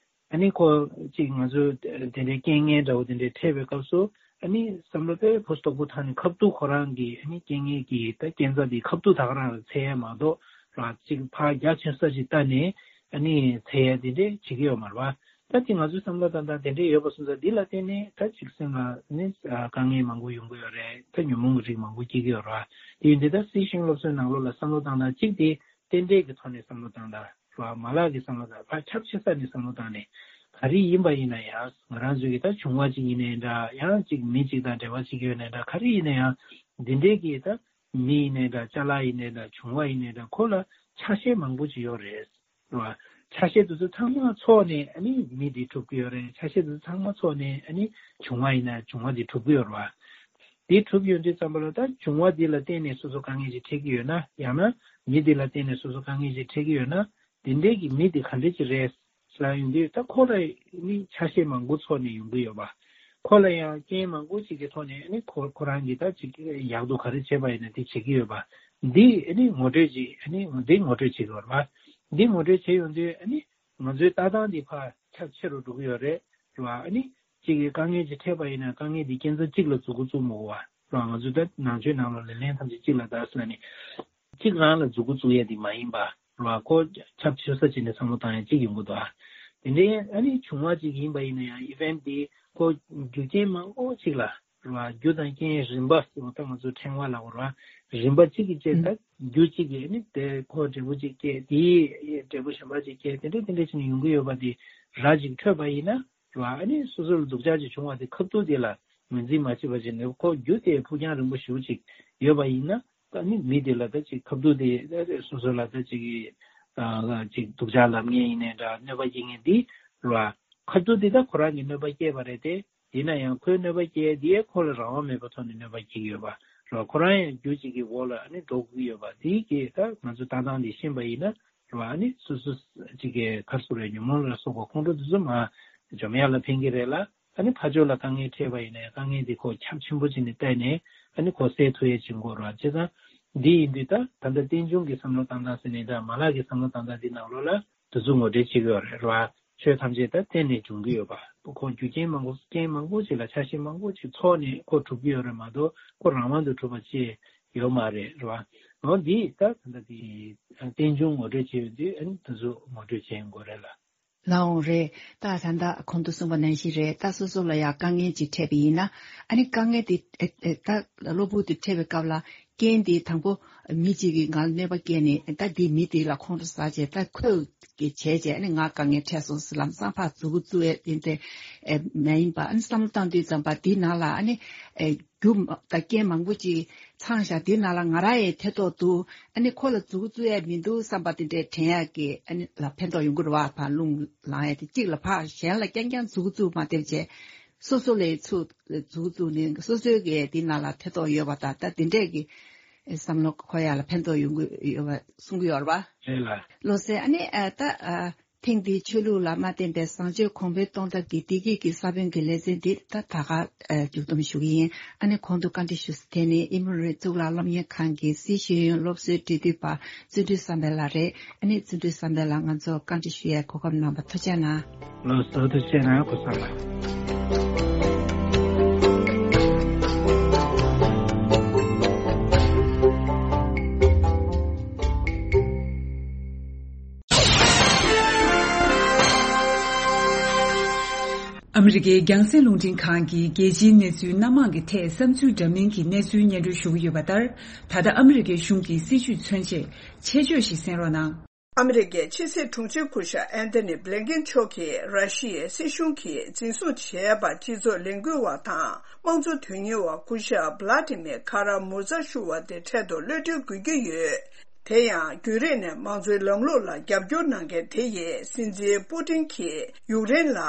ཨ་ནི་ཁོ་ཅིག་ང་ཚོ་དེ་འདྲའི་རྐྱེན་ངན་འདྲ་བོ་དེ་འདྲའི་འཕྲད་པའི་སྐབས་སུ་ཨ་ནི་བསམ་བློ་དཔེ་ཕུན་སུམ་ཚོགས་པོ་བཏང་ནས་ཁ་ཐུག་ཁོ་རང་གི་ཨ་ནི་རྐྱེན་ངན་གྱི་ད་རྐྱེན་རྩ་དེ་ཁ་ཐུག་ད་ག་རང་ལ་འཚོལ་ཡ་མ་གཏོགས་ར་ཅིག་ཕར་རྒྱ་ཆེ་ས་ཅིག་བལྟས་ནས་ཨ་ནི་འཚོལ་ཡ་དེ་འདྲའི་བྱེད་ཀྱི་ཡོད་མ་རེད་བ། ད་དེ་ང་ཚོའི་བསམ་བློ་བཏང་སྟངས་དེ་འདྲའི་ཡོད་པ་སོང་ཙང་འདི་ལ་བརྟེན་ནས་ད་ཅིག་སེམས་ལ་ནི་དཀའ་ངལ་མང་པོ་ཡོང་གི་ཡོད་རེད། ད་ཉོན་མོངས་ཀྱི་རིགས་མང་པོ་སྐྱེ་གི་ཡོད་རེད་བ། དེ་ཡིན་དུས་ད་སི་ཤིང་སློབ་གསོའི་ནང་ལོགས་ལ་བསམ་བློ་བཏང་སྟངས་གཅིག་དེ། རྟེན་འབྲེལ་གྱི་ཐོག་ནས་བསམ་བློ་བཏང་དང་ར་མ་ལག་གི་བསམ་བློ་དང་ཕར་ཁྱབ་ཆེ་ས་ནས་བསམ་བློ་བཏང་ནས་ག་རེ་ཡིན་པ་ཡིན་ན་ཡང་ང་རང་ཚོའི་གི་ད་བྱུང་བ་གཅིག་ཡིན་ནའི་འདྲ། ཡང་གཅིག་མི་གཅིག་དང་འབྲེལ་བ་གཅིག་ཡོད་ནའི་འདྲ། ག་རེ་ཡིན་ན་ཡང་འདི་འདྲའི་གི་ད་མི་ཡིན་ནའི་འདྲ། ཅ་ལག་ཡིན་ནའི་འདྲ། བྱུང་བ་ཡིན་ནའི་འདྲ། ཁོ་ལ་ཆ་ཤས་མང་པོ་ཅིག་ཡོད་རེད་ར། ཆ་ཤས་དེ་ཚོ་ཚང་མ་ཚོགས་ནས་ཨ་ནི་མི་འདི་གྲུབ་ཀྱི་ཡོད་རེད། ཆ་ཤས་དེ་ཚོ་ཚང་མ་ཚོགས་ནས་ཨ་ནི་བྱུང་བ་ཡིན་ན་བྱུང་བ་འདི་གྲུབ་ཀྱི་ཡོད་རེད་བ། དེ་གྲུབ་ཡོང་དུས་ཙམ་པ་ལ་ད་བྱུང་བ་འདི་ལ་བརྟེན་ནས་སོ་སོ་དཀའ་ངལ་ཅིག་འཕྲད་ཀྱི་ཡོད་ན། ཡང་ན་མི་འདི་ལ་བརྟེན་ནས་སོ་སོ་དཀའ་ངལ་ཅིག་འཕྲད་ཀྱི་ཡོད་ན། འདི་འདྲའི་གི་མི་འདི་ག་འདྲ་ཅིག་རེད་ལབ་ཡོང་དུས་ད་ཁོ་ལ་ནི་ཆ་ཤས་མང་པོ་ཚོགས་ནས་ཡོང་གི་ཡོད་པ། ཁོ་ལ་ཡང་རྐྱེན་མང་པོ་ཅིག་གི་ཐོག་ནས་ནི་ཁོ་ཁོ་རང་གིས་ད་ཅིག་ཡག་སྡུག་ག་རེ་བྱས་པ་ཡིན་ན་དེ་བྱེད་ཀྱི་ཡོད་པ། འདི་ནི་ངོ་སྤྲོད་ཅིག་ནི་འདི་ངོ་སྤྲོད་བྱེད་ཀྱི་ཡོད་པ། འདི་ངོ་སྤྲོད་བྱེད་ཡོང་དུས་ནི། ང་ཚོའི་ལྟ་སྟངས་འདི་ཕར་ཁྱབ་ཆེ་རུ་འགྲོ་གི་ཡོད་རེད་ར། ཨ་ནི་གཅིག་གིས་དཀའ་ངལ་ཅིག་འཕྲད་པ་ཡིན་ན་དཀའ་ངལ་འདི་རྐྱེན་རྩ་གཅིག་ལ་འཛུགས་འགོ་བཙུགས་མི་དགོས་པ་ར། ང་ཚོ་ད་ནང་ཆོས་ནང་ལོགས་ལ་ལན་ཐམས་ཅད་གཅིག་ལ་བདག་ཟེར་ནས་གཅིག་རང་ལ་འཛུགས་འགོ་བཙུགས་ཡ་འདི་མ་ཡིན་པ་ར། ཁོ་ཁྱབ་ཆེ་ས་ཅིག་ནས་བསམ་བློ་བཏང་ཡ་གཅིག་ཡོང་གི་འདུག་ཨ། དེ་འདྲའི་ཨ་ནི་བྱུང་བ་ཅིག་ཡིན་པ་ཡིན་ན་ཡང་event འདི་ཁོ་རྒྱུ་རྐྱེན་མང་པོ་ཅིག་ལ། རེད་བ། རྒྱུ་དང་རྐྱེན་རིམ་པ་ཟེར་བ་ད་ང་ཚོ་ཕྲེང་བ་ལབ་དགོས་རེད་བ། རིམ་པ་གཅིག་གིས་བཅད་ད་རྒྱུ་གཅིག་གིས་ནི་དེ་ཁོ་འབྲས་བུ་གཅིག་སྐྱེས། དེའི་འབྲས་བུ་གཞན་པ་གཅིག་སྐྱེས། དེ་འདྲ་དེ་འདྲ་བྱས་ནས་ཡོང་གི་ཡོད་པ་དེ་ར་གཅིག་འཕྲོད་པ་ཡིན་ན་རེད་བ། ཨ་ནི་སོ་སོ་ལ་སྡུག་ཅག་ཅིག་བྱུང་བ་དེ་ཁ་ཐུག་དེ་ལ་ངོས་འཛིན་མ་བྱེད་པ་བྱས་ནས་ཁོ་རྒྱུ་དེ་ཕུགས་རྒྱང་རིང་པོ་ཞེ་པོ་ཅིག་ཡོད་པ་ཡིན་ན། ད་ནི་མི་དེ་ལ་ད་ཅིག་ཁ་ཐུག་དེ་སོ་སོ་ལ་ད་ཅིག་ཅིག་སྡུག་ཅག་ལབ་མཁན་ཡིན་ནའི་འདྲ། གནོད་པ་སྐྱེལ་མཁན་དེ་རེད་བ། ཁ་ཐུག་དེ་ད་ཁོ་རང་གིས་གནོད་པ་སྐྱེལ་བ་རེད་དེ། ཡིན་ན་ཡང་ཁོའི་གནོད་པ་སྐྱེལ་དེ་ཁོ་ལ་རང་དབང་མེད་པའི་ཐོག་ནས་གནོད་པ་སྐྱེལ་གྱི་ཡོད་པ་རེད། ཁོ་རང་ཡང་རྒྱུ་གཅིག་གི་འོག་ལ་ཨ་ནི་འགྲོ་དགོས་ཀྱི་ཡོད་པ། དེའི་གི་ད་ང་ཚོ་ལྟ་སྟངས་འདི་ཤེས་པ་ཡིན་ན་རེད་བ། ཨ་ནི་སོ་སོ་གཅིག་གི་ག་རེ་ཟེར་དགོས་རེད། ཉོན་མོངས་ལ་སོགས་པ་ཁོང་ཁྲོ་དེ་ཚོ་མར་འཇོམས་ཡག་ལ་ཕན་གྱི་རེད་ལ། ཨ་ནི་ཕར་ཕྱོགས་ལ་དཀའ་ངལ་འཕྲད་པ་ཡིན་ན་ཡང་དཀའ་ངལ་འདི་ཁོ་ཁྱབ་ཆེན་པོ་བྱས་ནས་བལྟས་ནས་ ཨ་ནི་ཁོ་སེལ་ཐུབ་ཡས་བྱེད་དགོས་རེད་བ། བྱས་ཙང་འདི་ཡིན་དུས་ད་ད་ལྟ་རྟེན་འབྱུང་གི་བསམ་བློ་བཏང་སྟངས་ཟེར་ནས་ད་མ་ལག་གི་བསམ་བློ་བཏང་སྟངས་འདི་ནང་ལོགས་ལ་དེ་ཚོ་ངོ་སྤྲོད་བྱེད་ཀྱི་ཡོད་རེད་བ། ཆོས་ཐམས་ཅད་ད་རྟེན་ནས་འབྱུང་གི་ཡོད་པ། ཁོ་རྒྱུ་རྐྱེན་མང་པོ་རྐྱེན་མང་པོ་ཅིག་ལ་ཆ་ཤས་མང་པོ་ཅིག་ཚོགས་ནས་ཁོ་གྲུབ་ཀྱི་ཡོད་རེད་མ་གཏོགས་ཁོ་རང་དབང་དུ་གྲུབ་པ་ཅིག་ཡོད་མ་རེད་རེད་བ། འོ་འདི་ད་ད་ལྟ་དེ་རྟེན་འབྱུང་ངོ་སྤྲོད་བྱེད་ཡོད་དུས་ཨ་ནི་དེ་ཚོ་ངོ་སྤྲོད་བྱེད་དགོས་རེད་ལ། ལགས་འོང་རེད། ད་ད་ལྟ་གོང་དུ་གསུངས་པ་ནང་བཞིན་རེད། ད་སོ་སོ་ལ་ཡང་དཀའ་ངལ་ཅིག་འཕྲད་པ་ཡིན་ན། ཨ་ནི་དཀའ་ངལ་དེ་ཨེ་ཨེ་ད་གློ་བུར་དུ་འཕྲད་པའི་སྐབས་ལ་རྐྱེན་དེ་དང་པོ་མི་གཅིག་གིས་ང་ལ་གནོད་པ་བསྐྱལ་ནས་ད་དེ་མི་དེ་ལ་ཁོང་ཁྲོ་ཟ་བྱས་ད་ཁོས་གི་བྱས་བྱས་ཨ་ནི་ང་དཀའ་ངལ་འཕྲད་སོང་ཟེར་ལམ་སང་ཕར་མཛུབ་གུ་བཙུགས་ཡས་དེ་འདྲ་ཨེ་མ་ཡིན་པ། ཨ་ནི་བསམ་བློ་བཏང་དུས་ཙམ་པ་དེའི་ནང་ལ་ཨ་ནི་ཨེ་རྒྱུ་མ་ད་རྐྱེན་མང་པོ་ཅིག་ཚང་བཞག་དེའི་ནང་ལ་ང་རང་ཡང་ཐེ་གཏོགས་འདུག་ཨ་ནི་ཁོ་ལ་མཛུབ་གུ་བཙུགས་ཡས་མི་འདུག་བསམ་པ་དེ་འདྲས་དྲན་ཡག་གི་ཨ་ནི་ལ་ཕན་ཐོགས་ཡོང་གི་རེད་བ། ཕར་རླུང་ལངས་ཡས་དེ་གཅིག་ལ་ཕར་གཞན་ལ་རྐྱང་རྐྱང་མཛུབ་གུ་བཙུགས་མ་བསྡད་བྱས་སོ་སོ་ལ་ཚུར་མཛུབ་གུ་བཙུགས་ནས་སོ་སོའི་གི་དེའི་ནང་ལ་ཐེ་གཏོགས་ཡོད་པ་དང་ད་དེ་འདྲས་ཀྱི་བསམ་བློ་འཁོར་ཡག་ལ་ཕན་ཐོགས་ཡོང་གི་ཡོད་པ་གསུང་གི་ཡོད་རེད་བ། རེད་ལ། བློ་གསལ། ཨ་ནི་ཨ་ད་ཨ། ཐེངས་འདིའི་ཆོས་ལུགས་ལ་མ་བརྟེན་པའི་བཟང་སྤྱོད་གོང་འཕེལ་གཏོང་ཐབས་ཀྱི་བདེ་སྐྱིད་ཀྱི་ས་བོན་གྱི་ལེ་ཚན་འདི་ད་ད་ག་མཇུག་བསྡོམས་ཞུ་གི་ཡིན། ཨ་ནི་གོང་དུ་བཀའ་འདྲི་ཞུས་ས་དེ་ནི་ཨི་མོ་རི་གཙུག་ལག་སློབ་གཉེར་ཁང་གི་སྲིད་ཤེས་ཡོན་སློབ་གསོའི་འབྲེལ་མཐུད་པ་བརྩོན་འགྲུས་བསམ་འཕེལ་ལགས་རེད། ཨ་ནི་བརྩོན་འགྲུས་བསམ་འཕེལ་ལགས་ང་ཚོར་བཀའ་འདྲི་ཞུ་ཡའི་གོ་སྐབས་གནང་བར་ཐུགས་རྗེ་གནང་། ལགས་སོ། ཐུགས་རྗེ་གནང་། སྐུ་གཟུགས་ལ། ཨ་མི་རི་ཀའི་རྒྱང་སྲིང་རླུང་འཕྲིན་ཁང་གིས་རྒྱལ་སྤྱིའི་གནས་ཚུལ་སྣ་མང་གི་ཐད་བསམ་ཚུལ་འདྲ་མིན་གྱི་གནས་ཚུལ་སྙན་སྒྲོན་ཞུ་གི་ཡོད་པ་ལྟར། ད་ལྟ་ཨ་མི་རི་ཀའི་གཞུང་གི་སྲིད་བྱུས་མཚོན་ཆེད་ཆེད་བརྗོད་ཞིག་གསན་རོགས་གནང་། ཨ་མི་རི་ཀའི་ཕྱི་སྲིད་དྲུང་ཆེ་སྐུ་ཞབས་ཨན་ཐོ་ནི་བྷི་ལིན་ཀེན་མཆོག་གིས་ར་ཤི་ཡའི་སྲིད་གཞུང་གིས་འཛིན་བཟུང་བྱས་པ་སྤྱི་ཚོགས་ལས་འགུལ་བ་དང་དམངས་གཙོ་དོན་གཉེར་བ་སྐུ་ཞབས་བྷི་ལ་ཏི་མེ་ཁ་ར་མུ་ཛ་ཞུ་བ་དེ་འཕྲལ་དུ་གློད་གྲོལ་དགོས་ཀྱི་ཡོད། དེ་ཡང་རྒྱུན་རིང་ནས་དམངས་གཙོའི་ལམ་ལུགས་ལ་རྒྱབ་སྐྱོར་གནང་མཁན་དེ་ཡིས་སྲིད་འཛིན་པུ་ཏིན་གྱིས་ཡུཀ་རེན་ལ་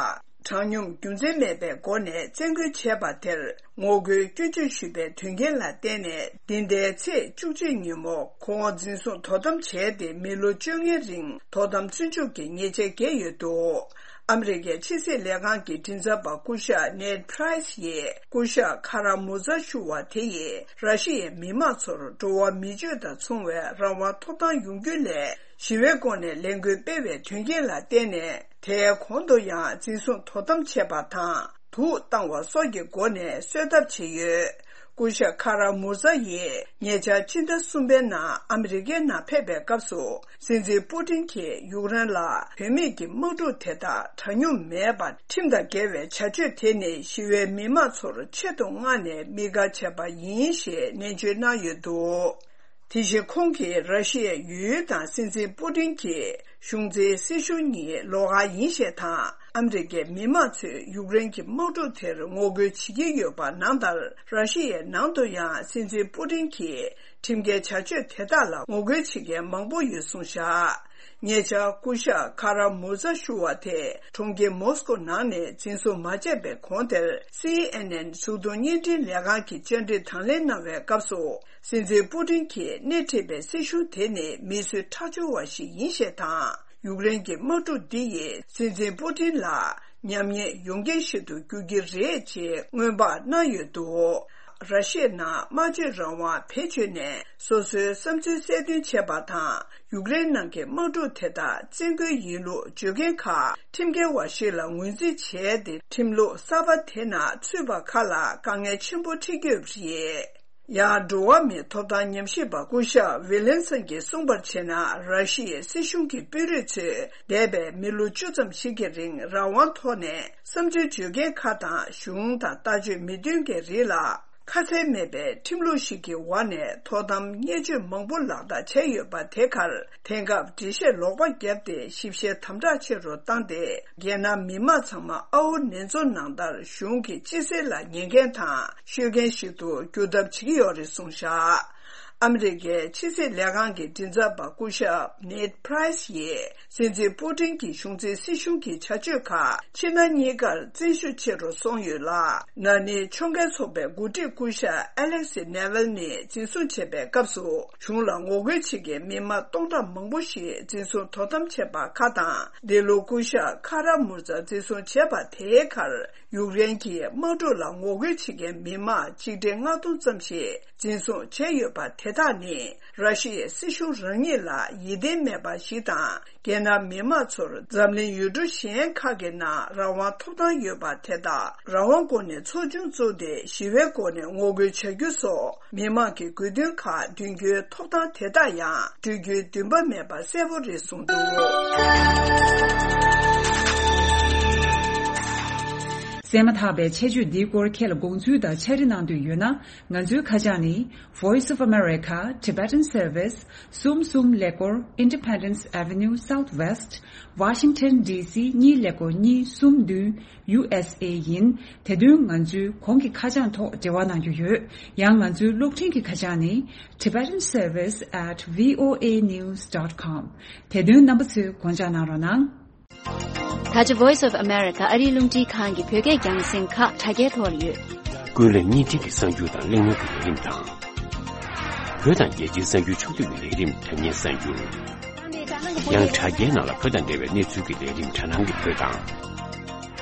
དྲང་སྙོམས་རྒྱུ་མཚན་མེད་པའི་སྒོ་ནས་བཙན་རྒོལ་བྱས་པ་དེར་ངོ་རྒོལ་སྐྱོན་བརྗོད་ཞུས་པའི་དོན་རྐྱེན་ལ་བརྟེན་ནས་འདི་ཟླའི་ཚེས་བཅུ་གཅིག་ཉིན་མོ་ཁོང་འཛིན་བཟུང་དོ་དམ་བྱས་ཏེ་མི་ལོ་བཅོ་ལྔའི་རིང་དོ་དམ་བཙོན་འཇུག་གི་ཉེས་ཆད་བཀལ་ཡོད་འདུག་ཨ་མི་རི་ཀའི་ཕྱི་སྲིད་ལས་ཁང་གི་མགྲིན་ཚབ་པ་སྐུ་ཞབས་ནེད་ཕ་རའི་སི་ཡིས་སྐུ་ཞབས་ཁ་ར་མུ་ཛ་ཞུ་བ་དེ་ཡིས་ར་ཤི་ཡའི་མི་དམངས་ཚོར་འགྲོ་བ་མི་སྤྱོད་དང་མཚུངས་པའི་རང་དབང་ཐོབ་ཐང་ཡོང་རྒྱུ་ལས་ཞི་བའི་སྒོ་ནས་ལས་འགུལ་སྤེལ་བའི་དོན་རྐྱེན་ལ་བརྟེན་ནས་དེའི་གོང་དུ་ཡང་འཛིན་བཟུང་དོ་དམ་བྱས་པ་དང་། དུག་བཏང་བ་སོགས་ཀྱི་སྒོ་ནས་གསོད་ཐབས་བྱས་ཡོད། སྐུ་ཞབས་ཁ་ར་མུ་ཛ་ཡིས་ཉེ་ཆར་ཕྱི་ཟླ་གསུམ་པའི་ནང་ཨ་མི་རི་ཀའི་ནང་ཕེབས་པའི་སྐབས་སུ་སྲིད་འཛིན་པུ་ཏིན་གྱིས་ཡུཀ་རེན་ལ་བུད་མེད་ཀྱི་དམག་འཁྲུག་དེ་དག་དྲང་སྙོམས་མེད་པ་ཁྲིམས་དང་འགལ་བའི་བྱ་སྤྱོད་དེ་ནི་ཞི་བའི་མི་དམངས་ཚོར་ཆེད་དུ་མངགས་ནས་དམིགས་བཀར་བྱས་པ་ཡིན་ཞེས་ནན་བརྗོད་གནང་ཡོད་འདུག་དེ་བཞིན་ཁོང་གིས་ར་ཤི་ཡའི་ཡུལ་དང་སྲིད་འཛིན་པུ་ཏིན་གྱི་གཞུང་འཛིན་སྲིད་གཞུང་གཉིས་ལོགས་ཀ་ཡིན་ཞེས་དང་། ཨ་མི་རི་ཀའི་མི་དམངས་ཚོས་ཡུཀ་རེན་གྱི་དམག་འཁྲུག་དེར་ངོ་རྒོལ་བྱེད་ཀྱི་ཡོད་པ་ནང་ལྟར། ར་ཤི་ཡའི་ནང་དུ་ཡང་སྲིད་འཛིན་པུ་ཏིན་གྱི་ཁྲིམས་འགལ་བྱ་སྤྱོད་དེ་དག་ལ་ངོ་རྒོལ་བྱེད་མཁན་མང་པོ་ཡོད་གསུངས་བཞག་ཉེ་ཆར་སྐུ་ཞབས་ཁ་ར་མུ་ཛ་ཞུ་བ་དེ་གྲོང་ཁྱེར་མོ་སི་ཀོ་ནང་ནས་འཛིན་བཟུང་མ་བྱས་པའི་གོང་དེར། སི་ཨེན་ཨེན་གཟུགས་མཐོང་བརྙན་འཕྲིན་ལས་ཁང་གིས་བཅར་འདྲི་དང་ལེན་གནང་བའི་སྐབས་སུ། སྲིད་འཛིན་པུ་ཏིན་གྱིས་སྣེ་ཁྲིད་པའི་སྲིད་གཞུང་དེ་ནི་མི་གསོད་ཁྲག་སྦྱོར་བ་ཞིག་ཡིན་ཞེས་དང་། ཡུཀ་རེན་གྱི་དམག་འཁྲུག་འདི་ཡིས་སྲིད་འཛིན་པུ་ཏིན་ལ་ཉམས་ཉེས་ཡོང་རྐྱེན་ཞིག་ཏུ་འགྱུར་གྱི་རེད་ཅེས་སྔོན་དཔག་གནང་ཡོད་འདུག་ར་ཤི་ཡའི་ནང་སྨྲ་བརྗོད་རང་དབང་བེད་སྤྱོད་ནས་སོ་སོའི་བསམ་ཚུལ་གསལ་སྟོན་བྱས་པ་དང་། ཡུཀ་རེན་ནང་གི་དམག་འཁྲུག་དེ་དག་བཙན་རྒོལ་ཡིན་ལུགས་བརྗོད་མཁན་ཁག་ཁྲིམས་འགལ་བ་ཞིག་ལ་ངོས་འཛིན་བྱས་ཏེ། ཁྲིམས་ལུགས་གསར་པ་དེ་ནང་ཚུད་པ་ཁག་ལ་དཀའ་ངལ་ཆེན་པོ་འཕྲད་ཀྱི་ཡོད་པ་རེད། ཡང་འགྲོ་བ་མིའི་ཐོབ་ཐང་ཉམས་ཞིབ་པ་སྐུ་ཞབས་ཝི་ལན་སན་གྱིས་གསུངས་པར་བྱས་ན། ར་ཤི་ཡའི་སྲིད་གཞུང་གི་དཔོན་རིགས་ཚོས་འདས་པའི་མི་ལོ་བཅུ་ཙམ་ཞིག་གི་རིང་རང་དབང་ཐོག་ནས་བསམ་ཚུལ་བརྗོད་མཁན་ཁག་དང་། གཞུང་དང་ལྟ་སྤྱོད་མི་མཐུན་མཁན་རིགས་ལ་ཁ་གསལ་མེད་པའི་ཁྲིམས་ལུགས་ཤིག་གི་འོག་ནས་དོ་དམ་བརྙས་བཅོས་མང་པོ་ལག་བསྟར་བྱས་ཡོད་པ་དེ་ཁར། དེང་སྐབས་འགྲེལ་བཤད་ལོག་པ་བརྒྱབ་སྟེ་ཞིབ་བཤེར་དམ་དྲག་ཆེ་རུ་བཏང་སྟེ། རྒྱལ་ནང་མི་མང་ཚང་མ་ཨའོ་ནེ་ཛོ་ནང་ལྟར་གཞུང་གི་སྤྱི་སེལ་ལ་ཉན་མཁན་དང་ཤོད་མཁན་ཞིག་ཏུ་འགྱུར་ཐབས་བྱེད་ཀྱི་ཡོད་རེད་གསུངས་བཞག་ཨ་མི་རི་ཀའི་ཕྱི་སྲིད་ལས་ཁང་གི་མགྲིན་ཚབ་པ་སྐུ་ཞབས་ནེད་པྲའེ་སི་ཡིས་སྲིད་འཛིན་པུ་ཏིན་གྱི་གཞུང་འཛིན་སྲིད་གཞུང་གི་བྱ་སྤྱོད་ཁག་ཕྱི་ནང་གཉིས་ཀར་བཙན་ཤུགས་ཆེ་རུ་སོང་ཡོད་ལ། ན་ནིང་ཕྱོགས་འགལ་ཚོགས་པའི་འགོ་ཁྲིད་སྐུ་ཞབས་ཨ་ལེག་སི་ནེ་ཝེལ་ནི་འཛིན་བཟུང་བྱས་པའི་སྐབས་སུ། གཞུང་ལ་ངོ་རྒོལ་བྱེད་མཁན་མི་མང་སྟོང་ཕྲག་མང་པོ་ཞིག་འཛིན་བཟུང་དོ་དམ་བྱས་པ་ཁག་དང་། འདི་ལོ་སྐུ་ཞབས་ཁ་ར་མུར་ཛ་འཛིན་བཟུང་བྱས་པ་དེའི་ཁར། ཡུཀ་རེན་གྱི་དམག་འཁྲུག་ལ་ངོ་རྒོལ་བྱེད་མཁན་མི་མང་ཆིག་ཁྲི་ལྔ་སྟོང་ཙམ་ཞིག་འཛིན་བཟུང་བྱས་ཡོད་པ་དེ་དག་ནི། ར་ཤི་ཡའི་སྲིད་གཞུང་རང་ཉིད་ལ་ཡིད་བརྟན་མེད་པ་ཞིག་དང་། རྒྱལ་ནང་མི་མང་ཚོར་འཛམ་གླིང་ཡུལ་གྲུ་གཞན་ཁག་གི་ནང་རང་དབང་ཐོབ་ཐང་ཡོད་པ་དེ་དག་རང་དབང་སྒོ་ནས་ཚོགས་ཆུང་བཙུགས་ཏེ་ཞི་བའི་སྒོ་ནས་ངོ་རྒོལ་བྱ་རྒྱུ་སོགས། མི་མང་གི་དགོས་འདུན་ཁག་འདོན་རྒྱུའི་ཐོབ་ཐང་དེ་དག་ཡང་སྤྲོད་རྒྱུའི་འདུན་པ་མེད་པ་གསལ་པོ་རེད་གསུངས་འདུག། གསན་མ་ཐག་པའི་ཆེད་བརྗོད་འདིའི་སྐོར་ཁྱེད་ལ་དགོངས་ཚུལ་དང་ཕྱག་བྲིས་གནང་འདོད་ཡོད་ན། ང་ཚོའི་ཁ་བྱང་ནི། Voice of America, Tibetan Service, གསུམ་གསུམ་ཀླད་ཀོར། Independence Avenue Southwest, Washington D C གཉིས་ཀླད་ཀོར་གཉིས་གསུམ་བདུན། ཡུ་ཨེས་ཨེ་ཡིན། དེ་དོན་ང་ཚོའི་གོང་གི་ཁ་བྱང་ཐོག་འབྲེལ་བ་གནང་རྒྱུ་ཡོད། ཡང་ང་ཚོའི་གློག་འཕྲིན་གྱི་ཁ་བྱང་ནི། Tibetan Service at V O A news dot com། དེ་དོན་རྣམ་པ་ཚོས་དགོངས་འཇགས་གནང་རོགས་གནང་། ད་ཆ་Voice of America ཨ་རིའི་རླུང་འཕྲིན་ཁང་གི་བོད་སྐད་རྒྱང་སྲིང་ཁག་དྲ་རྒྱའི་ཐོག་ལ་ཡོད། ཀུན་གླེང་བརྙན་འཕྲིན་གྱི་གསར་འགྱུར་དང་གླེང་མོལ་གྱི་ལས་རིམ་དང་། བོད་དང་རྒྱལ་སྤྱིའི་གསར་འགྱུར་ཕྱོགས་བསྡུས་ཀྱི་ལས་རིམ་དྲ་བརྙན་གསར་འགྱུར། ཡང་དྲ་རྒྱའི་ནང་ལ་བོད་དང་འབྲེལ་བའི་གནས་ཚུལ་གྱི་ལས་རིམ་དྲ་སྣང་གི་བོད་དང་།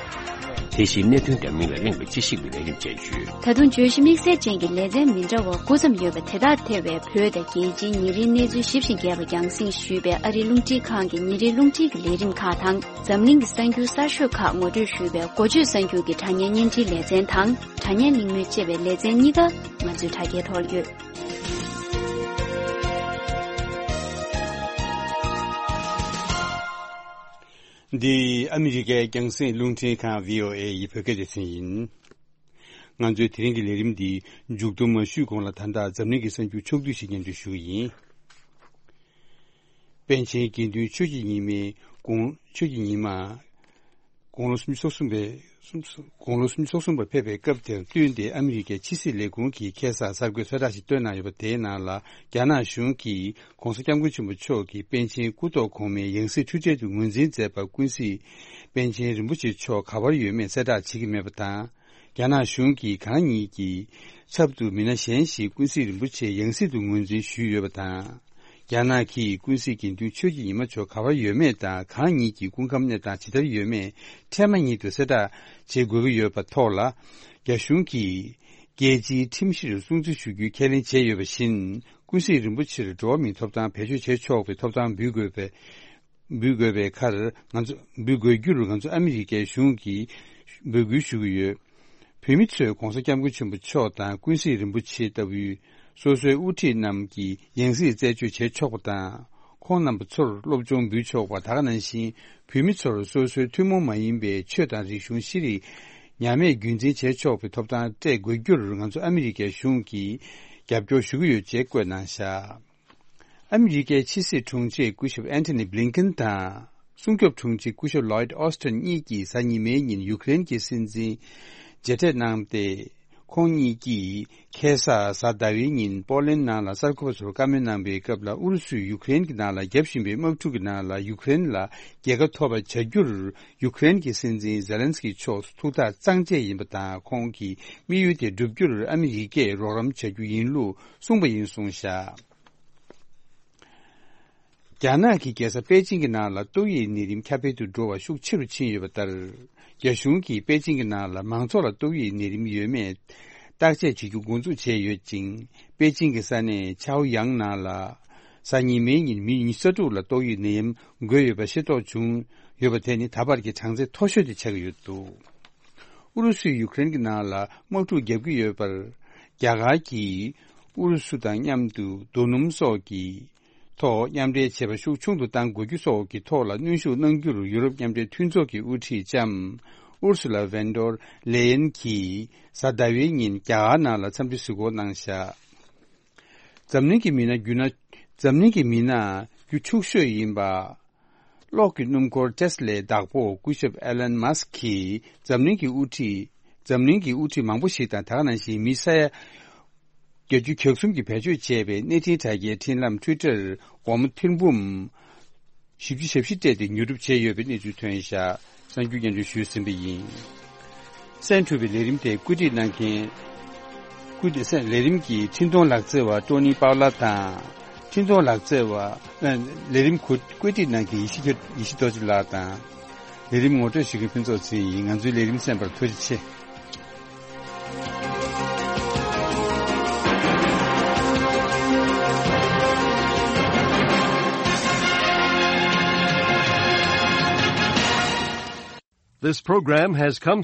དེ་བཞིན་གནད་དོན་འདྲ་མིན་ལ་གླེང་བའི་དཔྱད་ཞིབ་ཀྱི་ལས་རིམ་བཅས་ཡོད། ད་དུང་བརྗོད་གཞི་དམིགས་བསལ་ཅན་གྱི་ལེ་ཚན་མི་འདྲ་བ་དགུ་ཙམ་ཡོད་པ་དེ་དག་ཐེ་བའི་བོད་དང་རྒྱལ་སྤྱིའི་ཉིན་རེའི་གནས་ཚུལ་ཞིབ་ཅིང་རྒྱས་པ་རྒྱང་སྲིང་ཞུས་པའི་ཨ་རིའི་རླུང་འཕྲིན་ཁང་གི་ཉིན་རེའི་རླུང་འཕྲིན་གྱི་ལས་རིམ་ཁག་དང་། འཛམ་གླིང་གི་གསར་འགྱུར་གསར་ཤོས་ཁག་ངོ་སྤྲོད་ཞུས་པའི་འགོ་བརྗོད་གསར་འགྱུར་གྱི་དྲ་བརྙན་བརྙན་འཕྲིན་ལེ་ཚན་དང་། དྲ་བརྙན་གླེང་མོལ་ཅེས་པའི་ལེ་ཚན་གཉིས་ཀ་ང་ཚོའི་དྲ་རྒྱའི་ཐོག་ཡོད། འདི་ཨ་མི་རི་ཀའི་རྒྱང་སྲིང་རླུང་འཕྲིན་ཁང་བྷི་ཨོ་ཨེ་ཡི་བོད་སྐད་སྡེ་ཚན་ཡིན། ང་ཚོའི་དེ་རིང་གི་ལས་རིམ་འདི་མཇུག་བསྡོམས་མ་ཞུས་གོང་ལ། ད་ལྟ་འཛམ་གླིང་གི་གསར་འགྱུར་ཕྱོགས་བསྡུས་ཤིག་སྙན་སྒྲོན་ཞུ་གི་ཡིན། པཎ་ཆེན་དགེ་འདུན་ཆོས་ཀྱི་ཉི་མའི་དགུང་ཆོས་ཀྱི་ཉི་མ། དགུང་ལོ་སུམ་ཅུ་སོ་གསུམ་པའི་སུམ་དགུང་ལོ་སུམ་ཅུ་སོ་གསུམ་པ་ཕེབས་པའི་སྐབས་དེར་བསྟུན་ཏེ། ཨ་མི་རི་ཀའི་ཕྱི་སྲིད་ལས་ཁུངས་ཀྱིས་ཁ་སང་གསར་འགོད་གསལ་བསྒྲགས་ཤིག་བཏོན་གནང་ཡོད་པ། དེའི་ནང་ལ། རྒྱ་ནག་གཞུང་གིས་༧གོང་ས་༧སྐྱབས་མགོན་ཆེན་པོ་མཆོག་གིས་པཎ་ཆེན་སྐུ་ཐོག་གོང་མའི་ཡང་སྲིད་འཁྲུལ་བྲལ་དུ་ངོས་འཛིན་མཛད་པ་ཀུན་གཟིགས་པཎ་ཆེན་རིན་པོ་ཆེ་མཆོག་ག་པར་ཡོད་མེད་གསལ་བསྒྲགས་བྱེད་ཀྱི་མེད་པ་དང་། རྒྱ་ནག་གཞུང་གིས་གང་ཉིད་ཀྱི་ཚབ་ཏུ་མི་སྣ་གཞན་ཞིག་ཀུན་གཟིགས་རིན་པོ་ཆེ་ཡང་སྲིད་དུ་ངོས་འཛིན་ཞུས་ཡོད་པ་དང་། རྒྱ་ནག་གིས་ཀུན་གཟིགས་དགེ་འདུན་ཆོས་ཀྱི་ཉི་མ་མཆོག་ག་པར་ཡོད་མེད་དང་། གང་ཉིད་ཀྱི་སྐུ་ཁམས་གནས་སྟངས་ཇི་ལྟར་ཡོད་མེད་འཕྲལ་མ་ཉིད་དུ་གསལ་བསྒྲགས་བྱེད་དགོས་ཀྱི་ཡོད་པ་ཐོག་ལ། རྒྱ་གཞུང་གིས་རྒྱལ་སྤྱིའི་ཁྲིམས་གཞིར་སྲུང་བརྩི་ཞུ་རྒྱུའི་ཁས་ལེན་བྱས་ཡོད་པ་བཞིན། ཀུན་གཟིགས་རིན་པོ་ཆེར་འགྲོ་བ་མིའི་ཐོབ་ཐང་བེད་སྤྱོད་བྱེད་ཆོག་པའི་ཐོབ་ཐང་འབུལ་དགོས་པའི་འབུལ་དགོས་པའི་ཁར། ང་ཚོ་འབུལ་དགོས་རྒྱུར་ང་ཚོ་ཨ་མི་རི་ཀའི་གཞུང་གིས་འབོད་སྐུལ་ཞུ་གི་ཡོད། བོད་མི་ཚོས་༧གོང་ས་༧སྐྱབས་མགོན་ཆེན་པོ་མཆོག་དང་ཀུན་གཟིགས་རིན་པོ་ཆེ་ལྟ་བུའི་སོ་སོའི་དབུ་ཁྲིད་རྣམས་ཀྱི་ཡང་སྲིད་རྩད་གཅོད་བྱེད་ཆོག་པ་དང་། ཁོང་རྣམ་པ་ཚོར་སློབ་སྦྱོང་འབུལ་ཆོག་པ། ད་ག་ནང་བཞིན་བོད་མི་ཚོར་སོ་སོའི་ཐུན་མོང་མ་ཡིན་པའི་ཆོས་དང་རིག་གཞུང་ཤེས་རིག་ཉམས་དམས་རྒྱུན་འཛིན་བྱེད་ཆོག་པའི་ཐོབ་ཐང་སྤྲད་དགོས་རྒྱུར་ང་ཚོ་ཨ་མི་རི་ཀའི་གཞུང་གིས་རྒྱབ་སྐྱོར་ཞུ་གི་ཡོད་ཅེས་བཀོད་གནང་བཞག། ཨ་མི་རི་ཀའི་ཕྱི་སྲིད་དྲུང་ཆེ་སྐུ་ཞབས་ཨན་ཐོ་ནི་བྷི་ལིན་ཀེན་དང་། སྲུང་སྐྱོབ་དྲུང་ཆེ་སྐུ་ཞབས་ལོའིད་ཨོ་སྟིན་གཉིས་ཀྱིས་གཟའ་ཉི་མའི་ཉིན་ཡུཀ་རེན་གྱི་སྲིད་འཛིན་མཇལ་འཕྲད་གནང་སྟེ། ཁོང་གཉིས་ཀྱིས་ཁ་སང་གཟའ་ཟླ་བའི་ཉིན་པོ་ལན་ནང་ལ་གསར་འགོད་པ་ཚོར་བཀའ་མོལ་གནང་པའི་སྐབས་ལ། ཨུ་རུ་སུས་ཡུཀ་རེན་གྱི་ནང་ལ་བརྒྱབ་བཞིན་པའི་དམག་འཁྲུག་གི་ནང་ལ་ཡུཀ་རེན་ལ་རྒྱལ་ཁ་ཐོབ་པ་བྱ་རྒྱུར་ཡུཀ་རེན་གྱི་སྲིད་འཛིན་ཛེ་ལན་སི་ཀི་མཆོག་ཐུགས་ཐག་གཙང་བཅད་ཡིན་པ་དང་། ཁོང་གི་དམིགས་ཡུལ་དེ་བསྒྲུབ་རྒྱུར་ཨ་མི་རི་ཀས་རོགས་རམ་བྱ་རྒྱུ་ཡིན་ལུགས་གསུངས་པ་ཡིན་གསུངས་བཞག། རྒྱ་ནག་གི་རྒྱལ་ས་པེ་ཅིང་གི་ནང་ལ་ཏོག་དབྱིབས་ནད་རིམས་ཁྱབ་སྤེལ་དུ་འགྲོ་བ་ཤུགས་ཆེ་རུ་ཕྱིན་ཡོད་པ་ལྟར། རྒྱ་གཞུང་གིས་པེ་ཅིང་གི་ནང་ལ་མང་ཚོགས་ལ་ཏོག་དབྱིབས་ནད་རིམས་ཡོད་མེད་བརྟག་དཔྱད་བྱེད་རྒྱུ་འགོ་འཛུགས་བྱས་ཡོད་ཅིང་། པེ་ཅིང་གི་ས་གནས་ཆའོ་ཡང་ནང་ལ་གཟའ་ཉི་མའི་ཉིན་མི་ཉི་ཤུ་རྩ་དྲུག་ལ་ཏོག་དབྱིབས་ནད་ཡམས་འགོས་ཡོད་པ་ཤེས་རྟོགས་བྱུང་ཡོད་པ་དེ་ནི་ད་བར་གྱི་གྲངས་ཚད་མཐོ་ཤོས་དེ་ཆགས་ཀྱི་ཡོད་འདུག། ཨུ་རུ་སུས་ཡུཀ་རེན་གྱི་ནང་ལ་དམག་འཁྲུག་བརྒྱབ་ཀྱི་ཡོད་པར། རྒྱ་གར་གྱིས་ཨུ་རུ་སུ་དང་མཉམ་དུ་རྡོ་སྣུམ་སོགས་ཀྱི་ཐོག་མཉམ་འབྲེལ་བྱེད་པ་ཤུགས་ཆུང་དུ་གཏང་དགོས་རྒྱུ་སོགས་ཀྱི་ཐོག་ལ་གནོན་ཤུགས་གནང་རྒྱུར་ཡུ་རོབ་མཉམ་འབྲེལ་མཐུན་ཚོགས་ཀྱི་དབུ་ཁྲིད་ལྕམ་ཨུར་སུ་ལ་ཝན་ཌོར་ལེ་ཡན་གྱིས་གཟའ་ཟླ་བའི་ཉིན་རྒྱ་གར་ནང་ལ་འཚམས་འདྲི་གཟིགས་སྐོར་གནང་བཞག། འཛམ་གླིང་གི་མི་སྣ་རྒྱུ་ན། འཛམ་གླིང་གི་མི་སྣ་རྒྱུ་ཕྱུག་ཤོས་ཡིན་པ། གློག་གི་སྣུམ་འཁོར་ཊེ་སི་ལའི་བདག་པོ་སྐུ་ཞབས་ཨེ་ལན་མཱ་སི་ཀིས་འཛམ་གླིང་གི་དབུ་ཁྲིད། འཛམ་གླིང་གི་དབུ་ཁྲིད་མང་པོ་ཞིག་དང་། ད་ག་ནང་བཞིན་མི་ས་ཡ་ བརྒྱད་ཅུ་གྱ་གསུམ་གྱི་བེད་སྤྱོད་བྱས་པའི་གནས་འཕྲིན་དྲ་རྒྱའི་འཕྲིན་ལམ་Twitter་སྒོར་མོ་ཐེར་འབུམ་བཞི་བཅུ་ཞེ་བཞི་སྤྲད་དེ་ཉོ་སྒྲུབ་བྱས་ཡོད་པའི་གནས་ཚུལ་ཐོན་བཞག་གསར་འགྱུར་སྙན་སྒྲོན་ཞུས་ཟིན་པ་ཡིན། གསན་གྲུབ་པའི་ལས་རིམ་དེ་བཀོད་སྒྲིག་གནང་མཁན། བཀོད་སྒྲིག་ལས་རིམ་གྱི་འཕྲིན་གཏོང་ལག་རྩལ་བ་ཀྲོ་ནི་པའོ་ལ་དང་། འཕྲིན་གཏོང་ལག་རྩལ་བ། ཨ། ལས་རིམ་གོ་བཀོད་སྒྲིག་གནང་མཁན་ཡེ་ཤེས་ཀྱི་ཡེ་ཤེས་རྡོ་རྗེ་ལགས་དང་། ལས་རིམ་ངོ་སྤྲོད་ཞུ་མཁན་ཕུན་ཚོགས་ཚེ་རིང་ཡིན། ང་ཚོའི་ལས་རིམ་གསན་པར་ཐུགས་རྗེ་ཆེ། This program has come